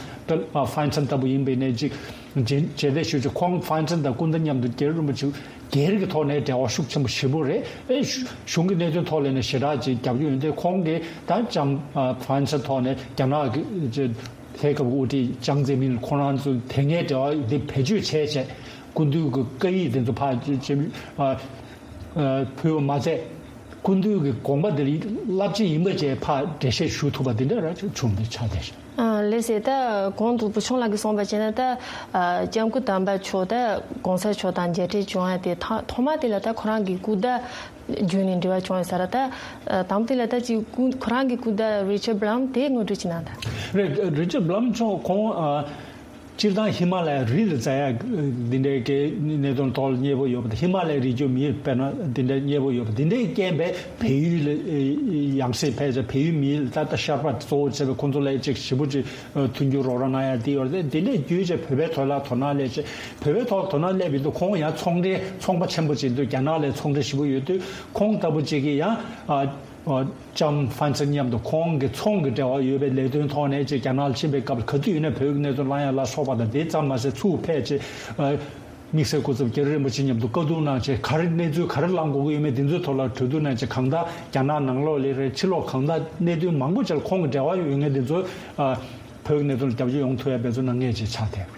ཨ་ཕན་ཚུན་ལྟ་བུ་ཡིན་པ་ཡིན་ནའི་ཅིག་མཇལ་མཇལ་འཕྲད་ཞུས་བྱས་ཁོང་ཕན་ཚུན་དང་སྐུ་ཟླ་མཉམ་དུ་རྒྱ་རི་རིན་པོ་ཆེ་སྒེར་གྱི་ཐོག་ནས་འབྲེལ་བ་ཤུགས་ཆེན་པོ་ཞེ་པོ་རེད། ཨེ་གཞུང་གི་གནད་དོན་ཐོག་ལ་ནས་ཞེ་དྲག་ཅིག་རྒྱབ་སྐྱོར་ཡོད་དེ། ཁོང་གིས་ད་ལྕམ་ཨ་ཕན་ཚུན་ཐོག་ནས་རྒྱ་ནག་གི་ལྷན་ཁང་གི་དབུ་ཁྲིད་ཅང་ཙེ་མིན་ཁོང་རང་ཚོ་དེ་སྔའི་འབྲེལ་བ་འདི་བེད་སྤྱོད་བྱས་བྱས་སྐུ་མདུན་གྱི་བཀའ་ཡིག་དེ་ཚོ་ཕར་ཅིག་ཨ་ཨ་ཕུལ་བ་མ་ཚད། སྐུ་མདུན་གྱི་དགོངས་པ་འདི་རླབས་ཆེན་ཡིན་པ་བཅས་ཕར་འགྲེལ་བཤད་ཞུ་ཐུབ་པ་འདི་འདྲ་ར་བྱུང་སྟེ་ཆགས་བསྡད་ཤག་ཨ་ལགས་སེ། ད་གོང་དུ་བུ་ཆུང་ལགས་ཀྱིས་གསུངས་པ་བྱས་ན། ད་ཨ་ལྕམ་སྐུ་དམ་པ་མཆོག་ད་གོང་ས་མཆོག་དང་མཇལ་འཕྲད་བྱུང་ཡ་དེ་ཐ་ཐོག་མ་དེ་ལ་ད་ཁོ་རང་གི་སྐུ་ཟླ་བརྒྱུད་ནས་འབྲེལ་བ་བྱུང་ཡོད་ས་རེད། ད་ཨ་དང་པོ་དེ་ལ་ད་ཅིག་སྐུ་ཁོ་རང་གི་སྐུ་ཟླ་རི་ཅར་བྷ་ལམ་དེ་ངོ་སྤྲོད་ཅིག་གནང་དང་། རེད། རི་ཅར་བྷ་ལམ་མཆོག་ཁོང་ཨ། སྤྱིར་བཏང་ཧི་མ་ལ་ཡའི་རི་ལ་འཛེག་ཡ་འདི་འདྲའི་གི་གནད་དོན་ཐོག་ལ་མཉེས་པོ་ཡོད་པ་དང་། ཧི་མ་ལ་ཡའི་རི་རྒྱུད་མི་དཔེར་ན་འདི་འདྲའི་མཉེས་པོ་ཡོད་པ་འདི་འདྲའི་རྐྱེན་པས་བལ་ཡུལ་ལ་ཡང་སེ་ཕལ་ཆེར་བལ་ཡུལ་མི་ལ་ད་ལྟ་ཤར་པ་གཙོ་བོ་བྱས་པའི་ཁོང་ཚོ་ལ་ཅིག་ཞེ་པོ་ཅིག་མཐུན་འགྱུར་རོགས་རམ་གནང་ཡ་འདི་ཡོད་རེད། འདི་འདྲའི་བརྒྱུད་བྱས་བོད་པའི་ཐོག་ལ་དོ་སྣང་སླེབས་བྱས། བོད་པའི་ཐོག་ལ་དོ་སྣང་སླེབས་ཡོད་དུས་ཁོང་ཡང་ཚོང་འབྲེལ་ཚོང་པ་ཆེན་པོ་ཅིག་འདུག་རྒྱ་ནག་ལ་ཚོང་འབྲེལ་ཞེ་པོ་ཡོད་དུས་ཁོང་ལྟ་བུ་ཅིག་གིས་ཡང་ཨ། ལྕམ་ཧྥན་སན་མཉམ་དུ་ཁོང་གི་ཚོང་གི་འབྲེལ་བ་ཡོད་པའི་ལས་དོན་ཐོག་ནས་ཅིག་རྒྱ་ནག་ལ་ཕྱིན་པའི་སྐབས་ལ་ག་དུས་ཡིན་ན་བོད་ཀྱི་གནད་དོན་གླེང་ཡ་ལ་སོགས་པ་དང་། དེ་ཙམ་མ་ཟད་ཚུར་ཕེབས་ཅིག་ཨ་དམིགས་བསལ་སྐུ་ཚབ་རྒྱ་རི་རིན་པོ་ཆེ་མཉམ་དུ་བཀའ་བསྡུར་གནང་བྱས། ག་རེ་གནས་ཚུལ་ག་རེ་གླེང་དགོས་ཀྱི་ཡོད་མེད་འདི་ཚོའི་ཐོག་ལ་གྲོས་བསྡུར་གནང་བྱས། གང་ལྟར་རྒྱ་ནག་ནང་ལོགས་ལ་རེད། ཕྱི་ལོགས་གང་ལྟར་གནད་དོན་མང་པོ་ཅིག་ལ་ཁོང་གི་འབྲེལ་བ་ཡོད་མཁན་འདི་ཚོ་ཨ་བོད་ཀྱི་གནད་དོན་ལ་རྒྱབ་སྐྱོར་ཡོང་ཐུབ་ཡ་འབད་བརྩོན་གནང་མཁན་ཅིག་ཆགས་བསྡད།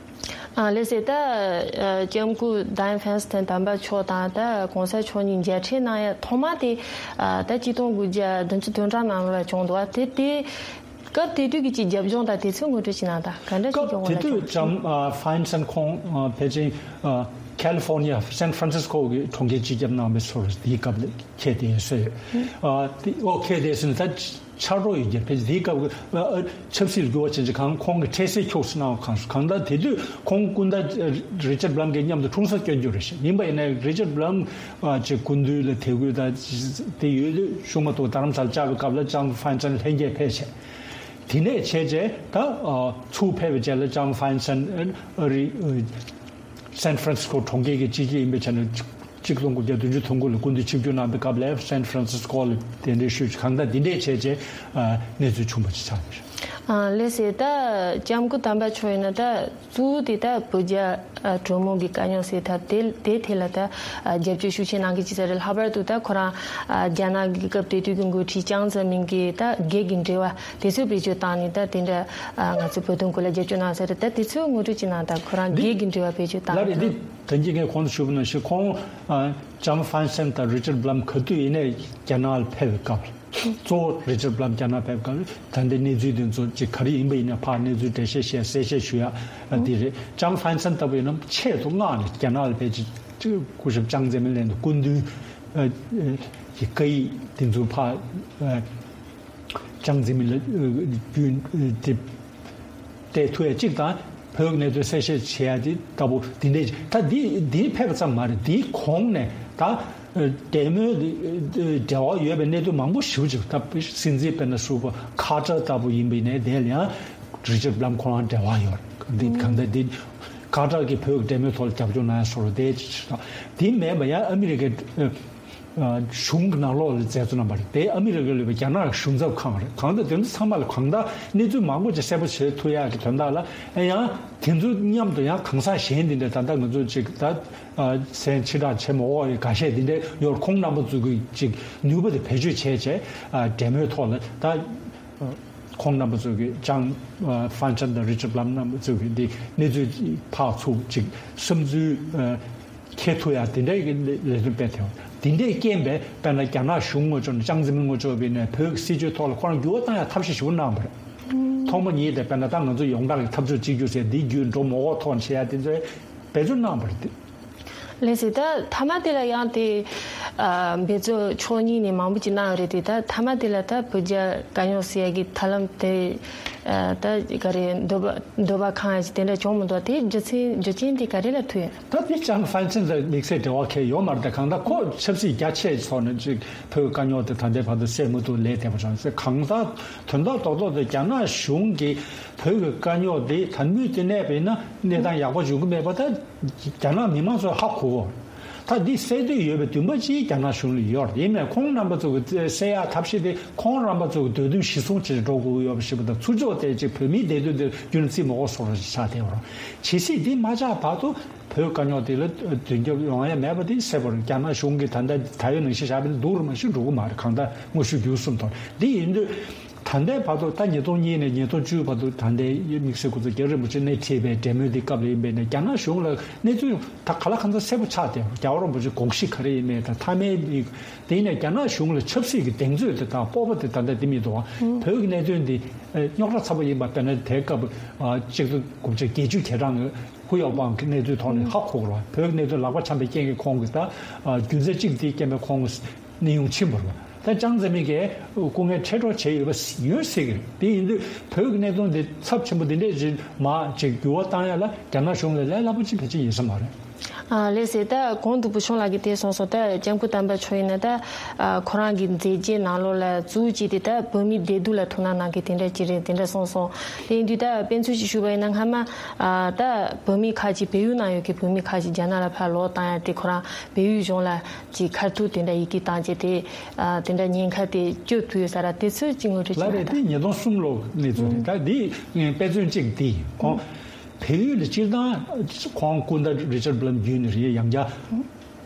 ཨ་ལགས་སེ། ད་ཨ་ལྕམ་སྐུ་ཌ་ཡན་ཧྥན་སན་དམ་པ་མཆོག་དང་ད་གོང་ས་མཆོག་གཉིས་མཇལ་འཕྲད་གནང་ཡ་ཐོག་མ་དེ་ཨ་ད་གཅིག་སྟོང་དགུ་བརྒྱ་བདུན་ཅུ་དོན་གྲངས་ནང་ལ་བྱུང་འདུག་བ། དེ་དེ་སྐབས་དེ་དུས་ཀྱི་ཅིག་རྒྱབ་ལྗོངས་དང་དེ་ཚོའི་ངོ་སྤྲོད་ཅིག་གནང་དང་། ག་འདྲ་ཞིག་སྐབས་བྱུང་བ་དེ་ན་དུས་ཅང་ཨ་ཧྥན་སན་ཁོང་ཨ་ཕལ་ཆེར་ཨ། California San Francisco གི་གྲོང་ཁྱེར་སྤྱི་ཁྱབ་གནང་བའི་སོར་དེའི་སྐབས་ལ་ཁྱེད་དེ་ཡིན་སྲོལ་ཡོད། ཨ་དེ་ཨོ་ཁྱེད་དེ་སྲིད་ད་ཕྱག་རོགས་ཡོད་རྒྱུ་ཕལ་ཆེར་དེའི་སྐབས་ཀྱི་ཨ་ཨ་ཆབ་སྲིད་ལ་འགྱུར་བ་ཕྱིན་ཅི་གང་ཁོང་གི་འཕྲལ་སེལ་ཁྱོགས་སུ་གནང་བ་གང་སོ་གང་ལྟར་དེ་དུས་ཁོང་སྐུ་ཟླ་རི་ཅར་བྷ་ལམ་གྱི་མཉམ་དུ་འཁྲུངས་ས་སྐྱོན་རྒྱུ་རེད་ཤག་ཡིན་པ་ཡིན་ན་རི་ཅར་བྷ་ལམ་ཨ་ཅེ་སྐུ་མདུན་ལ་དད་གུས་ད་དེ་ཡོད་དུས་ཤུགས་མ་ཐུག་རྡ་རམ་ས་ལ་བཅར་བའི་སྐབས་ལ་ལྕམ་ཧྥན་སན་ལྷན་རྒྱས་ཕེབས་བྱས། དེ་ནས་བྱས་རྗེས་ད་ཨ་ཚུར་ཕེབས་པའི་རྗེས་ལ་ལྕམ་ཧྥན་སན་ཨ་རི་ཨ་སན་ཧྥ་རན་སི་སྐོ་གྲོང་ཁྱེར་གྱི་སྤྱི་ཁྱབ་ཡིན་པའི་ཆ་ནས་གཅིག་སྟོང་དགུ་བརྒྱ་བདུན་ཅུ་དོན་དགུ་ལ་སྐུ་མདུན་ཆིབས་བསྒྱུར་གནང་པའི་སྐབས་ལ་སན་ཧྥ་རན་སི་སྐོ་ལ་གདན་འདྲེན་ཞུས་ཀྱི་གང་ལྟར་འདི་འདྲས་བྱས་རྗེས་ཨ་གནས་ཚུལ་བྱུང་བ་ཅིག་ཆགས་ཡོད། ཨ་ལགས་སེ་ད་ལྕམ་སྐུ་དམ་པ་མཆོག་ཡིན་ན་ད་གཙོ་བོ་དེ་ད་བོད་རྒྱ་ཨ་གྲོས་མོལ་གྱི་དཀའ་རྙོག་ཟེར་ཐབས་དེ་དེ་ཐད་ལ་ད་ཨ་རྒྱབ་སྐྱོར་ཤུགས་ཆེ་གནང་གི་ཅི་ཟེར་རེད། ལྷག་པར་དུ་ད་ཁོ་རང་ཨ་རྒྱ་ནག་གི་སྐབས་དེ་དུས་ཀྱི་འགོ་ཁྲིད་ཅང་ཙེ་མིན་གྱི་ད་སྒེར་གྱི་འབྲེལ་བ་དེ་ཚོ་བེད་སྤྱོད་བཏང་ནས་ད་དེ་འདྲ་ཨ་ང་ཚོ་བོད་དོན་སྐོར་ལ་རྒྱབ་སྐྱོར་གནང་ཟེར་རེད། ད་དེ་ཚོ་ངོ་སྤྲོད་ཅིག་གནང་དང་། ཁོ་རང་འདི་སྒེར་གྱི་འབྲེལ་བ་བེད་སྤྱོད་བཏང་ལ་རེད། འདི་དོན་གྱི་ངས་གོང་དུ་ཞུས་པ་ནང་བཞིན་ཁོང་ཨ་ལྕམ་ཧྥན་སན་དང་རི་ཅར་བྷ་ལམ་ག་དུས་ཡིན་ནའི་རྒྱ་ནག་ལ་ཕེབས་པའི་སྐབས། གཙོ་བོ་རི་ཅར་བྷ་ལམ་རྒྱ་ནག་ཕེབས་སྐབས་ད་ལྟའི་གནས་ཚུལ་དེ་ཚོ་ཅིག་ག་རེ་ཡིན་པ་ཡིན་ན་ཕར་གནས་ཚུལ་འགྲེལ་བཤད་བཤད་གསལ་བཤད་ཞུ་ཡ་འདི་རེད། ལྕམ་ཧྥན་སན་ལྟ་བུ་ཡིན་ན་ཆེད་དུ་མངགས་ནས་རྒྱ་ནག་ལ་ཕེབས་ཅིག་སྐུ་ཞབས་ཅང་ཙེ་མིན་ལན་དུ་སྐུ་མདུན་གྱི་བཀའ་ཡིག་དེ་ཚོ་ཕར་ཅང་ཙེ་མིན་ལ་རྒྱུན་དེ་སྤྲད་ཐུབ་ཡ་གཅིག་དང་། བོད་གནད་དོན་གསལ་བཤད་བྱེད་ཡ་དེ་ལྟ་བུ་དེ་འདྲས་ད་འདི་འདི་ཕེབས་པ་ཙམ་མ་རེད། འདིའི་གོང་ནས་ད་འབྲེལ་མོལ་འབྲེལ་བ་ཡོད་པའི་གནད་དོན་མང་པོ་ཞེ་པོ་ཅིག་ད་སྲིད་འཛིན་དཔེར་ན་ཧྲུའུ་པོ་ཁ་ཏར་ལྟ་བུ་ཡིན་པ་ཡིན་ནའི་དེ་ལ་ཡང་རི་ཅར་བྷ་ལམ་ཁོ་རང་འབྲེལ་བ་ཡོད་རེད། འདི་གང་ལྟར་འདི་ཁ་ཏར་གྱིས་བོད་ཀྱི་འབྲེལ་མོལ་ཐོག་ལ་རྒྱབ་སྐྱོར་གནང་ཡ་སོགས་རེད། དེ་ཅིག་ད་འདི་མེད་པ་ཡང་ཨ་མི་རི་ཀའི་གཞུང་གི་ནང་ལོགས་ལ་མཛད་གཙོ་རྣམ་པ་རེད། དེ་ཨ་མི་རི་ཀ་ལ་ཡོད་པའི་རྒྱ་ནག་གཞུང་ཚབ་ཁང་རེད། གང་ལྟར་དེ་ཚོ་ཚང་མ་ལ་གང་ལྟར་གནས་ཚུལ་མང་པོ་ཅིག་གསལ་པོ་བྱེད་ཐུབ་ཡག་གི་དོན་དག་ལ་ཡང་དེ་ཚོ་མཉམ་དུ་ཡང་གང་ཟག་གཞན་དེ་འདྲ་ད་ལྟ་ང་ཚོ་ཅིག་ད་མཚན་ཕྱི་དྲགས་བྱེད་མ་འོག་ཡི་འགའ་ཤས་དེ་འདྲ་ཡོད། ཁོང་རྣམ་པ་ཚོ་གི་ཅིག་ནུས་པ་དེ་བེད་སྤྱོད་བྱས་བྱས་འབྲེལ་མོལ་ཐོག་ལ་ད་ཁོང་རྣམ་པ་ཚོ་གི་ཅང་ཧྥན་ཅན་དང་རི་ཅར་བྷ་ལམ་རྣམ་པ་ཚོ་གི་འདི་གནས་ཚུལ་ཕར་ཚུར་ཅིག་བསམ་ཚུལ། ཁྱེད་ཐུ་ཡ་དེ་འདྲའི་གི་ལས་དོན་སྤེལ་ཐེངས་དེ་འདྲའི་རྐྱེན་པས་དཔེར་ན་རྒྱ་ནག་གཞུང་ངོ་ཅོག་ནས་ཅང་ཙེ་མིན་ངོ་ཅོག་བས་ནས་བོད་ཀྱི་སྲིད་བྱུས་ཐོག་ལ་ཁོ་རང་འགྱུར་བ་བཏང་ཡ་ཐབས་ཤེས་ཞིག་གནང་བ་རེད། ཐོག་མ་ཉིད་དེ་དཔེར་ན་ད་ང་ཚོ་ཡོངས་གྲགས་ཀྱི་འཐབ་རྩོད་གཅིག་གྱུར་ཟེར་འདི་བརྒྱུད་འགྲོ་མ་འོག་ཐོག་ནས་བྱེད་ཡ་དེ་ཚོའི་འབད་བརྩོན་གནང་བ་རེད་དེ། ལགས་སེ་ད་མཐའ་མ་དེ་ལ་ཡང་དེ་འབད་རྩོལ་ཕྱོགས་གཉིས་ནས་མང་པོ་ཅིག་གནང་ཡོད་རེད་དེ། ད་མཐའ་མ་དེ་ལ་ད་བོད་རྒྱ་དཀའ་རྙོག་སེལ་ཡ་གི་ཐབས་ལམ་དེ་ད་ག་རེ་འདོད་པ་འདོད་པ་ཁེངས་ཡ་ཅིག་དེ་འདྲ་བྱུང་མི་འདུག་དེའི་རྒྱུ་མཚན་རྒྱུ་རྐྱེན་དེ་ག་རེ་ལ་ཐུག་ཡོད། ད་དེ་ཅང་ཧྥན་ཅན་དང་དམིགས་བསལ་འབྲེལ་བ་གང་ཡང་ཡོད་མ་རེད། ད་གང་ལྟར་ཁོ་ཆབ་སྲིད་རྒྱ་ཆེ་ཐོག་ནས་ཅིག་བོད་དཀའ་རྙོག་དེ་ད་ལྟའི་བར་དུ་སེལ་མི་ཐུབ་ལས་བསྡད་པ་ཙང་ཟེར། གང་ལྟར་དོན་དག་རྡོག་རྡོག་དེ་རྒྱ་ནག་གཞུང་གིས་བོད་ཀྱི་དཀའ་རྙོག་དེ་དམ་དུས་དེ་གནས་པ་ཡིན་ན་གནས་སྟངས་ཡག་པོ་འབྱུང་གི་མེད་པ་ད་རྒྱ་ནག་མི་མང་ཚོས་ཧ་གོ་གོ། ད་འདི་སེལ་འདོད་ཡོད་པའི་འདུན་པ་ཅིག་རྒྱ་ནག་གཞུང་ལ་ཡོད་རེད། ཡིན་ནའི་ཁོང་རྣམ་པ་ཚོ་གི་སེལ་ཡག་ཐབས་ཤེས་དེ་ཁོང་རྣམ་པ་ཚོ་གི་འདོད་འདུན་གཞིར་བཟུང་བྱས་འགྲོ་དགོས་ཀྱི་ཡོད་པ་ཞིག་པ་དང་། ཚུར་ཕྱོགས་དེ་ཅིག་བོད་མིའི་བདེ་སྡུག་དེ་རྒྱུན་བརྩི་མ་དགོས་བཟོ་འདྲ་ཞིག་ཆགས་བསྡད་ཡོད་རེད། ཇི་སྲིད་འདི་མ་ཆགས་བར་དུ་བོད་དཀའ་རྙོག་དེ་ལ་མདུན་སྐྱོད་ཡོང་ཡ་མེད་པ་དེ་གསལ་པོ་རེད། རྒྱ་ནག་གཞུང་གིས་ད་ལྟ་ད་ཡོད་ནང་བཞིན་བཞག་པ་ཡིན་ན་སྡུག་རུ་མ་ཞིག་འགྲོ་གི་མ་རེད། གང་ལྟར་དངོས་ཤུགས་བརྒྱུད་གསུམ་ཐོག་འདི་ཡིན་དུས། ད་ལྟའི་བར་དུ་ད་ཉིས་སྟོང་གཉིས་ནས་ཉིས་སྟོང་བཅུ་བར་དུ་ད་ལྟའི་དམིགས་བསལ་སྐུ་ཚབ་རྒྱ་རིན་པོ་ཆེ་སྣེ་ཁྲིད་པའི་འབྲེལ་མོལ་འདི་སྐབས་ལ་ཡིན་པས་ནས་རྒྱ་ནག་གཞུང་ལ་གནས་ཚུལ་ད་ག་ལ་གང་འཚམ་གསལ་པོ་ཆགས་ཏེ། རྒྱལ་བ་རིན་པོ་ཆེ་དགོངས་གཞི་ག་རེ་ཡིན་མིན་དང་མཐའ་མའི་མིག་དེ་ཡིན་ནས་རྒྱ་ནག་གཞུང་ལ་ཆབ་སྲིད་ཀྱི་གདེང་ཚོད་དེ་དང་སྤོབས་པ་དེ་ད་ལྟ་དེ་མི་འདུག་བ། བོད་ཀྱི་གནད་དོན་འདི་རྙོག་དྲ་ཚ་པོ་ཡིན་པ་དཔེར་ན་དེའི་སྐབས་གཅིག་སྟོང་དགུ་བརྒྱ་བརྒྱད་ཅུ་གྱ་གྲངས་ཀྱི་ཧུ་ཡའོ་པང་གི་གནས་ཚུལ་ཐོག་ནས་ཧ་གོ་དགོས་རེད་བ། བོད་ཀྱི་གནད་དོན་ལག་པ་འཆང་པའི་རྐྱེན་གྱིས་ཁོང་གི་ད་རྒྱུ་མཚན་གཅིག་དེའི་རྐྱེན་པས་ཁོང་གི་གནས་དབྱུང་ཕྱིན་པ་རེད་བ། ད་ཅང་ཙེ་མིན་གྱིས་སྐུ་ངལ་འཕྲད་གྲབས་བྱས་ཡོད་པ་ཡོད་སྲིད་ཀྱི་རེད། དེ་ཡིན་དུས་བོད་ཀྱི་གནད་དོན་འདི་ཚབས་ཆེན་པོ་འདི་འདྲས་ཅིག་མར་ཅིག་འགྱུར་བ་བཏང་ཡ་ལ་རྒྱ་ནག་གཞུང་ལ་ལས་སླ་པོ་ཅིག་ཕལ་ཆེར་ཡིན་ས་མ་རེད། ཨ་ལགས་སེ་ད་གོང་དུ་བུ་ཆུང་ལགས་ཀྱིས་དེ་གསུངས་སོང་། ད་ལྕམ་སྐུ་དམ་པ་མཆོག་ཡིན་ན་ད་ཨ་ཁོ་རང་གི་མཛད་རྗེས་ནང་ལོགས་ལ་གཙོ་བོ་གཅིག་དེ་ད་བོད་མིའི་བདེ་སྡུག་ལ་ཐུགས་སྣང་གནང་མཁན་དེ་འདྲ་ཅིག་རེད། དེ་འདྲ་གསུངས་སོང་། དེ་ཡིན་དུས་ད་དཔེ་མཚོན་ཞིག་ཞུ་བ་ཡིན་ན་སྔ་མ་ཨ་ད་བོད་མི་ཁག་ཅིག་བལ་ཡུལ་ནང་ཡོད་མཁན་བོད་མི་ཁག་ཅིག་རྒྱ་ནག་ལ་ཕར་ལོག་བཏང་ཡ་དེ་ཁོ་རང་བལ་ཡུལ་གཞུང་ལ་ཅིག་ཁ་ཐུག་དེ་འདྲ་ཡི་གེ་བཏང་བྱས་དེ་ཨ་དེ་འདྲ་ཉེན་ཁ་དེ་སྐྱོབ་ཐུབ་ཡོད་ས་ར། དེ་ཚོའི་ཅིག་ངོ་སྤྲོད་ཅིག་ལབ་རེད། གནང་དང་། དེ་ཉིས་སྟོང་གསུམ་ལོ་གནས་ཚུལ་རེད། ད་འདི་དཔེ་མཚོན་གཅིག་དེ་ཡིན། ཁོང་བལ་ཡུལ་ལ་སྤྱིར་བཏང་ཁོང་སྐུ་ཟླ་རི་ཅར་བྷ་ལམ་བརྒྱུད་ནས་རེད། ཡང་བསྐྱར་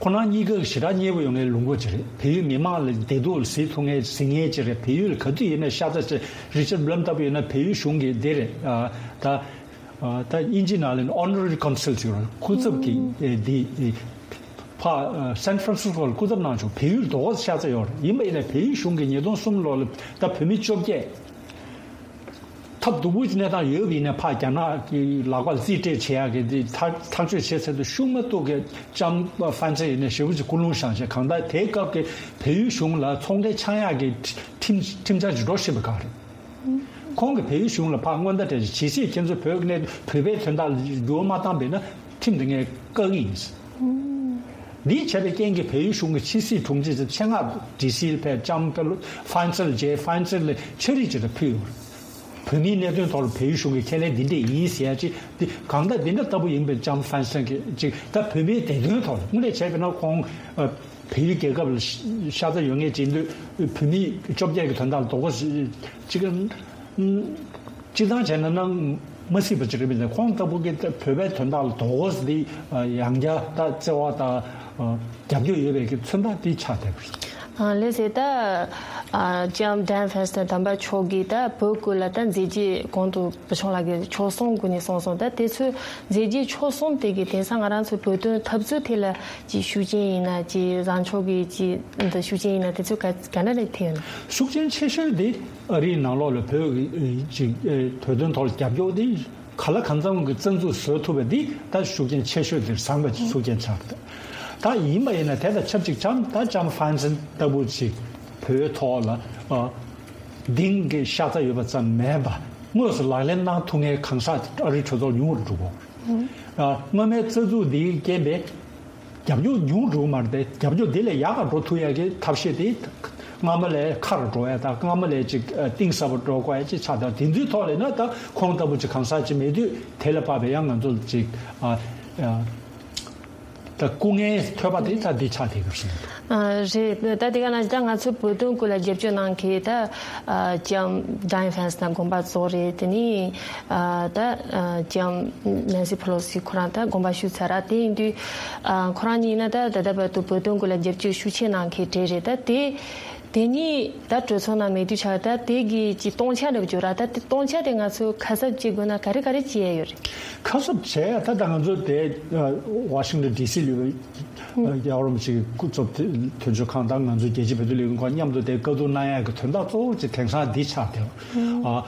ཁོ་རང་གཉིས་ཀ་ཞེ་དྲག་མཉེས་པོ་ཡོང་མཁན་ལུང་པ་ཅིག་རེད། བལ་ཡུལ་མི་མང་ལ་བདེ་སྡུག་ལ་གཟིགས་ཐུབ་མཁན་གཟིགས་མཁན་ཅིག་རེད། བལ་ཡུལ་ལ་ག་དུས་ཡིན་ན་ཤ་ཚ་ཅིག་རི་ཅར་བྷ་ལམ་ལྟ་བུ་ཡིན་ན་བལ་ཡུལ་གཞུང་གིས་འདི་རེད་ད། ད་དབྱིན་ཇི་ནང་ལ་Honorary Consul་ཟེར་བ་སྐུ་ཚབ་ཀྱི་ཨེ་འདི་ཨེ་ཕ་ཨ་San Francisco་ལ་སྐུ་ཚབ་གནང་བྱུང་། བལ་ཡུལ་དོ་ཤ་ཚ་ཡོད་རེད། ཡིན་པ་ཡིན་ན་བལ་ཡུལ་གཞུང་གིས་ཉིས་སྟོང་གསུམ་ལོ་ལ་ད་བོད་མི་བཅོ་བརྒྱད་ ཐབས་སྡུག་པོའི་གནས་སྟངས་ཡོད་པ་ཡིན་ན། ཕར་རྒྱ་ནག་གི་ལག་པར་རྩིས་སྤྲད་བྱེད་ཡག་གི་འདི་ཐག་ཐག་གཅོད་བྱེད་ཚད་དུ་ཤུགས་མ་གཏོགས་ཀྱི་ལྕམ་ཧྥན་སན་ཡིན་ན་ཞེ་པོ་ཅིག་ཀུན་སློང་བཞག་བྱས། གང་ལྟར་དེའི་སྐབས་ཀྱི་བལ་ཡུལ་གཞུང་ལ་ཚོང་འབྲེལ་འཆང་ཡག་གི་ཁྲིམས་ཁྲིམས་འཆར་ཅིག་འགྲོ་བཞིན་པ་གང་རེད། ཁོང་གིས་བལ་ཡུལ་གཞུང་ལ་ཕར་སྔོན་བརྡ་སྤྲད་བྱས། ཇི་སྲིད་ཁྱེད་ཚོས་བོད་ཀྱི་གནད་བོད་པའི་དོན་དག་ལ་འགྱུར་བ་མ་བཏང་པས་ན་ཁྲིམས་དེ་ངས་བཀག་གི་ཡིན། འདིས་བྱས་པའི་རྐྱེན་གྱིས་བལ་ཡུལ་གཞུང་གི་ཕྱི་སྲིད་དྲུང་ཆེ་ཆེད་མངགས་ཌི་སི་ལ་ཕེབས། ལྕམ་ཧྥན་སན་མཇལ། ཧྥན་སན་ལ་ཕྱག་བྲིས་ཅིག་ཕུལ་ཡོད། བོད་མིའི་གནད་དོན་ཐོག་ལ་བལ་ཡུལ་གཞུང་གི་ཁས་ལེན་འདི་འདྲས་ཡིན་ཟེར་ཡ་ཅིག་འདི་གང་ལྟར་འདི་འདྲ་ལྟ་བུ་ཡིན་པས། ལྕམ་ཧྥན་སན་གྱིས་ཅིག་ད་བོད་མིའི་བདེ་དོན་ཐོག་ལ་དངོས་གནས་བྱས་པ་ན་ཁོང་ཨ་བལ་ཡུལ་རྒྱལ་ཁབ་ལ་ཤ་ཚ་ཡོད་མཁན་ཅིག་ཡིན་དུས། བོད་མི་བཅོ་བརྒྱད་ཀྱི་དོན་དག་ལ་དོ་ཁུར་ཅིག་སྤྱིར་བཏང་བྱས་ན་ནང་མ་སྲིད་པ་ཅིག་རེད་མི་འདུག་ཁོང་ལྟ་བུ་གི་བོད་པའི་དོན་དག་ལ་དོ་ཁུར་འདི་ཡང་བསྐྱར་ད་བརྩེ་བ་དང་རྒྱབ་སྐྱོར་ཡོད་པའི་གི་མཚོན་རྟགས་འདི་ཆགས་བསྡད་པ་རེད། ལགས་སེ། ད་ལྕམ་ཌན་ཧྥན་སན་དམ་པ་མཆོག་གིས་ད་བོད་སྐོར་ལ་ད་མཛད་རྗེས་གོང་དུ་བུ་ཆུང་ལགས་ཀྱིས་ཕྱོགས་གསུམ་སྒོ་ནས་གསུངས་སོང་། ད་དེ་ཚོའི་མཛད་རྗེས་ཕྱོགས་གསུམ་དེ་གི་དེང་སང་ང་རང་ཚོའི་བོད་དོན་འཐབ་རྩོད་ཐད་ལ་ཅིག་ཤུགས་རྐྱེན་ཡིན་ན། ཅིག་བཟང་ཕྱོགས་ཀྱི་ཅིག་འདི་ཤུགས་རྐྱེན་ཡིན་ན། དེ་ཚོའི་ག་ག་འདྲ་རེད་ཐེབས་ཡོད་ན། ཤུགས་རྐྱེན་ཆེ་ཤོས་དེ་ཨ་རིའི་ནང་ལོགས་ལ་བོད་ཀྱི་ཅིག་བོད་དོན་ཐོག་ལ་རྒྱབ་སྐྱོར་དེ་ག་ལ་གང་འཚམ་གྱི་རྩ་འཛུགས་བཟོ་ཐུབ་པ་འདི་ད་ཤུགས་རྐྱེན་ཆེ་ཤོས་དེ་བཟང་བའི་ཤུགས་རྐྱེན་ཆགས་འདུག་ད་ཡིན་པ་ཡིན་ན་དེ་དང་ཆབས་ཅིག་ལྕམ་ད་ལྕམ་ཧྥན་སན་ལྟ་བུ་ཅིག་བོད་ཐོག་ལ་ཨ་གདེང་གི་ཤ་ཚ་ཡོད་པ་ཙམ་མིན་པ། དངོས་སུ་ལག་ལེན་གནང་ཐུབ་མཁན་གང་ཟག་ཨ་རིའི་གྲོས་ཚོགས་ཉུང་རུ་འགྲོ་གི། ཨ་སྔོན་མའི་རྩ་འཛུགས་འདིའི་རྐྱེན་པས་རྒྱབ་སྐྱོར་ཉུང་འགྲོ་གི་མ་རེད་དེ། རྒྱབ་སྐྱོར་འདི་ལས་ཡག་ག་འགྲོ་ཐུབ་ཡག་གི་ཐབས་ཤེས་དེ་སྔ་མ་ལས་ཁག་རུ་འགྲོ་ཡ་དང་། སྔ་མ་ལས་ཅིག་ཨ་གཏིང་ཟབ་པོ་འགྲོ་དགོས་ཡ་ཅིག་ཆགས་དང་། དེ་ཚོའི་ཐོག་ལས་ན་ད་ཁོང་ལྟ་བུ་ཅིག་གང་ཟག་ཅིག་མེད་དུས་དེ་ལས་དཔག་པའི་ཡང་ང་ཚོ་ཅིག་ཨ་ཨ་ད་སྐུ་ངལ་ཐོབ་པ་དེ་ད་འདི་ཆགས་བསྡད་ཀྱི་རེད། ཨ་རེད། ད་དེ་ག་ན་ད་ང་ཚོ་བོད་དོན་སྐོར་ལ་རྒྱབ་སྐྱོར་གནང་མཁན་ད་ཨ་ལྕམ་ཌན་ཧྥན་སན་དང་དགོངས་པ་རྫོགས་རེད། དེ་ནས་ཨ་ད་ཨ་ལྕམ་ནན་སི་ཕེ་ལོ་སི་ཁོ་རང་ད་དགོངས་པ་ཞུས་ཚར་ར། དེ་ཡིན་དུས་ཨ་ཁོ་རང་གཉིས་ན་ད་ད་ལྟ་བར་དུ་བོད་དོན་སྐོར་ལ་རྒྱབ་སྐྱོར་ཤུགས་ཆེ་གནང་མཁན་གྲས་རེད། ད་དེ་དེ་གཉིས་ད་གྲོས་ཚོགས་ནང་མེད་དུས་ཆགས། ད་དེ་གི་ཅིག་སྟོང་ཆ་འདྲ་བོ་བརྗོད་ར། ད་དེ་སྟོང་ཆ་དེ་ང་ཚོས་ཁ་གསབ་བྱེད་དགོས་ན་ག་རེ་ག་རེ་བྱེད་ཡ་ཡོད་རེད། ཁ་གསབ་བྱས་ད་ལྟ་ང་ཚོ་དེ་ཝ་ཤིང་ཊོན་ཌི་སི་ལ་ཡོད་པའི་ཡ་ཧོར་མི་ཆེ་གི་སྐུ་ཚབ་དོན་གཅོད་ཁང་དང་ང་ཚོའི་རྒྱལ་སྤྱིའི་བོད་དོན་ལས་འགུལ་ཁང་མཉམ་དུ་དེ་བཀའ་བསྡུར་གནང་ཡ་གི་དོན་དག་གཙོ་བོ་ཅིག་དེང་སང་འདི་ཆགས་བསྡད། ཨ་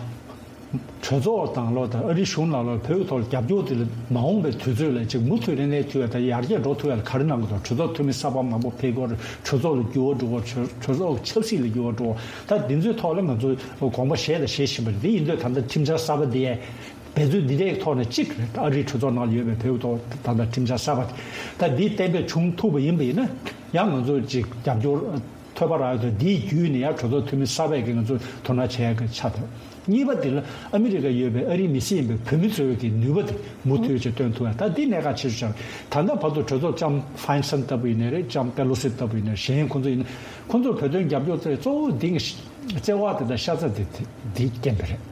གྲོས་ཚོགས་དང་ལོ་དང་ཨ་རིའི་གཞུང་ནང་ལོ་བོད་ཀྱི་ཐོག་ལ་རྒྱབ་སྐྱོར་དེ་ལ་མ་འོངས་པའི་དུས་ཚོད་ལ་ཅིག་མུ་མཐུད་རིང་ལས་ཐུབ་ཡ་དང་ཡར་རྒྱས་འགྲོ་ཐུབ་ཡ་ལ་ག་རེ་གནང་དགོས་དང་། གྲོས་ཚོགས་འཐུས་མི་གསར་པ་མང་པོ་ཕེབས་དགོས་རེད། གྲོས་ཚོགས་ལ་འགྱུར་བ་འགྲོ་དགོས། གྲོས་གྲོས་ཚོགས་ཀྱི་ཆབ་སྲིད་ལ་འགྱུར་བ་འགྲོ་དགོས། ད་འདི་ཚོའི་ཐོག་ལ་ང་ཚོས་དགོངས་པ་བཞེས་དང་བཞེས་བཞིན་པ་རེད། འདི་ཡིན་དུས་ད་ལྟ་ཁྲིམས་འཆར་གསར་པ་འདི་ཡས་འབད་རྩོལ་འདི་འདྲའི་ཐོག་ནས་གཅིག་རེད། ཨ་རིའི་གྲོས་ཚོགས་ནང་ལ་ཡོད་པའི་བོད་ཐོག་ད་ལྟ་ཁྲིམས་འཆར་གསར་པ་དེ་ད་འདི་གཏན་འབེབས་བྱུང་ཐུབ་པ་ཡིན་པ་ཡིན་ན་ཡང་ང་ཚོ་ཅིག་རྒྱབ་སྐྱོར་ཐོབ་པ་རག་ཡོད་དུས། འདིའི་བརྒྱུད་ནས་ཡང་གྲོས་ཚོགས་འཐུས་མི་གསར་པས་ཀྱི་ང་ཚོ་དོ་སྣང་བྱེད་ཡག་གི་ཆ་དང་། གཉིས་པ་དེ་ལ་ཨ་མི་རི་ཀ་ཡོད་པའི་ཨ་རིའི་མི་སེར་ཡིན་པའི་བོད་མི་ཚོའི་གི་ནུས་པ་དེ་མུ་མཐུད་ཅིག་བཏོན་ཐུབ་ཡ། ད་འདི་གནད་འགག་ཆེ་ཤོས་ཆགས། ད་ལྟ་བར་དུ་གྲོས་ཚོགས་ལྕམ་ཧྥན་སན་ལྟ་བུ་ཡིན་ནའི་རེད། ལྕམ་པེ་ལོ་སི་ལྟ་བུ་ཡིན་ནའི་རེད། གཞན་ཁོང་ཚོ་ཡིན་ན་ཁོང་ཚོར་བོད་དོན་རྒྱབ་སྐྱོར་བྱེད་གཙོ་བོ་འདི་བརྩེ་བ་དེ་དང་ཤ་ཚ་དེ་དེ་འདི་རྐྱེན་པས་རེད།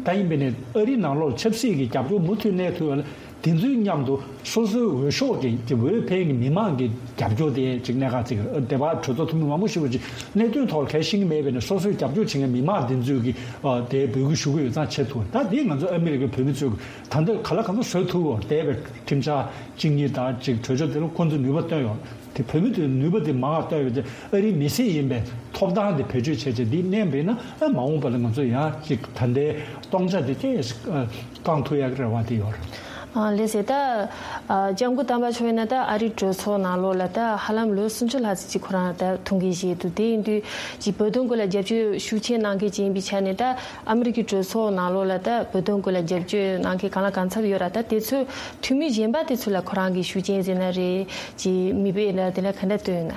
ད་ཡིན་པས་ནས་ཨ་རིའི་ནང་ལོགས་ཆབ་སྲིད་ཀྱི་རྒྱབ་སྐྱོར་མུ་མཐུད་གནས་ཐུབ་ཡ་ལ། དེ་ཚོའི་མཉམ་དུ་སོ་སོའི་འོས་ཤོག་གི་དེ་འོས་འཕེན་གྱི་མི་མང་གི་རྒྱབ་སྐྱོར་དེ་ཅིག་གནད་འགག་ཅིག་རེད། དེ་བར་གྲོས་ཚོགས་འཐུས་མི་མང་པོ་ཞིག་གིས་ཅིག་གནད་དོན་ཐོག་ལ་གལ་ཤེས་ཀྱི་མེད་པས་ནས་སོ་སོའི་རྒྱབ་སྐྱོར་བྱེད་མཁན་མི་མང་དེ་ཚོས་ཀྱི་ཨ་དེ་འབོད་སྐུལ་ཞུ་གི་ཡོད་ཙང་བྱེད་ཐུབ། ད་དེ་ང་ཚོ་ཨ་མི་རི་ཀའི་བོད་མི་ཚོས་ད་ལྟ་ག་ལ་གང་འཚམ་བཟོ་ཐུབ་ཡོད་རེད། འདས་པའི་ཁྲིམས་འཆར་གཅིག་གཉིས་དང་ཅིག་གྲོས་ཆོད་དེ་ལ་ཁོང་ཚོས་ནུས་པ་བཏོན་ཡོད་རེད། དེ་བོད་མི་དེ་ནུས་པ་དེ་མང་བ་བཏོན་ཡོད་དེ། ཨ་རིའི་མི་སེར་ཡིན་པའི་ཐོབ་ཐང་དེ་བེད་སྤྱོད་བྱས་བྱས་འདི་གནས་པས་ན། ཨ་མ་འོངས་པ་ལ་ང་ཚོ་ཡང་ཅིག་ད་ལྟའི་སྟོང་ཆ་དེ་ཏོག་ཙམ་བསྐང་ཐུབ་ཡག་གི་རེ་བ་དེ་ཡོད་རེད། ཨ་ལགས་སེ། ད་ཨ་ལྕམ་སྐུ་དམ་པ་མཆོག་ཡིན་ན་ད་ཨ་རིའི་གྲོས་ཚོགས་ནང་ལོགས་ལ་ད་ཧ་ལམ་ལོ་སུམ་ཅུ་ལྷག་ཙམ་ཅིག་ཁོ་རང་ད་ཐུགས་འགན་བཞེས་འདུག་དེ་ཡིན་དུས་ཅིག་བོད་དོན་སྐོར་ལ་རྒྱབ་སྐྱོར་ཤུགས་ཆེ་གནང་མཁན་ཅིག་ཡིན་པའི་ཆ་ནས། ད་ཨ་མི་རི་ཀའི་གྲོས་ཚོགས་ནང་ལོགས་ལ་ད་བོད་དོན་སྐོར་ལ་རྒྱབ་སྐྱོར་གནང་མཁན་གང་ལ་གང་འཚམ་ཡོད་ར། ད་དེ་ཚོའི་འཐུས་མི་གཞན་པ་དེ་ཚོ་ལ་ཁོ་རང་གི་ཤུགས་རྐྱེན་ཟེར་ན་རེད། ཅིག་མིག་དཔེ་ལ་དེ་ལ་ག་འདྲ་སྟོན་ཡོད་ན།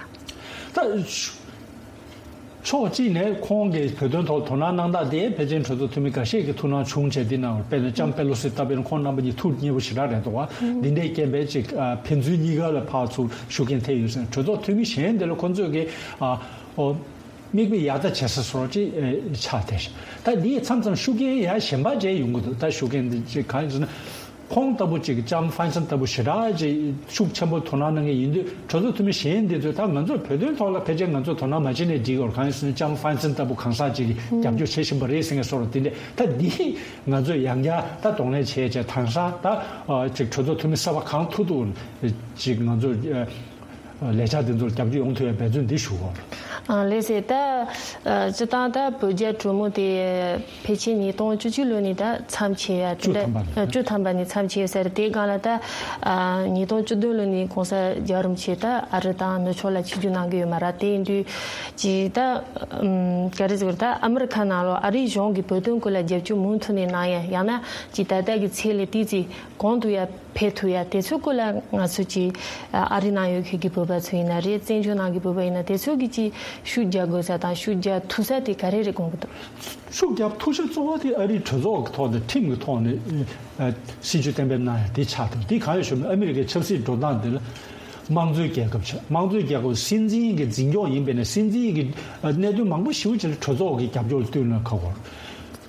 ད་ཕྱོགས་གཅིག་ནས་ཁོང་གིས་བོད་དོན་ཐོག་དོ་སྣང་གནང་སྟངས་དེ་ཕལ་ཆེར་གྲོས་ཚོགས་འཐུས་མི་འགའ་ཤས་ཀྱིས་ཐུགས་སྣང་བྱུང་བྱས། འདི་ནང་དཔེར་ན་ལྕམ་པེ་ལོ་སི་ལྟ་བུ་ཡིན་ན་ཁོང་རྣམ་པ་གཉིས་ཐུགས་མཉེས་པོ་ཞེ་དྲག་རེད་འདུག་བ། འདི་འདྲའི་རྐྱེན་པས་ཅིག་ཨ་ཕན་ཚུན་གཉིས་ཀ་ལ་ཕར་ཚུར་ཤུགས་རྐྱེན་ཐེབས་ཡོད་ཟེར། གྲོས་ཚོགས་འཐུས་མི་གཞན་དེ་ལ་ཁོང་ཚོས་ཀྱིས་ཨ་ཨོ། མིག་དཔེ་ཡག་ཐག་བྱེད་ས་སོགས་ཅིག་ཨེ་ཆགས་བསྡད་ཤག་ད་འདིས་མཚམས་མཚམས་ཤུགས་རྐྱེན་ཡང་གཞན་པ་འདྲ་ཡོང་གི་འདུག་ད་ཤུགས་རྐྱེན་འདི་ཅིག་གང་ཡིན་ཟེར་ན། ཁོང་ལྟ་བུ་ཅིག་ལྕམ་ཧྥན་སན་ལྟ་བུ་ཞེ་དྲག་ཅིག་ཤུགས་ཆེན་པོ་དོ་སྣང་གནང་མཁན་ཡིན་དུས། གྲོས་ཚོགས་འཐུས་མི་གཞན་འདི་ཚོས་ད་ང་ཚོ་བོད་དོན་ཐོག་ལ་ཕལ་ཆེར་ང་ཚོས་དོ་སྣང་མ་བྱེད་ནའི་འགྲིག་ཡོད། གང་ཡིན་ཟེར་ན་ལྕམ་ཧྥན་སན་ལྟ་བུ་གང་ཟག་ཅིག་གིས་རྒྱབ་སྐྱོར་བྱེད་བཞིན་པ་རེད་ཟེར་མཁན་སོགས་རེད། དེ་འདྲ་ད་འདི་ང་ཚོས་ཡང་བསྐྱར་ད་གདོང་ལེན་བྱས་བྱས་དེང་སང་ད་ཨ་ཅིག་གྲོས་ཚོགས་འཐུས་མི་གསར་པ་གང་ཐུག་ཐུག་ཅིག་ང་ཚོས་ཨ། ལས་འཆར་འདི་ཚོར་རྒྱབ་སྐྱོར་ཡོང་ཐུབ་ཡ་འབད་བརྩོན་འདི་ཞུ་དགོས། ཨ་ལགས་སེ། ད་ཨ་སྤྱིར་བཏང་ད་བོད་རྒྱ་གྲོས་མོལ་དེ་ཕལ་ཆེར་ཉིས་སྟོང་བཅུ་གཅིག་ལོ་ནས་ད་མཚམས་ཆད་ཡ་དེ་བཅུ་འདྲ་ཐམ་པ་ནས། ཨ་བཅུ་ཐམ་པ་ནས་མཚམས་ཆད་ཡོད་ས་རེད། དེའི་སྒང་ལ་ད་ཨ་ཉིས་སྟོང་བཅུ་བདུན་ལོ་ནས་གོང་ས་རྒྱལ་བ་རིན་པོ་ཆེ་ད་ཨ་རི་དང་ནུབ་ཕྱོགས་ལ་ཆིབས་བསྒྱུར་གནང་གི་ཡོད་མ་རེད། དེ་ཡིན་དུས་ཅིག་ད་ཨམ་ག་རེ་ཟེར་དགོས་རེད། ད་ཨ་མི་རི་ཁ་ནང་ལོགས་ཨ་རིའི་གཞུང་གིས་བོད་དོན་སྐོར་ལ་རྒྱབ་སྐྱོར་མུ་མཐུད་ནས་གནང་ཡ། ཡང་ན་ཅིག་ད་ལྟ་གི་ཚད་ལས་ཏོག་ཙམ་གོང་དུ་ཡ་འཕེལ་ཐུབ་ཡ། དེ་ཚོའི་སྐོར་ལ་ང་ཚོ་གི་ཨ་རི་ནང་ཡོད་མཁན་གྱི་བོད་པ་ཚོ་ཡིན་ན་རེད། བཙན་བྱོལ་ནང་གི་བོད་པ་ཡིན་ན། དེ་ཚོ་གིས་ཅིག་ཤུགས་རྒྱག་དགོས་ས་དང་ཤུགས་རྒྱག་ཐུབ་ས་དེ་ག་རེ་རེད་དགོངས་ཀྱི་འདུག་ཤུགས་རྒྱག་ཐུབ་ས་གཙོ་བོ་དེ་ཨ་རིའི་གྲོས་ཚོགས་ཀྱི་ཐོག་ནས་ཁྲིམས་ཀྱི་ཐོག་ནས་ཨ་སྲིད་ཇུས་གཏན་འབེབས་གནང་ཡ་དེ་ཆགས་འདུག་དེ་གང་ཡིན་ཞུ་ན་ཨ་མི་རི་ཀའི་ཆབ་སྲིད་འགྲོ་སྟངས་དེ་ལ་དམངས་གཙོའི་རྒྱལ་ཁབ་ཆགས། དམངས་གཙོའི་རྒྱལ་ཁབ་སྲིད་འཛིན་གྱི་འཛིན་སྐྱོང་ཡིན་པས་ན། སྲིད་འཛིན་གྱི་ཨ་གནད་དོན་མང་པོ་ཞེ་པོ་ཅིག་ལ་གྲོས་ཚོགས་ཀྱི་རྒྱབ་སྐྱོར་བསྟུན་ན་ཁག་པོ།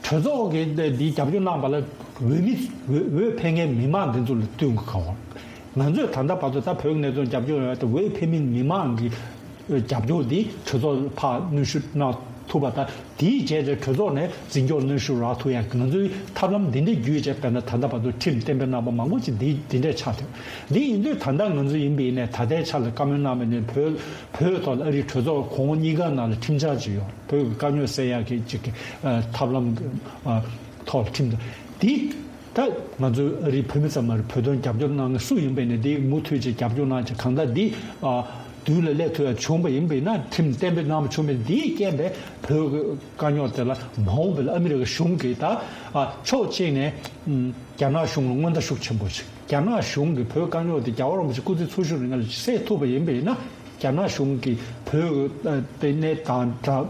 གྲོས་ཚོགས་ཀྱིས་འདི་རྒྱབ་སྐྱོར་གནང་བ་ལ་འོས་མི་འོས་འོས་འཕེན་མཁན་མི་མང་འདི་ཚོ་ལ་བསྟུན་དགོས་ཀྱི་ཡོད། ང་ཚོས་ད་ལྟ་བར་དུ་ད་བོད་ཀྱི་གནད་དོན་རྒྱབ་སྐྱོར་ཡོང་ཡ་དེ་འོས་འཕེན་མི་མི་མང་གི་རྒྱབ་སྐྱོར་འདི་གྲོས་ཚོགས་ཕར་གནོན་ཤུགས་གནང་ཐུབ་པ་དང་། དེའི་རྗེས་ལ་གྲོས་ཚོགས་ནས་འཛིན་སྐྱོར་གནོན་ཤུགས་རག་ཐུབ་ཡ་གི་ང་ཚོའི་ཐབས་ལམ་འདི་འདྲ་བརྒྱུད་བྱས། དཔེར་ན་ད་ལྟ་བར་དུ་ཁྲིམས་གཏན་འབེབས་གནང་བ་མང་པོ་ཅིག་འདི་འདི་འདྲ་ཆགས་ཐུབ། འདི་ཡིན་དུས་ད་ལྟ་ང་ཚོ་ཡིན་པ་ཡིན་ནའི་ད་ལྟའི་ཆ་ལ་བཀའ་མོལ་གནང་བ་ནས་བོད་བོད་ཐོག་ལ་ཨ་རིའི་གྲོས་ཚོགས་གོང་འོག་གཉིས་ཀ་ནང་ལ་ཁྲིམས་འཆར་ཅིག་ཡོད། བོད་ཀྱི་དཀའ་རྙོག་སེལ་ཡག་གི་ཅིག་གི་ཨ་ཐབས་ལམ་གྱི་ཨ་ཐོག་ལ་ཁྲིམས་དང་། འདི་ད་ང་ཚོའི་ཨ་རིའི་བོད་མི་ཙམ་མ་རེད། བོད་དོན་རྒྱབ་སྐྱོར་གནང་མཁན་སུ་ཡིན་པ་ཡིན་ནའི་འདི་མུ་མཐུད་ཅིག་རྒྱབ་སྐྱོར་གནང་ཅིག་གང་ལྟར་འདི་ཨ་མདུན་ལ་སླེབས་ཐུབ་ཡག་བྱུང་བ་ཡིན་པ་ཡིན་ན། ཁྲིམས་གཏན་འབེབས་གནང་བ་བྱུང་བ་ཡིན་ན། འདིའི་རྐྱེན་པས་བོད་ཀྱི་དཀའ་རྙོག་དེ་ལ་མ་འོངས་པ་ལ་ཨ་མི་རི་ཀ་གཞུང་གིས་ད་ཨ་ཕྱོགས་གཅིག་ནས་ཨམ་རྒྱ་ནག་གཞུང་ལ་སྔོན་བརྡ་ཤུགས་ཆེན་པོ་ཞིག་རྒྱ་ནག་གཞུང་གིས་བོད་དཀའ་རྙོག་དེ་རྒྱལ་བ་རིན་པོ་ཆེ་སྐུ་ཚེ་འཚོ་བཞུགས་རིང་ལ་སེལ་ཐུབ་པ་ཡིན་པ་ཡིན་ན། རྒྱ་ནག་གཞུང་གིས་བོད་ལྟེ་གནས་དང་འདྲ་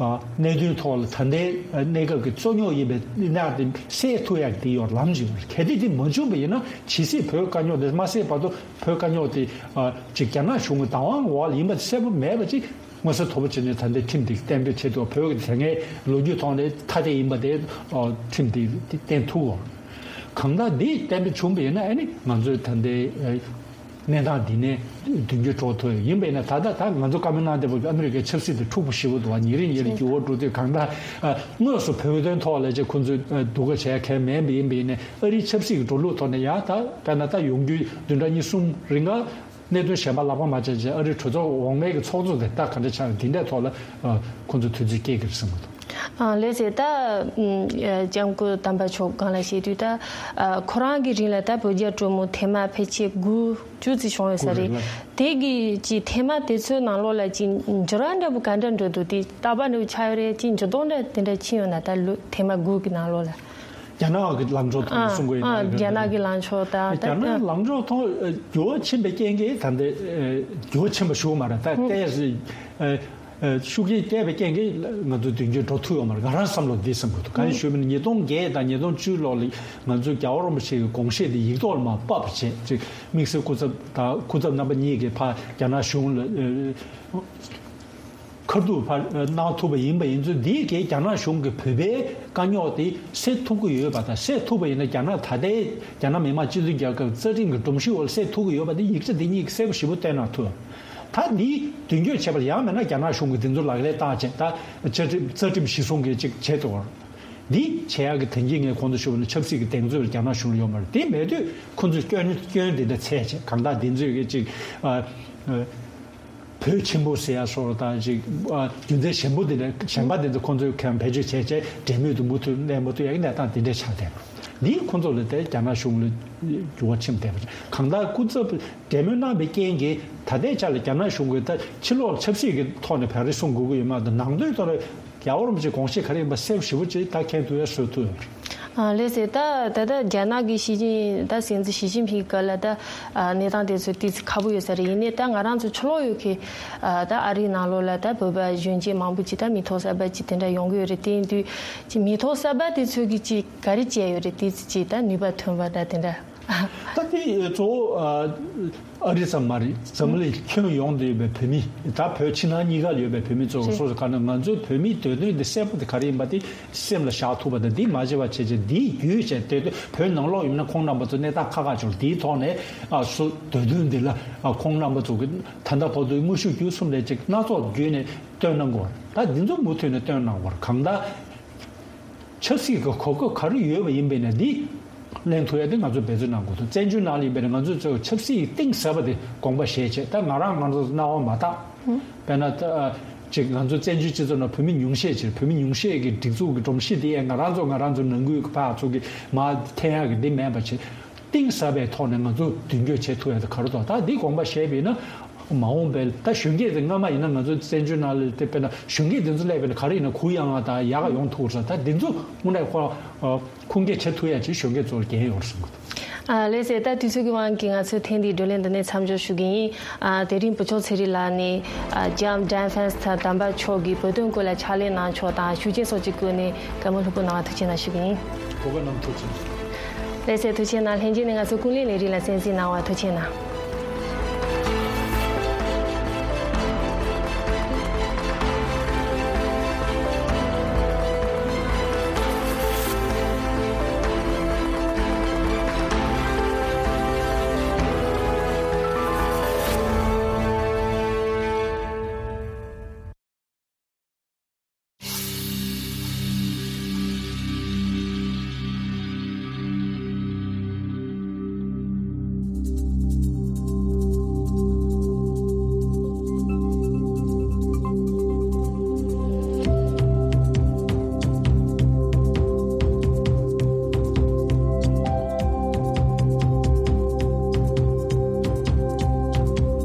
གནད་དོན་ཐོག་ལ་ད་ལྟའི་གནས་སྐབས་ཀྱི་རྩོད་རྙོག་ཡིན་པའི་གནད་དེ་སེལ་ཐུབ་ཡག་དེ་ཡོད་ལམ་ཞིག་ཡོད། གལ་ཏེ་དེ་མ་བྱུང་བ་ཡིན་ན། ཇི་སྲིད་བོད་དཀའ་རྙོག་དེ་མ་སེལ་བར་དུ་བོད་དཀའ་རྙོག་དེ་ཅིག་རྒྱ་ནག་གཞུང་གི་བདག་དབང་འོག་ལ་ཡིན་པ་གསལ་པོ་མེད་པ་ཅིག་མངོན་གསལ་དོད་པོ་བྱས་ནས་ད་ལྟའི་ཁྲིམས་དེ་གཏན་འབེབས་བྱེད་ཐུབ། བོད་ཀྱི་དེ་སྔའི་ལོ་རྒྱུས་ཐོག་ནས་ཐ་དད་ཡིན་པ་དེ་ཁྲིམས་དེ་བརྟན་ཐུབ་དགོས། གང་ལྟར་འདི་གཏན་འབེབས་བྱུང་བ་ཡིན་ན་ཨ་ནི་ང་ཚོའི་ད་ལྟའི་གནས་སྟངས་འདི་ནས་མདུན་སྐྱོད་འགྲོ་ཐུབ་ཡོད། ཡིན་པས་ན་ད་ལྟ་ད་ང་ཚོ་བཀའ་མོལ་གནང་བསྡད་པ་ཨ་མི་རི་ཀའི་ཆབ་སྲིད་དེ་འཁྲུག་པོ་ཞེ་པོ་འདུག་བ། ཉིན་རེ་ཉིན་རེ་འགྱུར་བ་འགྲོ་དུས། གང་ལྟར་དངོས་སུ་བོད་དོན་ཐོག་ལ་ཅིག་ཁོང་ཚོས་སྡུག་ག་བྱས་མཁན་མེད་པ་ཡིན་པས་ན། ཨ་རིའི་ཆབ་སྲིད་ཀྱི་འགྲོ་ལུགས་ཐོག་ནས་ཡང་ད་དཔེར་ན་ད་ཡོང་རྒྱུའི་བདུན་ཕྲག་གཉིས་གསུམ་རིང་ག་གནད་དོན་གཞན་པ་ལག་པ་མ་བྱས་བྱས་ཨ་རིའི་གྲོས་ཚོགས་འོག་མའི་གི་ཚོགས་གཙོ་དེ་ད་ག་འདྲ་ཆགས། འདི་འདྲའི་ཐོག་ལ་ཁོང་ཚོས་དུས་ཚོད་སྐྱེལ་གི་རེད་བསམ་གི་འདུག་ཨ་ལགས་སེ། ད་ཨམ་ལྕམ་སྐུ་དམ་པ་མཆོག་སྒང་ལ་བཤད་དུས་ད་ཨ་ཁོ་རང་གི་རིང་ལ་ད་བོད་རྒྱ་གྲོས་མོལ་ཐེངས་མ་ཕལ་ཆེར་དགུ་བཅུ་ཙམ་བྱུང་ཡོད་ས་རེད། དགུ་རེད་ལ། དེ་གི་ཅིག་ཐེངས་མ་དེ་ཚོའི་ནང་ལོགས་ལ་ཅིག་འགྱུར་བ་འདྲ་པོ་ག་འདྲ་འགྲོ་འདུག་དེ་རྟག་པར་འདྲ་པོ་ཆགས་ཡོད་རེད། ཅིག་འགྱུར་ལྡོག་འདྲ་དེ་འདྲ་ཕྱིན་ཡོད་ན། ད་ལོ་ཐེངས་མ་དགུ་གི་ནང་ལོགས་ལ། རྒྱ་ནག་གི་ལངས་ཕྱོགས་ཐོག་ནས་གསུང་གི་ཡིན་ན། ཨ་རྒྱ་ནག་གི་ལངས་ཕྱོགས་དང་། རྒྱ་ནག་ལངས་ཕྱོགས་ཐོག་འགྱུར་བ་ཕྱིན་པའི་རྐྱེན་གྱིས་ད་ལྟ་འགྱུར་བ་ཕྱིན་པ་ཞུ་གི་མ་རེད། ད་ལྟའི་ཤུགས་རྐྱེན་བསྐྱལ་བའི་རྐྱེན་གྱིས་ང་ཚོ་མདུན་སྐྱོད་འགྲོ་ཐུབ་ཡོད་མ་རེད། ང་རང་བསམ་བློ་འདི་བསམ་གྱི་འདུག་གང་ཡིན་ཞུས་པ་ཡིན་ན་ཉིས་སྟོང་བརྒྱད་དང་ཉིས་སྟོང་བཅུ་ལོ་ལ་ང་ཚོས་རྒྱལ་བ་རིན་པོ་ཆེ་གི་དགོངས་བཞེད་འདི་ཡིག་ཐོག་ལ་མར་ཕབ་པ་བྱས། ཅིག་དམིགས་བསལ་སྐུ་ཚབ་དང་སྐུ་ཚབ་རྣམ་པ་གཉིས་ཀྱིས་ཕར་རྒྱ་ནག་གཞུང་ལ་ཁ་ཐུག་ཕར་གནང་ཐུབ་པ་ཡིན་པ་ཡིན་ཚུལ་འདིས་ཀྱིས་རྒྱ་ནག་གཞུང་གིས་བོད་པའི་དཀའ་རྙོག་དེ་སེལ་ཐུབ་ཀྱི་ཡོད་པ་དང་། སེལ་ཐུབ་པ་ཡིན་ན་རྒྱ་ནག་ད་ལྟའི་རྒྱ་ནག་མི་དམངས་སྤྱི་མཐུན་རྒྱལ་ཁབ་རྩ་ཁྲིམས་ཀྱི་སྒྲོམ་གཞི་འོག་ལ་སེལ་ཐུབ་ཀྱི་ཡོད་པ་དེ་ཡིག་ཆ་འདི་གཉིས་ཀྱིས་གསལ་པོ་ཞེ་པོ་བསྟན་གནང་ཐུབ། ད་འདི་མདུན་སྐྱོད་བྱས་པ་ཡང་མིན་ན་རྒྱ་ནག་གཞུང་གིས་འདི་ཚོ་ལག་ལེན་བསྟར་བྱས། ད་རྩ་ཁྲིམས་རྩ་ཁྲིམས་གཞི་བཟུང་གིས་ཅིག་བྱས་འདུག་འདི་བྱེད་ཡག་གི་དོན་རྐྱེན་ངས་གོང་དུ་ཞུས་པ་ནི་ཆབ་སྲིད་ཀྱི་གདེང་ཚོད་རྒྱ་ནག་གཞུང་ལ་ཡོད་མ་རེད། དེ་མེད་དུས་ཁོང་ཚོས་སྐྱོན་སྐྱོན་འདི་འདྲ་འཚོལ་བྱས། གང་ལྟར་འདི་ཚོས་ཀྱི་ཅིག་ཨ་ཨ་བོད་ཆེན་པོ་ཟེར་ཡ་སོགས་དང་ཅིག་ཨ་རྒྱུ་མཚན་གཞན་པོ་འདི་འདྲ་གཞན་པ་འདི་ཚོ་ཁོང་ཚོས་གང་བེད་སྤྱོད་བྱས་བྱས་འབྲེལ་མོལ་དུ་མུ་མཐུད་གནས་མུ་མཐུད་ཡག་གི་གནས་སྟངས་འདི་འདྲ་ཆགས་བསྡད་པ་འདིས་ཁོང་ཚོ་ལ་དེ་རྒྱ་ནག་གཞུང་ལ་འགྱུར་བ་ཕྱིན་བསྡད་པ་རེད། གང་ལྟར་སྐུ་ཚབ་འབྲེལ་མོལ་གནང་བའི་རྐྱེན་གྱིས་ད་ལྟའི་ཆ་ལ་རྒྱ་ནག་གཞུང་གིས་ད་ཕྱི་ལོགས་ཆབ་སྲིད་ཀྱི་ཐོག་ནས་བག་རེ་གསུང་དགོས་ཀྱི་ཡོད་མ་གཏོགས། ནང་དོན་ཐོག་ནས་རྒྱལ་བ་རིན་པོ་ཆེའི་དགོངས་བཞེད་ག་རེ་ཡིན་པ་གསལ་པོ་ཞེ་པོ་ཅིག་ད་མཁྱེན་ཐུབ་ཡ་བཟོ་ཐུབ་ཡོད་རེད། ཨ་ལགས་སེ། ད་ད་ལྟ་རྒྱ་ནག་གི་ཞི་ཅིན་ད་སྲིད་འཛིན་ཞི་ཅིན་ཕིང་སྐབས་ལ་ད་ཨ་གནས་སྟངས་དེ་ཚོ་ཏོག་ཙམ་ཁག་པོ་ཡོད་ས་རེད། ཡིན་ནའི་ད་ང་རང་ཚོ་ཕྱི་ལོགས་ཡོད་མཁན་ཨ་ད་ཨ་རིའི་ནང་ལོགས་ལ་ད་བོད་པ་གཞོན་སྐྱེས་མང་པོ་ཅིག་ད་མི་ཐོག་གསར་པ་ཅིག་དེ་འདྲ་ཡོང་གི་ཡོད་རེད། དེ་ཡིན་དུས་ཅིག་མི་ཐོག་གསར་པ་དེ་ཚོ་གིས་ཅིག་ག་རེ་བྱས་ཡོད་རེད། ཏོག་ཙམ་ཅིག་ད་ནུས་པ་ཐོན་པ་ད་དེ་འདྲ། ད་དེ་གཙོ་བོ་ཨ་ཨ་རི་ཙམ་མ་རེད། འཛམ་གླིང་ཁྱོན་ཡོངས་དུ་ཡོད་པའི་བོད་མི། ད་བོད་ཕྱི་ནང་གཉིས་ཀ་ལ་ཡོད་པའི་བོད་མི་ཚོ་རེད། སོ་སོ་ག་ནས་ང་ཚོའི་བོད་མིའི་འདོད་དོན་འདི་གསལ་པོ་དེ་ག་རེ་ཡིན་པ་དེ་སེམས་ལ་བཞག་ཐུབ་པ་དང་། འདི་མ་བྱས་པ་བྱས་བྱས་འདི་བརྒྱུད་བྱས་དེ་བོད་ནང་ལོགས་ཡིན་ན་ཁོང་རྣམ་པ་ཚོ་གནས་སྟངས་ཁག་ཁག་བྱུང་། འདིའི་ཐོག་ནས་ཨ་སོ་འདོད་དོན་འདི་ལ་ཨ་ཁོང་རྣམ་པ་ཚོ་གི་ད་ལྟ་བར་དུ་དངོས་ཤུགས་བརྒྱུད་གསུམ་ལས་ཅིག་སྣ་ཚོགས་བརྒྱུད་ནས་བཏོན་གནང་དགོས། ད་འདི་ཚོ་མུ་མཐུད་ནས་བཏོན་གནང་དགོས། གང་ལྟར་ཆབ་སྲིད་ཀྱི་གོ་སྐབས་ག་རེ་ཡོད་པ་ཡིན་པས་ན་འདི། ལེན་ཐུབ་ཡ་དེ་ང་ཚོས་འབད་བརྩོན་གནང་དགོས་འདུག་བཙན་བྱོལ་ནང་ལ་ཡིན་པས་ན་ང་ཚོས་གཙོ་བོ་ཆབ་སྲིད་ཀྱི་གཏིང་ཟབ་པ་དེ་དགོངས་པ་བཞེས་བྱས། ད་ང་རང་ང་རང་ཚོ་སྣང་བ་མ་དག་དཔེར་ན་ད་ཅིག་ང་ཚོ་བཙན་བྱོལ་སྤྱི་ཚོགས་ནང་བོད་མི་ཉུང་ཤས་ཅིག་བོད་མི་ཉུང་ཤས་ཀྱི་སྒྲིག་འཛུགས་ཀྱི་སྒྲོམ་གཞི་དེ་ཡང་ང་རང་ཚོ་ང་རང་ཚོ་ནང་ཁུལ་གྱི་ཕར་ཚུར་གྱི་མར་འཐེན་ཡག་གི་འདི་མེད་པ་བྱས། གཏིང་ཟབ་པའི་ཐོག་ནས་ང་ཚོ་མདུན་སྐྱོད་བྱེད་ཐུབ་ཡ་དེ་ག་རེ་འདུག་ད་འདི་དགོངས་པ་བཞེས་པ་ཡིན་ན། མ་འོངས་པའི་ད་གཞོན་སྐྱེས་དེ་སྔ་མ་ཡིན་ན་ང་ཚོ་བཙན་བྱོལ་ནང་ལ་དེ་དཔེར་ན་གཞོན་སྐྱེས་དེ་ཚོ་སླེབས་པ་ཡིན་ན་ག་རེ་ཡིན་ན་གུ་ཡངས་པ་དང་ཡག་ག་ཡོང་ཐུབ་ས། ད་དེ་ཚོ་དངོས་གནས་ཁོ་ཁུངས་སྐྱེལ་བྱེད་ཐུབ་ཡ་ཅིག་གཞོན་སྐྱེས་ཚོར་འགན་ཡོད་རེད་བསམ་གི་འདུག་ཨ་ལགས་སེ། ད་དུས་ཚོད་ཀྱི་དབང་གིས་ང་ཚོས་ཐེངས་འདིའི་བགྲོ་གླེང་འདི་ནས་མཚམས་འཇོག་ཞུ་གི་ཡིན། ཨ་དེ་རིང་བུ་ཆུང་ཚེ་རིང་ལགས་ནས་ཨ་ལྕམ་ཌན་ཧྥན་སི་ཐ་དམ་པ་མཆོག་གིས་བོད་དོན་སྐོར་ལ་ཕྱག་ལས་གནང་ཕྱོགས་དང་ཞུ་རྒྱུན་སོགས་ཀྱི་སྐོར་ནས་བཀའ་མོལ་ལྷུག་པོ་གནང་བ་ཐུགས་རྗེ་གནང་ཞུ་གི་ཡིན། གོ་སྐབས་གནང་ཐུགས་རྗེ་གནང་། ལགས་སེ། ཐུགས་རྗེ་གནང་། ལྷན་རྒྱས་ནས་ང་ཚོ་ཀུན་གླེང་ལས་རིགས་ལ་གསན་གཟིགས་གནང་བ་ཐུགས་རྗེ་གནང་།